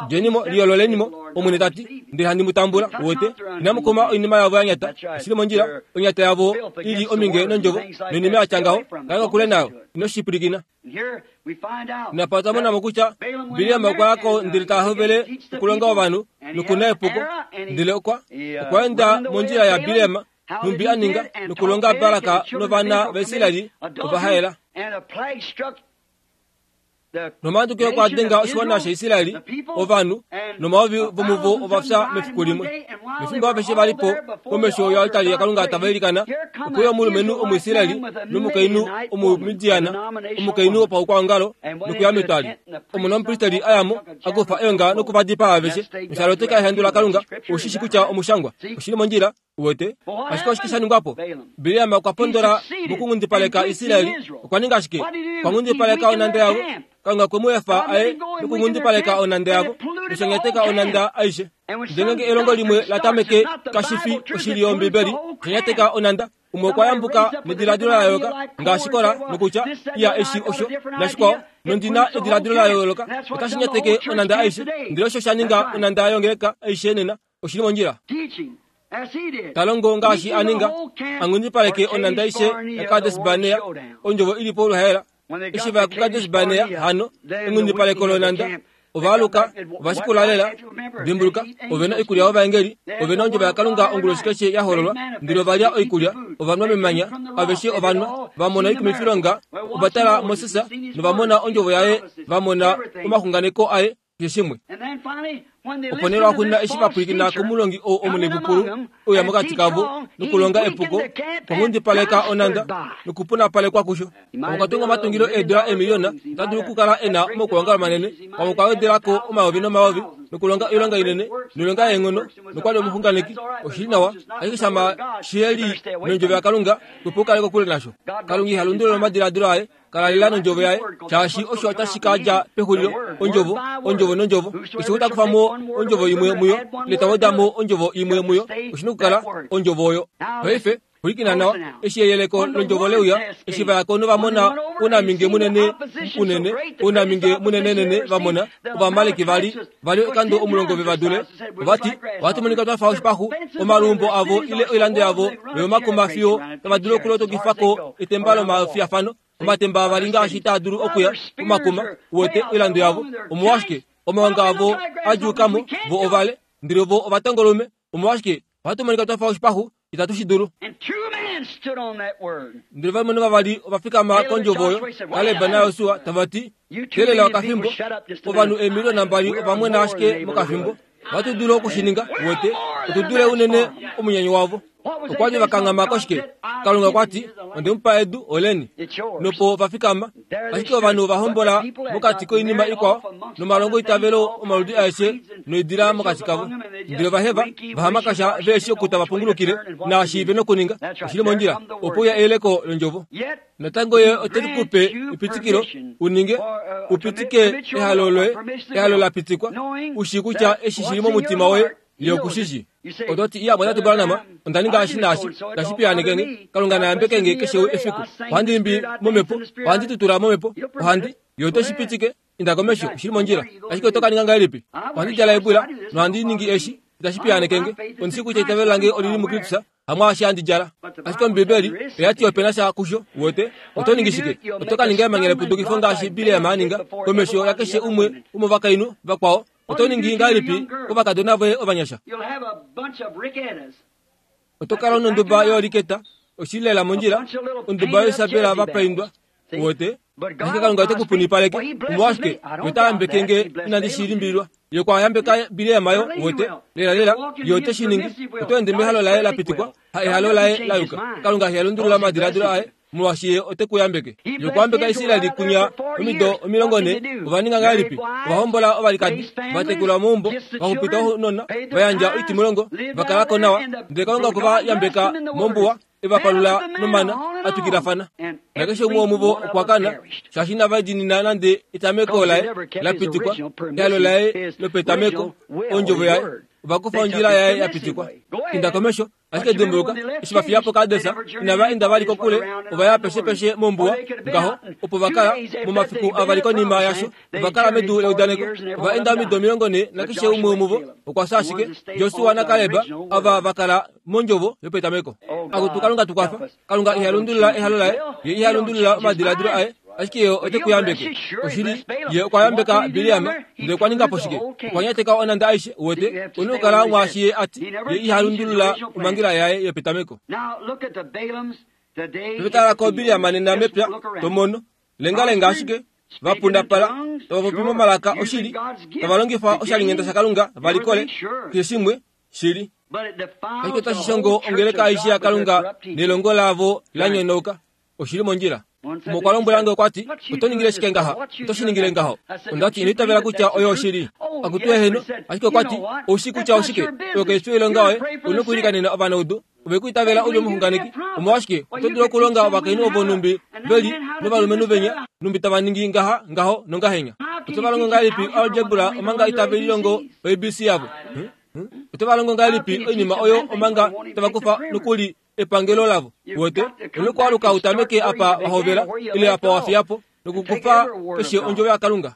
Djenimo, liyoololenimo, Omwene ta ti, ndele handi mu tambula. Uwete? Inamu kuma oinima yavo ya nyata, oshili mondjila, onyata yavo i li ominge nondjovo, noinima ya tya ngaho, kala kokule nayo. Ino shi pwilikina. Napa otwa mona mo kutya Bileam okwa ya ko ndele ta hovele okulonga ovanhu nokuna epuko, ndele okwa okwa enda mondjila yaBileam, nhumbi a ninga nokulonga Balak novana vaIsraeli ovahaela. Nomatukilo okwa denga oshiwana shaIsraeli, ovanhu nomayovi vomuvo ova fya mefiku limwe. Nefimbo aveshe va li po komesho yoaltari yaKalunga tava ilikana, okwe uya omulumenhu Omuisraeli nomukainhu Omumidiana, omukainhu wopaukwaongalo, nokuya metwali. Omona womupristeli a ya mo, a kufa eonga nokuvadipaa aveshe. Noshaloteka ehandu laKalunga, oushi shi kutya omushangwa oshili mondjila, uwete. Ashike oshike sha ningwa po? Bileam okwa pondola mokunghundipaleka Israeli. Okwa ninga ashike? Okwa nghundipaleka onhanda yavo. Kalunga okwe mu efa aye nokunghundipaleka onhanda yavo, noshanyateka onhanda aishe. Ndele ngeenge elongo limwe la tameke kashi fi oshili yOmbibeli, oshanyateka onhanda. Umwe okwa yambuka nediladilo la yooloka ngaashi Kora, nokutya iya eshi osho nashikwao, nondina ediladilo la yooloka, otashi nyateke onhanda aishe. Ndele osho sha ninga onhanda yongeleka aishe nena, oshili mondjila. Talongo ngaashi a ninga, a nghundipaleke onhanda aishe yaKades Barnea, ondjovo ili po oluhaela. Eshi va ya kuKades Barnea, hano enghundipaleko lonhanda, ovaaluka ovashikula lela. Dimbuluka, ove na oikulya yovaengeli, ove na ondjovo yaKalunga onguloshi keshe ya hololwa. Ndele ova lya oikulya, ova nwa memanya, aveshe ova nwa, va mona oikumifilonga, ova tala Moses nova mona ondjovo yaye, va mona omaxunganeko aye, keshe shimwe. Opo nee lwaxuuninwa eshi va pwilikina komulongi ou omunepupulu ouya mokati kavo nokulonga epuko, okwa nghundipaleka onhanda nokupunapalekwa kusho. Pamwe okwa tunga omatungilo eedula eemiliyona, ota dulu okukala e na omaukwaongalo manene, pamwe okwa wedela ko omayovi nomayovi nokulonga oilonga inene noilonga yeenghono, nokwa li omuxunganeki. Oshili nawa, ashike shama shihe li nondjovo yaKalunga, xwepo u kale kokule nasho. Kalunga iha lundulula omadiladilo aye, kala lela nondjovo yaye, shaashi osho otashi ka dja pexulilo, ondjovo, ondjovo nondjovo. Keshe ou ta kufa mo ondjovo imwe muyo, ile ta weda mo ondjovo imwe muyo, oshi na okukala ondjovo oyo. Paife, pwilikina nawa, eshi eyeleko londjovo leuya, eshi va ya ko nova mona ounaminge munene unene, ounaminge munenenene va mona, Ovamaleki va li va li oikando omulongo ve va dule. Ova ti, ohatu monika twa fa oshipaxu, omaluumbo avo ile oilando yavo noyomakuma fiyo tava dulu okulotokifa ko etemba lomafiyafano. Omatemba avali ngaashi taa dulu okuya pomakuma, uwete oilando yavo. Omolwashike omaonga avo a djuuka mo, vo ovale, ndele vo ovatongolume. Omolwashike ohatu monika twa fa oshipaxu, itatu shi dulu. Ndele ovalumenhu vavali ova fikama kondjovo oyo, Kaleb naJosua, tava ti, Teelela okafimbo, ovanhu eemiliyona mbali ova mwena ashike mokafimbo. Ohatu dulu oku shi ninga, uwete, otu dule unene omunyanyo wavo. Okwa li va kanghama koshike? Kalunga okwa ti, onde mu pa edu, oleni. Nopo va fikama, ashike ovanhu ova hombola mokati koinima ikwao, nomalongo itavelo omaludi aeshe noidila mokati kavo. Ndele ova heva, va hamakasha ve shi oku tava pungulukile, naashi ve nokuninga, oshili mondjila, opo uya eyeleko londjovo. Natango ye ote ku pe epitikilo u ninge, u pitike ehalo loye, ehalo la pitikwa, u shii kutya eshi shili momutima woye, ye oku shi shii. Oto ti, iya, Mwatatu Branham, onda ninga eshi naashi, tashi piyaaneke nge. Kalunga na yambeke nge keshe efiku. Ohandi imbi momhepo, ohandi tutula momhepo, ohandi, ye ote shi pitike, inda komesho, oshili mondjila. Ashike oto ka ninga ngahelipi? Ohandi djala ebwila, nohandi ningi eshi, itashi piyaaneke nge. Ondi shii kutya eitavelo lange olili muKristus, hamwaashi handi djala. Ashike Ombibeli oya ti ope na sha kusho, uwete. Oto ningi shike? Oto ka ninga emanya lepudukifo ngaashi Bileam a ninga, komesho yakeshe umwe womovakainhu vakwao. Oto ningi ngahelipi kovakadona voye ovanyasha? Oto kala nonduba yooliketa, oshili lela mondjila, onduba yoisapela va paindwa, uwete. Ashike Kalunga ote ku punipaleke. Omolwashike ye ota yambeke nge inandi shi limbililwa? Ye okwa yambeka Bileam yo, uwete. Lela lela, ye ote shi ningi. Oto ende mehalo laye la pitikwa, ha ehalo laye la yuka. Kalunga iha lundulula omadiladilo aye, molwaashi ye ote ku yambeke. Ye okwa yambeka Israeli kunya omido omilongo nhee. Ova ninga ngahelipi? Ova hombola ovalikadi, va tekula omaumbo, va xupita ounona, va yandja oitimulongo, va kala ko nawa. Ndele Kalunga okwe va yambeka mombuwa, e va palula nomana a twikilafana. Nakeshe umwe womuvo okwa kana, shaashi inava diinina nande etameko laye la pitikwa, ehalo laye lopetameko, ondjovo yaye. Ova kufa ondjila yaye ya pitikwa. Inda komesho, ashike dimbuluka, eshi va fiya po Kades, inava enda vali kokule, ova ya peshe peshe mombuwa, ngaho, opo va kala, momafiku avali konima yasho, ova kala medu leudaneko. Ova enda omido omilongo nhee, nakeshe umwe womuvo okwa fya ashike. Josua naKaleb ava va kala mondjovo yopetameko. Akutu Kalunga tu kwafa. Kalunga iha lundulula ehalo laye, ye iha lundulula omadiladilo aye, ashike ye ote ku yambeke. Oshili, ye okwa yambeka Bileam, ndele okwa ninga po shike? Okwa nyateka onhanda aishe, uwete, una okukala mwaashi ye a ti, ye iha lundulula omhangela yaye yopetameko. Paife tala ko Bileam nena mepya, to mono. Lengalenga ashike, Vapundapala tava popi momalaka oshili, tava longifa oshalinghenda shaKalunga valikole keshe shimwe shili. Ashike otashi shongo ongeleka aishe yaKalunga nelongo lavo la nyonauka. Oshili mondjila. Umwe lombwela nge okwa ti, oto ningile shike ngaha? Oto shi ningile ngaho? Onda ti, ino itavela kutya oyo oshili. Akutu eheno, ashike okwa ti, oushi kutya oshike? Oyo kaifi oilonga yoye, u na okwiilikanena ovanaudu. Ove ku itavela u li omuxunganeki. Omolwashike oto dulu okulonga ovakainhu ovo numbi veli novalumenhu venya numbi tava ningi ngaha ngaho nongahenya? Oto va longo ngahelipi algebra omanga itave lilongo A B C yavo? Oto va longo ngahelipi oinima oyo omanga tava kufa nokuli epangelo lavo? Wote onokwaluka utameke apa wahovela ile apa wafiyapo nokukufa keshe ondjovo yaKalunga.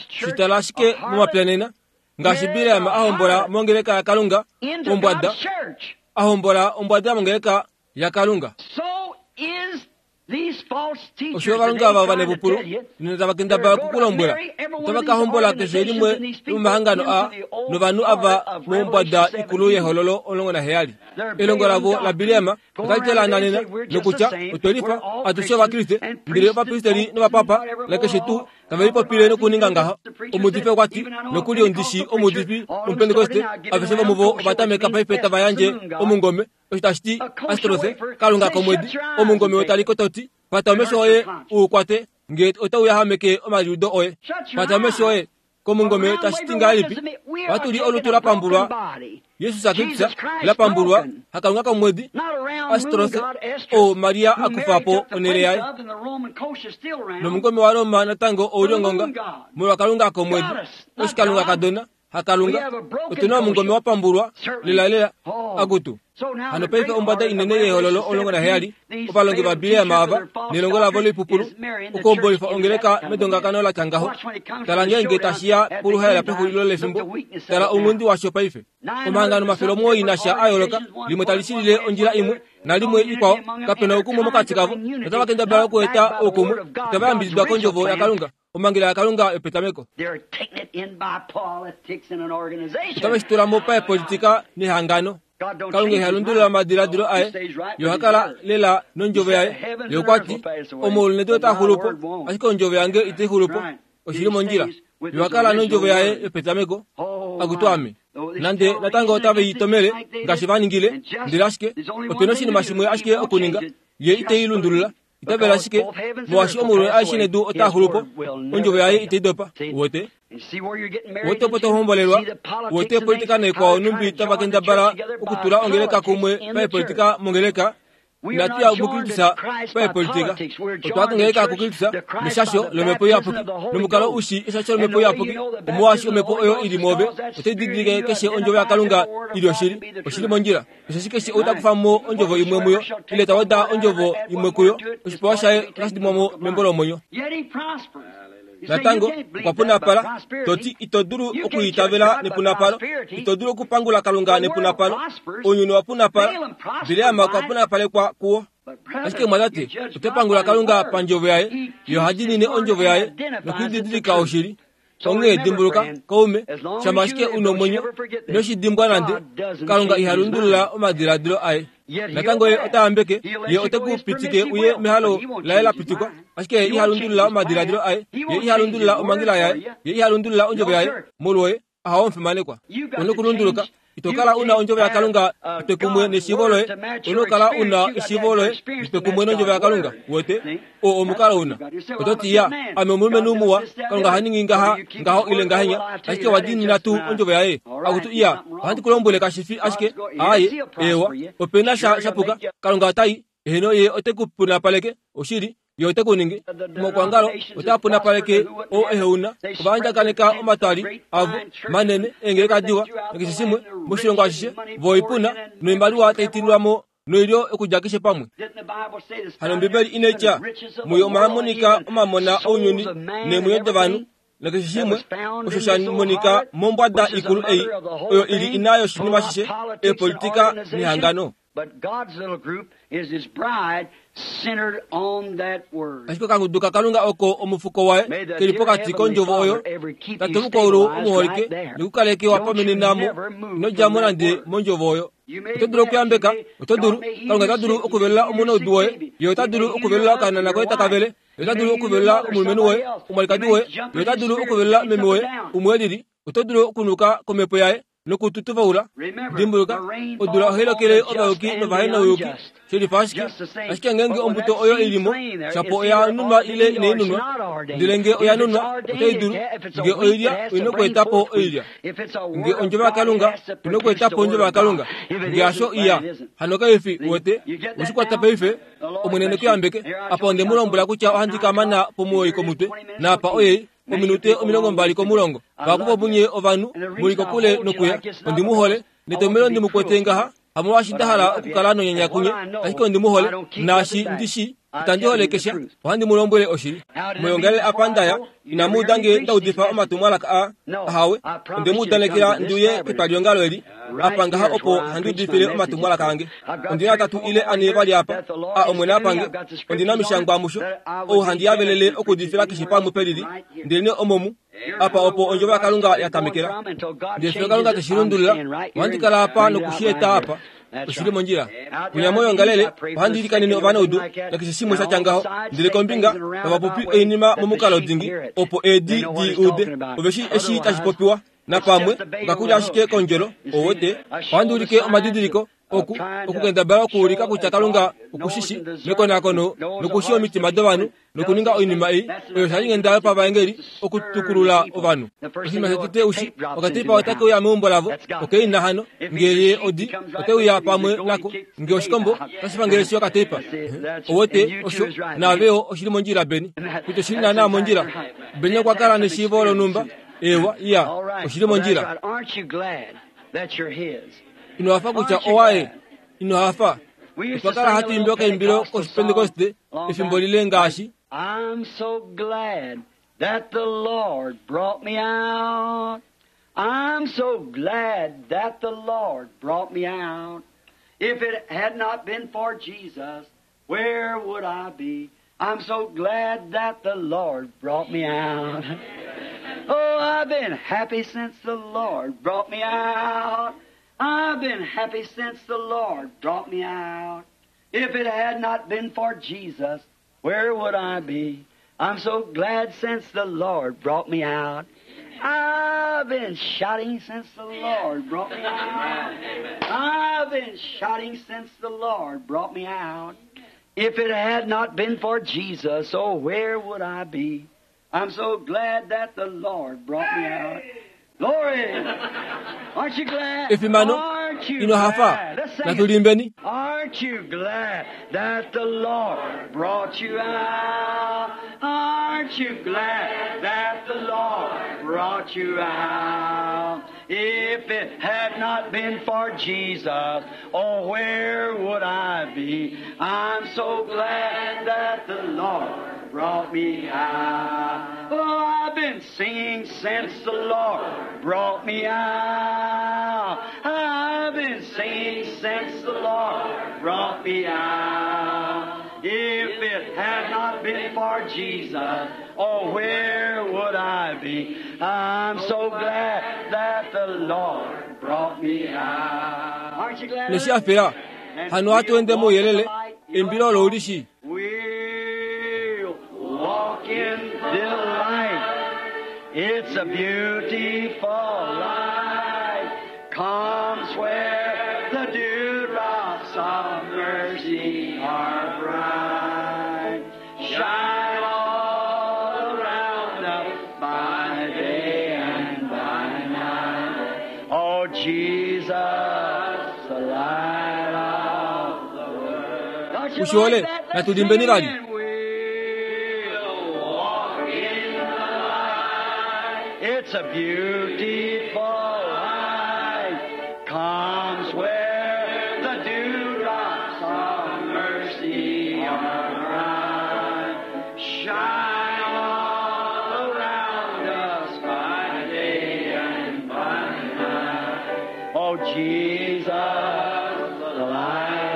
Shitala ashike momapya nena ngaashi Bileam a hombola mongeleka yaKalunga ombwada, a hombola ombwada mongeleka yaKalunga. Osho ovalongi ava ovanevupulu nena tava kendabala okukulombwela otava ka hombola keshe limwe lomomahangano a novanhu ava mombwada ikulu yehololo omulongo naheyali. Elongo lavo la Bileam otali telaana nena nokutya otwe lifa atushe Ovakriste ndele ovapristeli novapapa nakeshe tuu tave lipopile nokuninga ngaho. Omuudifi okwa ti nokuli ondishi omuudifi Omupentekoste aveshe vomuvo ovatameka paife tava yandje omungome osho tashi ti Astrose Kalunga komwedi omungome otaliko toti pata omesho oye u kwate nge otau yahameke omaliudo oye. Pata omesho oye komungome tashi ti ngahelipi? Vatuli olutu la pambulwa Jesus Kristus la pambulwa hakalunga komwedi Astrose o Maria akufa po onele yaye. Nomungome wa Roma natango ouli ongonga molwa Kalunga komwedi oshikalunga kadona hakalunga. Otuna omungome wa pambulwa lelalela akutu. Hano paife ombwada inene yehololo omulongo naheyali ovalongi va Bileam ava nelongo lavo loipupulu okuhombolifa ongeleka medongakano la tya ngaho. Tala ngeenge tashiya poluhaela pexulilo lefimbo, tala ounghundi washo paife. Omahangano omafele omuwoi nasha a yooloka, limwe tali shilile ondjila imwe nalimwe ikwao, kapena oukumwe mokati kavo. Otava kendabala okueta oukumwe, itava yambididwa kondjovo yaKalunga, omhangela yaKalunga yopetameko. Otave shi tula mo paepolitika nehangano. Kalunga iha lundulula omadiladilo aye, ye oha kala lela nondjovo yaye. Ye okwa ti, omaulu nedu otaa xulu po, ashike ondjovo yange itai xulu po. Oshili mondjila. Ye oha kala nondjovo yaye yopetameko. Akutu ame. Nande natango otave i tomele ngaashi va ningile, ndele ashike opena oshinima shimwe ashike okuninga, ye itei lundulula. Itavela ashike molwaashi omaulu aeshe nedu otaa xulu po, ondjovo yaye itai dopa. Wote wote opo to hombolelwa, wote politika naikwao numbi tava kendabala okutula ongeleka kumwe paepolitika mongeleka. Inatu ya mukristusa paepolitika, otwa kongeleka kukristusa neshasho lomhepo iyapuki nomukalo ushi eshasho lomhepo iyapuki omolwaashi omhepo oyo ili mwoove otai didilike keshe ondjovo yaKalunga ili oshili. Oshili mondjila. Osheshi keshe ou ta kufa mo ondjovo imwe muyo ile ta weda ondjovo imwe kuyo, oshipewa shaye otashi dimwa mo membo lomwenyo. Natango okwa punapala, toti ito dulu okuitavela nepunapalo, ito dulu okupangula Kalunga nepunapalo. Ounyuni wa punapala, Bileam okwa punapalekwa kuwo. Ashike mwatate, ote pangula Kalunga pandjovo yaye, ye oha diinine ondjovo yaye nokuididilika oshili. Onghee dimbuluka, kaume, shama ashike u nomwenyo, ino shi dimbwa nande, Kalunga iha lundulula omadiladilo aye. Natango ye ota yambeke, ye ote ku pitike uye mehalo laye la pitikwa, ashike ye iha lundulula omadiladilo aye, ye iha lundulula omhangela yaye, ye iha lundulula ondjovo yaye. Molwoye aha omufimanekwa. Una okulunduluka, ito kala una ondjovo yaKalunga itwe kumwe neshiivo loye, una okukala una eshiivo loye litwe kumwe nondjovo yaKalunga. Wote o omukalo una. Oto ti ya, ame omulumenhu muwa, Kalunga ha ningi ngaha ngaho ile ngahenya, ashike wa diinina tuu ondjovo yaye. Akutu iya, ohandi ku lombwele kashi fi ashike aaye, eewa, opena sha shapuka. Kalunga otai, eheno ye ote ku punapaleke, oshili, ye ote ku ningi. Omakwangalo otaa punapaleke oo eheuna, ova andjakaneka omatwali avo manene eengeleka diwa nakeshe shimwe moshilongo ashishe, vo oipuna noimaliwa tai tililwa mo noilyo okudja keshe pamwe. Hano Ombibeli inai tya muyo omwa monika omamona ounyuni neemwenyo dovanhu nakeshe shimwe osho sha monika mombwada ikulu ei oyo ili ina yoshinima shishe eepolitika nehangano. But God's little group is His bride centered on that word. Ashike okangudu kakalunga oko omufuko waye keli pokati kondjovo oyo tate mukwaulu omuholike nikukaleke wapamenenamo inodjamo nande mondjovo oyo. Oto dulu okuyambeka, oto dulu, Kalunga ota dulu okuvelela omunaudu woye, ye ota dulu okuvelela okanana koye takavele, ye ota dulu okuvelela omulumenhu woye, omwalikadi woye, ye ota dulu okuvelela meme woye, umwe elili, oto dulu okunuka komhepo yaye nokututuvaula. Dimbuluka, odula ohai lokele ovayuki novahenouyuki, shelifa ashike, ashike ngeenge ombuto oyo ilimo, shapo oya nunwa ile inai nunwa, ndele nge oya nunwa, otai dulu, nge oilya oina okweetapo oilya, nge ondjovo yaKalunga oina okweetapo ondjovo yaKalunga, nge hasho iya, hano kaifi uwete, weshikwata paife, Omwene nekuyambeke, apa onde mu lombwela kutya ohandi ka mana pomuwoi komutwe, naapa oyei, ominute omilongo mbali komulongo. Vahapu vomunye ovanhu muli kokule nokuya, ondi mu hole, netomhelo ndi mu kwete ngaha, hamolwaashi nda hala okukala nonyanya kunye, ashike ondi mu hole, naashi ndi shi itandi holekesha, ohandi mu lombwele oshili. Moyongalele apa ndaya, inamu uda nge nda udifa omatumwalaka aa, ahawe, onde mu udanekela ndi uye ketwaliongalo eli, apa ngaha opo handi udifile omatumwalaka ange. Ondi na tatu ile ane vali apa, a Omwene apange, ondi na omishangwa musho, ou handi yavelele okuudifila keshe pamwe pelili, ndelenee omomu, apa opo ondjovo yaKalunga ya tamekela. Ndele fiyo Kalunga teshi lundulula, ohandi kala apa nokushieta apa. Oshili mondjila. Kunya moyongalele, ohandi ilikanene ovanaudu, nakeshe shimwe sha tya ngaho, ndele kombinga, tava popi oinima momukalo dingi, opo eedi di ude, ove shi eshi tashi popiwa, napamwe, okakulya ashike kondjolo, ouwete, ohandi ulike omadidiliko, oku okukendabala okuulika kutya Kalunga okushishi mekonakono nokushi omitima dovanhu nokuninga oinima ei oyo shali ngenda yopavaengeli okutukulula ovanhu. Oshinima shotete ushi okateipa otake uya meumbo lavo, okeina hano ngee ye odi ote uya pamwe nako, ngee oshikombo otashi pangele shi okateipa. Ouwete osho naaveyo oshili mondjila beni kutya oshili naana mondjila. Beni okwa kala neshiivo lonhumba ewa iya oshili mondjila. Ino hafa kutya owaye, ino hafa. Otwa kala hatu imbi okaimbilo kOshipentekoste efimbo lile ngaashi I'm so glad that the Lord brought me out. I'm so glad that the Lord brought me out. If it had not been for Jesus, where would I be? I'm so glad that the Lord brought me out. Oh, I've been happy since the Lord brought me out. I've been happy since the Lord brought me out. If it had not been for Jesus, where would I be? I'm so glad since the Lord brought me out. I've been shouting since the Lord brought me out. I've been shouting since the Lord brought me out. If it had not been for Jesus, oh, where would I be? I'm so glad that the Lord brought me out. Glory! Aren't you glad? Efimano, Aren't you ino hafa glad? Let's sing it. natulimbeni. Aren't you glad that the Lord brought you out? Aren't you glad that the Lord brought you out? If it had not been for Jesus, oh, where would I be? I'm so glad that the Lord brought me out. Oh, I've been singing since the Lord brought me out. I've been singing since the Lord brought me out. If it had not been for Jesus, oh, where would I be? I'm so glad that the Lord brought me out. Aren't you glad? Neshi afera hano hatuende mouyelele embilo olo ulishi. We'll walk in the light. It's a beautiful light. Comes where the dewdrops of mercy are bright. Shine all around us by day and by night. Oh, Jesus, the light of the world. Don't you Ushiole, like that? Let's natulimbeni sing vali. it. We'll walk in the light. It's a beautiful light. Comes where the dewdrops of mercy are bright. Shine all around us by day and by night. Oh, Jesus, the light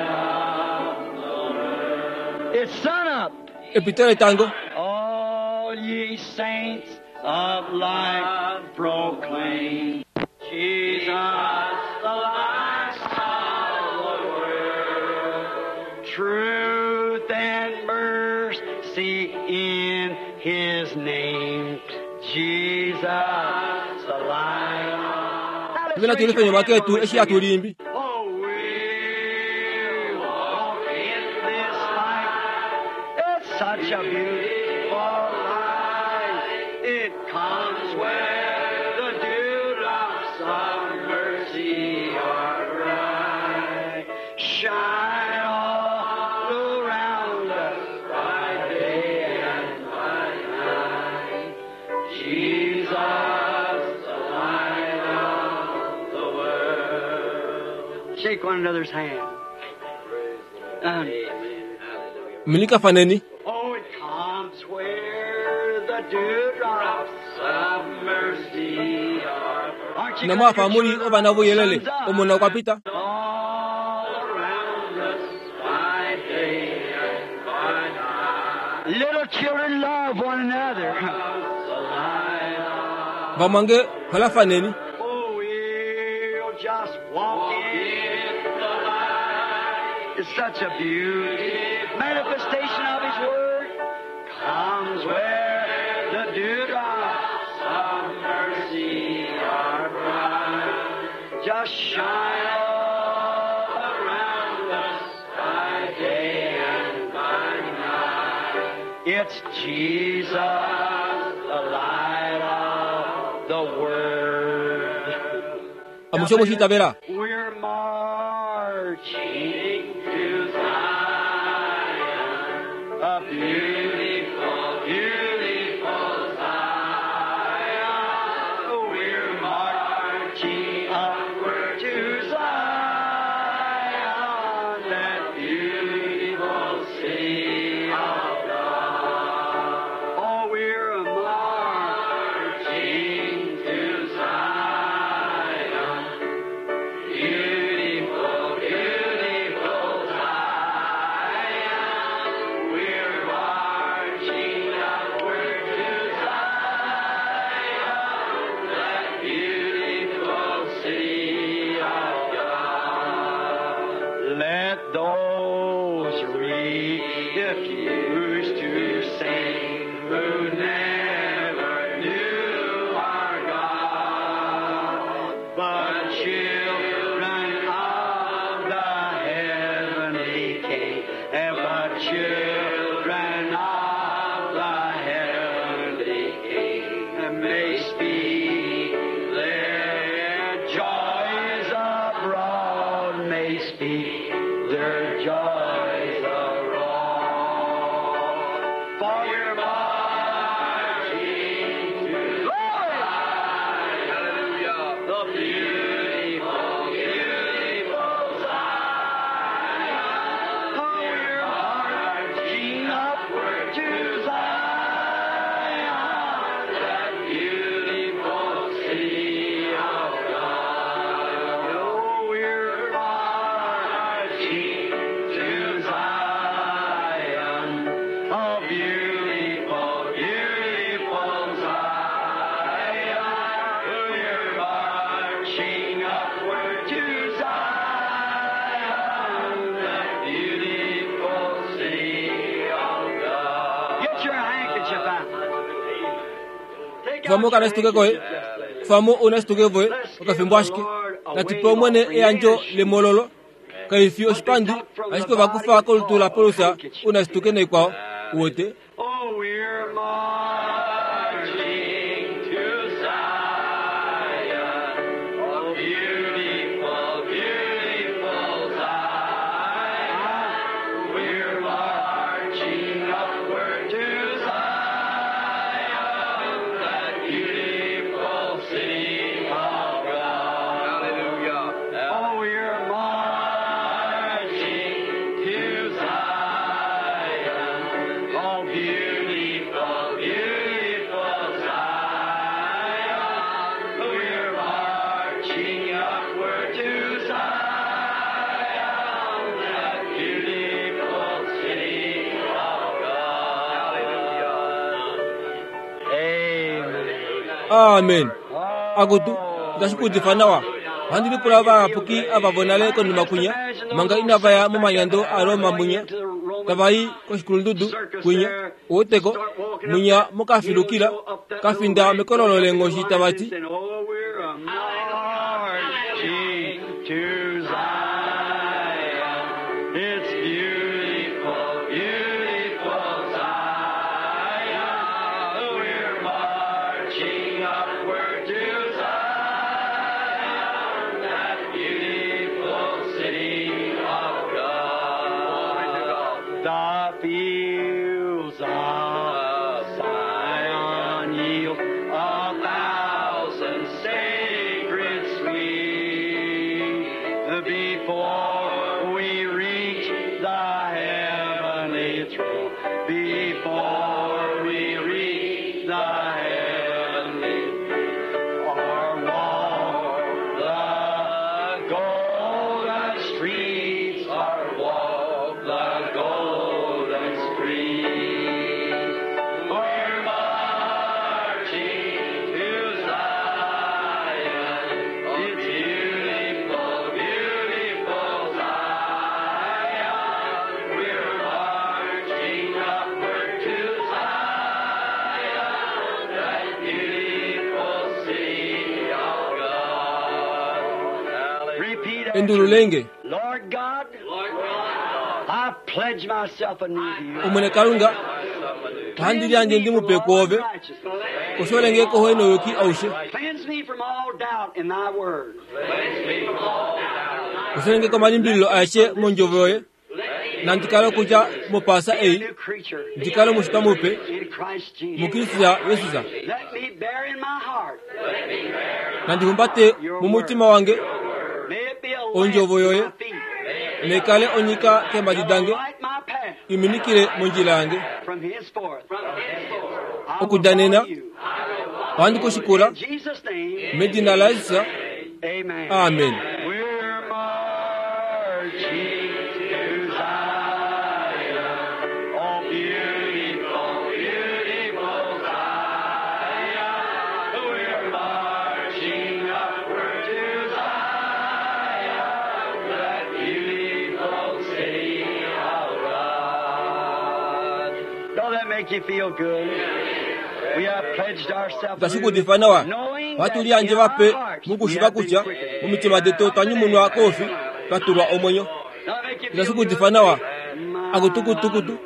It's sun up. Epito letango. All ye saints of light proclaim Jesus the light of the world. Truth and mercy in His name. Jesus the light. Now let's Vena raise tulife your nyuma hand ketu while we eshi sing it. atulimbi. Oh, we walk in this light. It's such a beautiful light. It comes where the dewdrops of mercy are bright. Shine all around us by day and by night. Jesus, the light of the world. Shake one another's hand. Um, Milika faneni. oh, it comes where the dewdrops of mercy are. Aren't you Na glad mwafa your muli children ovana are vuyelele. sons up? Omona okwa pita. All around us by day and by night. Little children love one another. Vamwange holafaneni. Oh, we'll just walk in the light. It's such a beautiful manifestation of His Word. Comes where the dewdrops of mercy are bright. Just shine all around us by day and by night. It's Jesus, the light of the world. Amushe mushitavela. We're marching to Zion, a beautiful, beautiful Zion. We're marching upward to Zion, that beautiful city of God. Oh, we're marching to Zion. Beautiful, beautiful Zion. We're marching upward to Zion, that beautiful city of God. Let those refuse to sing who never knew our God, but children of the heavenly King, and but children of the heavenly King may speak their joys abroad, may speak their joys abroad. For we're marching to glory. Hallelujah. The beautiful, beautiful Zion. Oh, we're marching upward to Zion, that beautiful city of God. Oh, we're marching to Zion, a beautiful, beautiful Zion. We're marching upward to Zion, that beautiful city of God. Get your handkerchief out. Take out Famo your kana situke koe. handkerchief. Famo una situke voe. Okafimbo ashike. Natupe omwene eyanjo lemololo. Kaifi oshipandi. Ashike vakufa kolutu la Paulus una situke naikwao. Uwete. Oh, we're marching to Zion, oh, beautiful, beautiful Zion. We're marching upward to Zion, that beautiful city of God. Hallelujah. Oh, we're marching to Zion, oh, beautiful. Amen. Akutu itashikuudifa nawa. Ohandi lipula ovayapuki ava vonale konima kunya manga inavaya momanyando a Roma munya tavayi koshikulundudu kunya uweteko munya mokafilukila kafinda mekololo lenghoshi tavati To Zion, it's beautiful, beautiful Zion. We're marching upward to Zion, that beautiful city of God. The fields of Zion yield a thousand sacred sweet before we reach the heavenly throne. Before we reach the heavenly throne, or walk the golden streets, or walk the golden streets. We're marching to Zion. It's beautiful, beautiful Zion. We're marching upward to Zion, that beautiful city of God. Repeat after me. Endululenge Lord God, I pledge myself anew to you. Omwene Kalunga ohandi lyandje ndimupe kwoove kosholenge kohoe noyuki aushe Cleanse me from all doubt in thy word. kosholenge komalimbililo aeshe mondjovo yoye nandikale okudja mopasa Be a ei new creature ndikale omushitwa mupe in Christ Jesus. mukristuya Yesus Let me bear in my heart. nandihumbate mumutima wange May it be a lamp Ondjovo to yoye my feet. nekale onyika kembadi dange Light my path iminikile mondjila yange from henceforth. I will Okudanena follow you. ohandi kushikula In Jesus' name, medina la Yesus amen. amen. We're marching to Zion. Oh, beautiful, beautiful Zion. We're marching upward to Zion, that beautiful city of God. Don't that make you feel good? We have pledged ourselves Itashikuudifa nawa knowing ohatu that lyandje in our vape hearts we mukushiva have been kutya quickened. mumitima detu twanyumunwa kofi twatulwa omwenyo. Itashikuudifa nawa akutukutukutu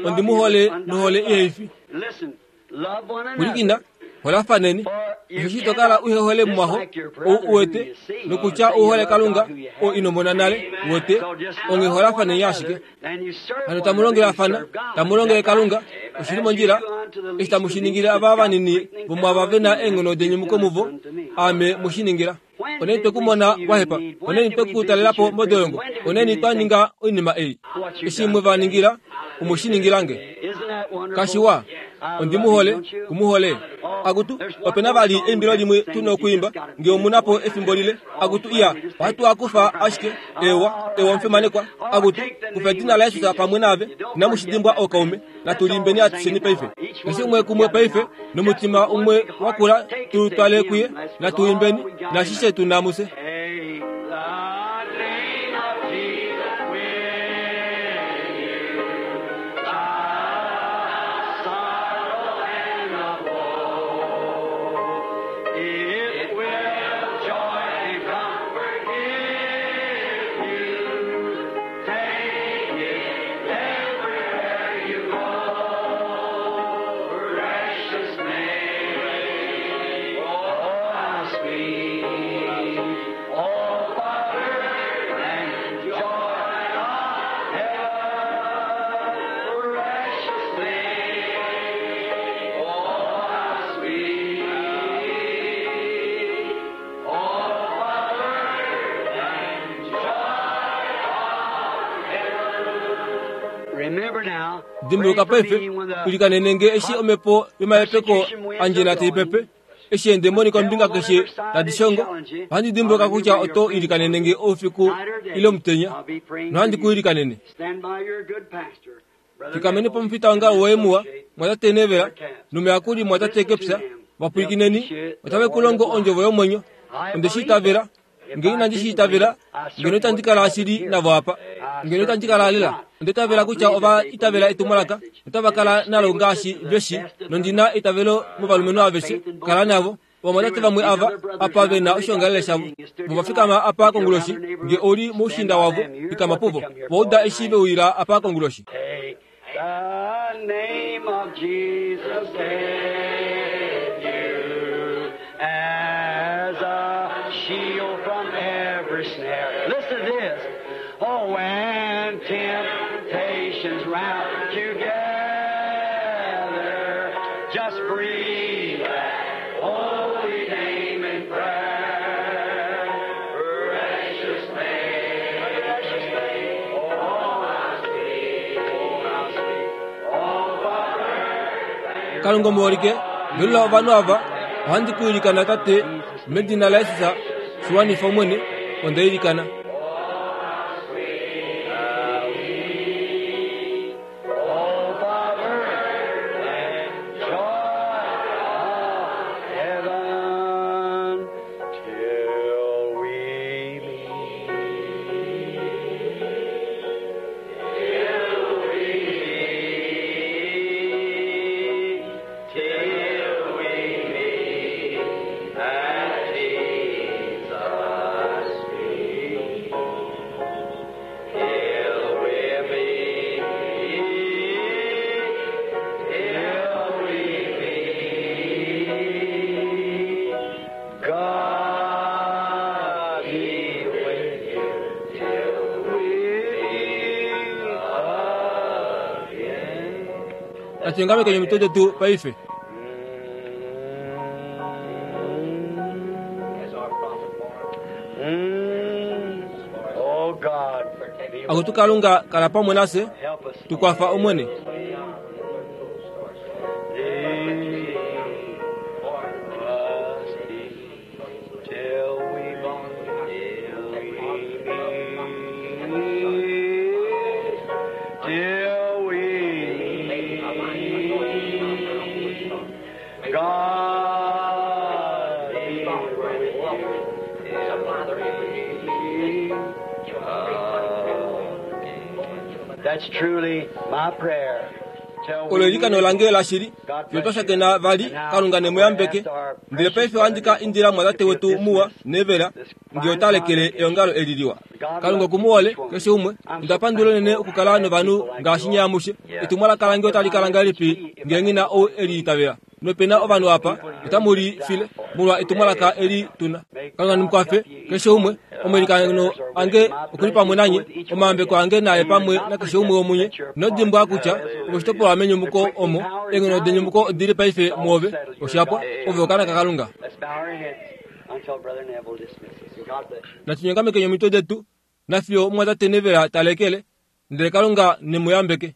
ondimuhole nohole iheifi kulikina holafaneni osho tokala uhehole mumwaho ou uwete nokutya uhole Kalunga oo inomona nale wote onge holafaneni ashike. Hano tamulongelafana tamulongele Kalunga oshili mondjila eshi tamushiningile ava vanini vomwava vena eenghono denyumuko muvo ame mushiningila. Oneni twekumona wahepa oneni twekutalelapo modolongo oneni twaninga oinima ei eshi mwevaningila omushiningilange. Kashiwa ondimuhole kumuhole akutu opena vali eimbilo limwe tuna okuimba nge omunapo efimbo lile akutu iya ohatu akufa ashike ewa ewa mfimanekwa akutu kufa edina la Yesus pamwe nave inamushidimbwa okaume natulimbeni atusheni paife keshe umwe kumwe paife nomutima umwe wakula tulutwale kuye natuimbeni nashishe tunamuse. Take the name of Jesus with you. The sorrow and the woe. It will joy and comfort give you. Take it everywhere you go. Precious name, oh how sweet. Oh, Father, and joy of heaven, precious name, oh, how sweet. Oh, Father, and joy of heaven. Remember now, Dimbuluka paife kulikanenenge eshi omhepo yomaepeko andjela taipepe eshi eendemoni kombinga keshe tadi shongo ohandi dimbuluka kutya oto ilikanenenge oufiku ile omutenya nohandi ku ilikanene. Stand by your good pastor, Brother Fikameni Neville. pomufita wanga woye muwa mwatate Nevela nomuyakuli mwatate Kepsa Vapwilikineni, otave ku longo ondjovo yomwenyo. Onde shi itavela. Ngeno inandi shi itavela, ngeno itandi kala shili navo apa. Ngeno itandi kala lela. Onda itavela kutya ova itavela etumwalaka, notava kala nalo ngaashi veshi, nondina eitavelo movalumenhu aveshe. Kala navo. Ovamwatate vamwe ava apa ve na oshoongalele shavo. Vo va fikama apa konguloshi, nge ouli moushinda wavo, fikama puvo. Va uda eshi ve uyila apa konguloshi. Take the name of Jesus with you as a shield from every snare. Listen to this. Oh, when temptations round you gather, just breathe that holy name in prayer. Precious name, precious name, oh, how sweet, oh, how sweet, oh, Father. Kalunga omuholike, velula ovanhu ava, ohandi ku ilikana Tate, medina laJesus, shiwanifa Omwene, onda ilikana. Oh, Father, and joy of heaven till we meet. Till we meet, till we meet at Jesus' feet. Till we meet, till we meet, God be with you till we meet again. Natunyongame kwenye mitwe yetu paife. Mm. Oh God, be with Akutu Kalunga kala pamwe nase, help us. tukwafa Omwene. Till we meet, till we meet, God be with you till we meet again. That's truly my prayer. Till Olo we eilikano meet. lange lashili, fiyo twashakena vali, Kalunga nemuyambeke. Ndele paife ohandi ka indila mwatate wetu muwa nevela, nge ota lekele eongalo eli liwa. Kalunga okumuhole keshe umwe. Onda pandula unene okukala novanhu ngaashi nye amushe. Etumwalaka lange otali kala ngahelipi ngee nghi na ou eli itavela? Nopena ovanhu apa otamu li file molwa etumwalaka eli tuna. Kalunga nemukwafe keshe umwe. Omailikano ange okuli pamwe nanye, omayambeko ange naye pamwe nakeshe umwe womunye. Inodimbwa kutya ove oshitopolwa menyumuko omo eenghono denyumuko odili paife mwoove. Oshapwa, ove okaana kaKalunga. Let's bow our heads until Brother Neville dismisses. And God bless you. Natunyongameke omitwe detu, nafiyo omumwatate Nevela ta lekele, ndele Kalunga nemuyambeke.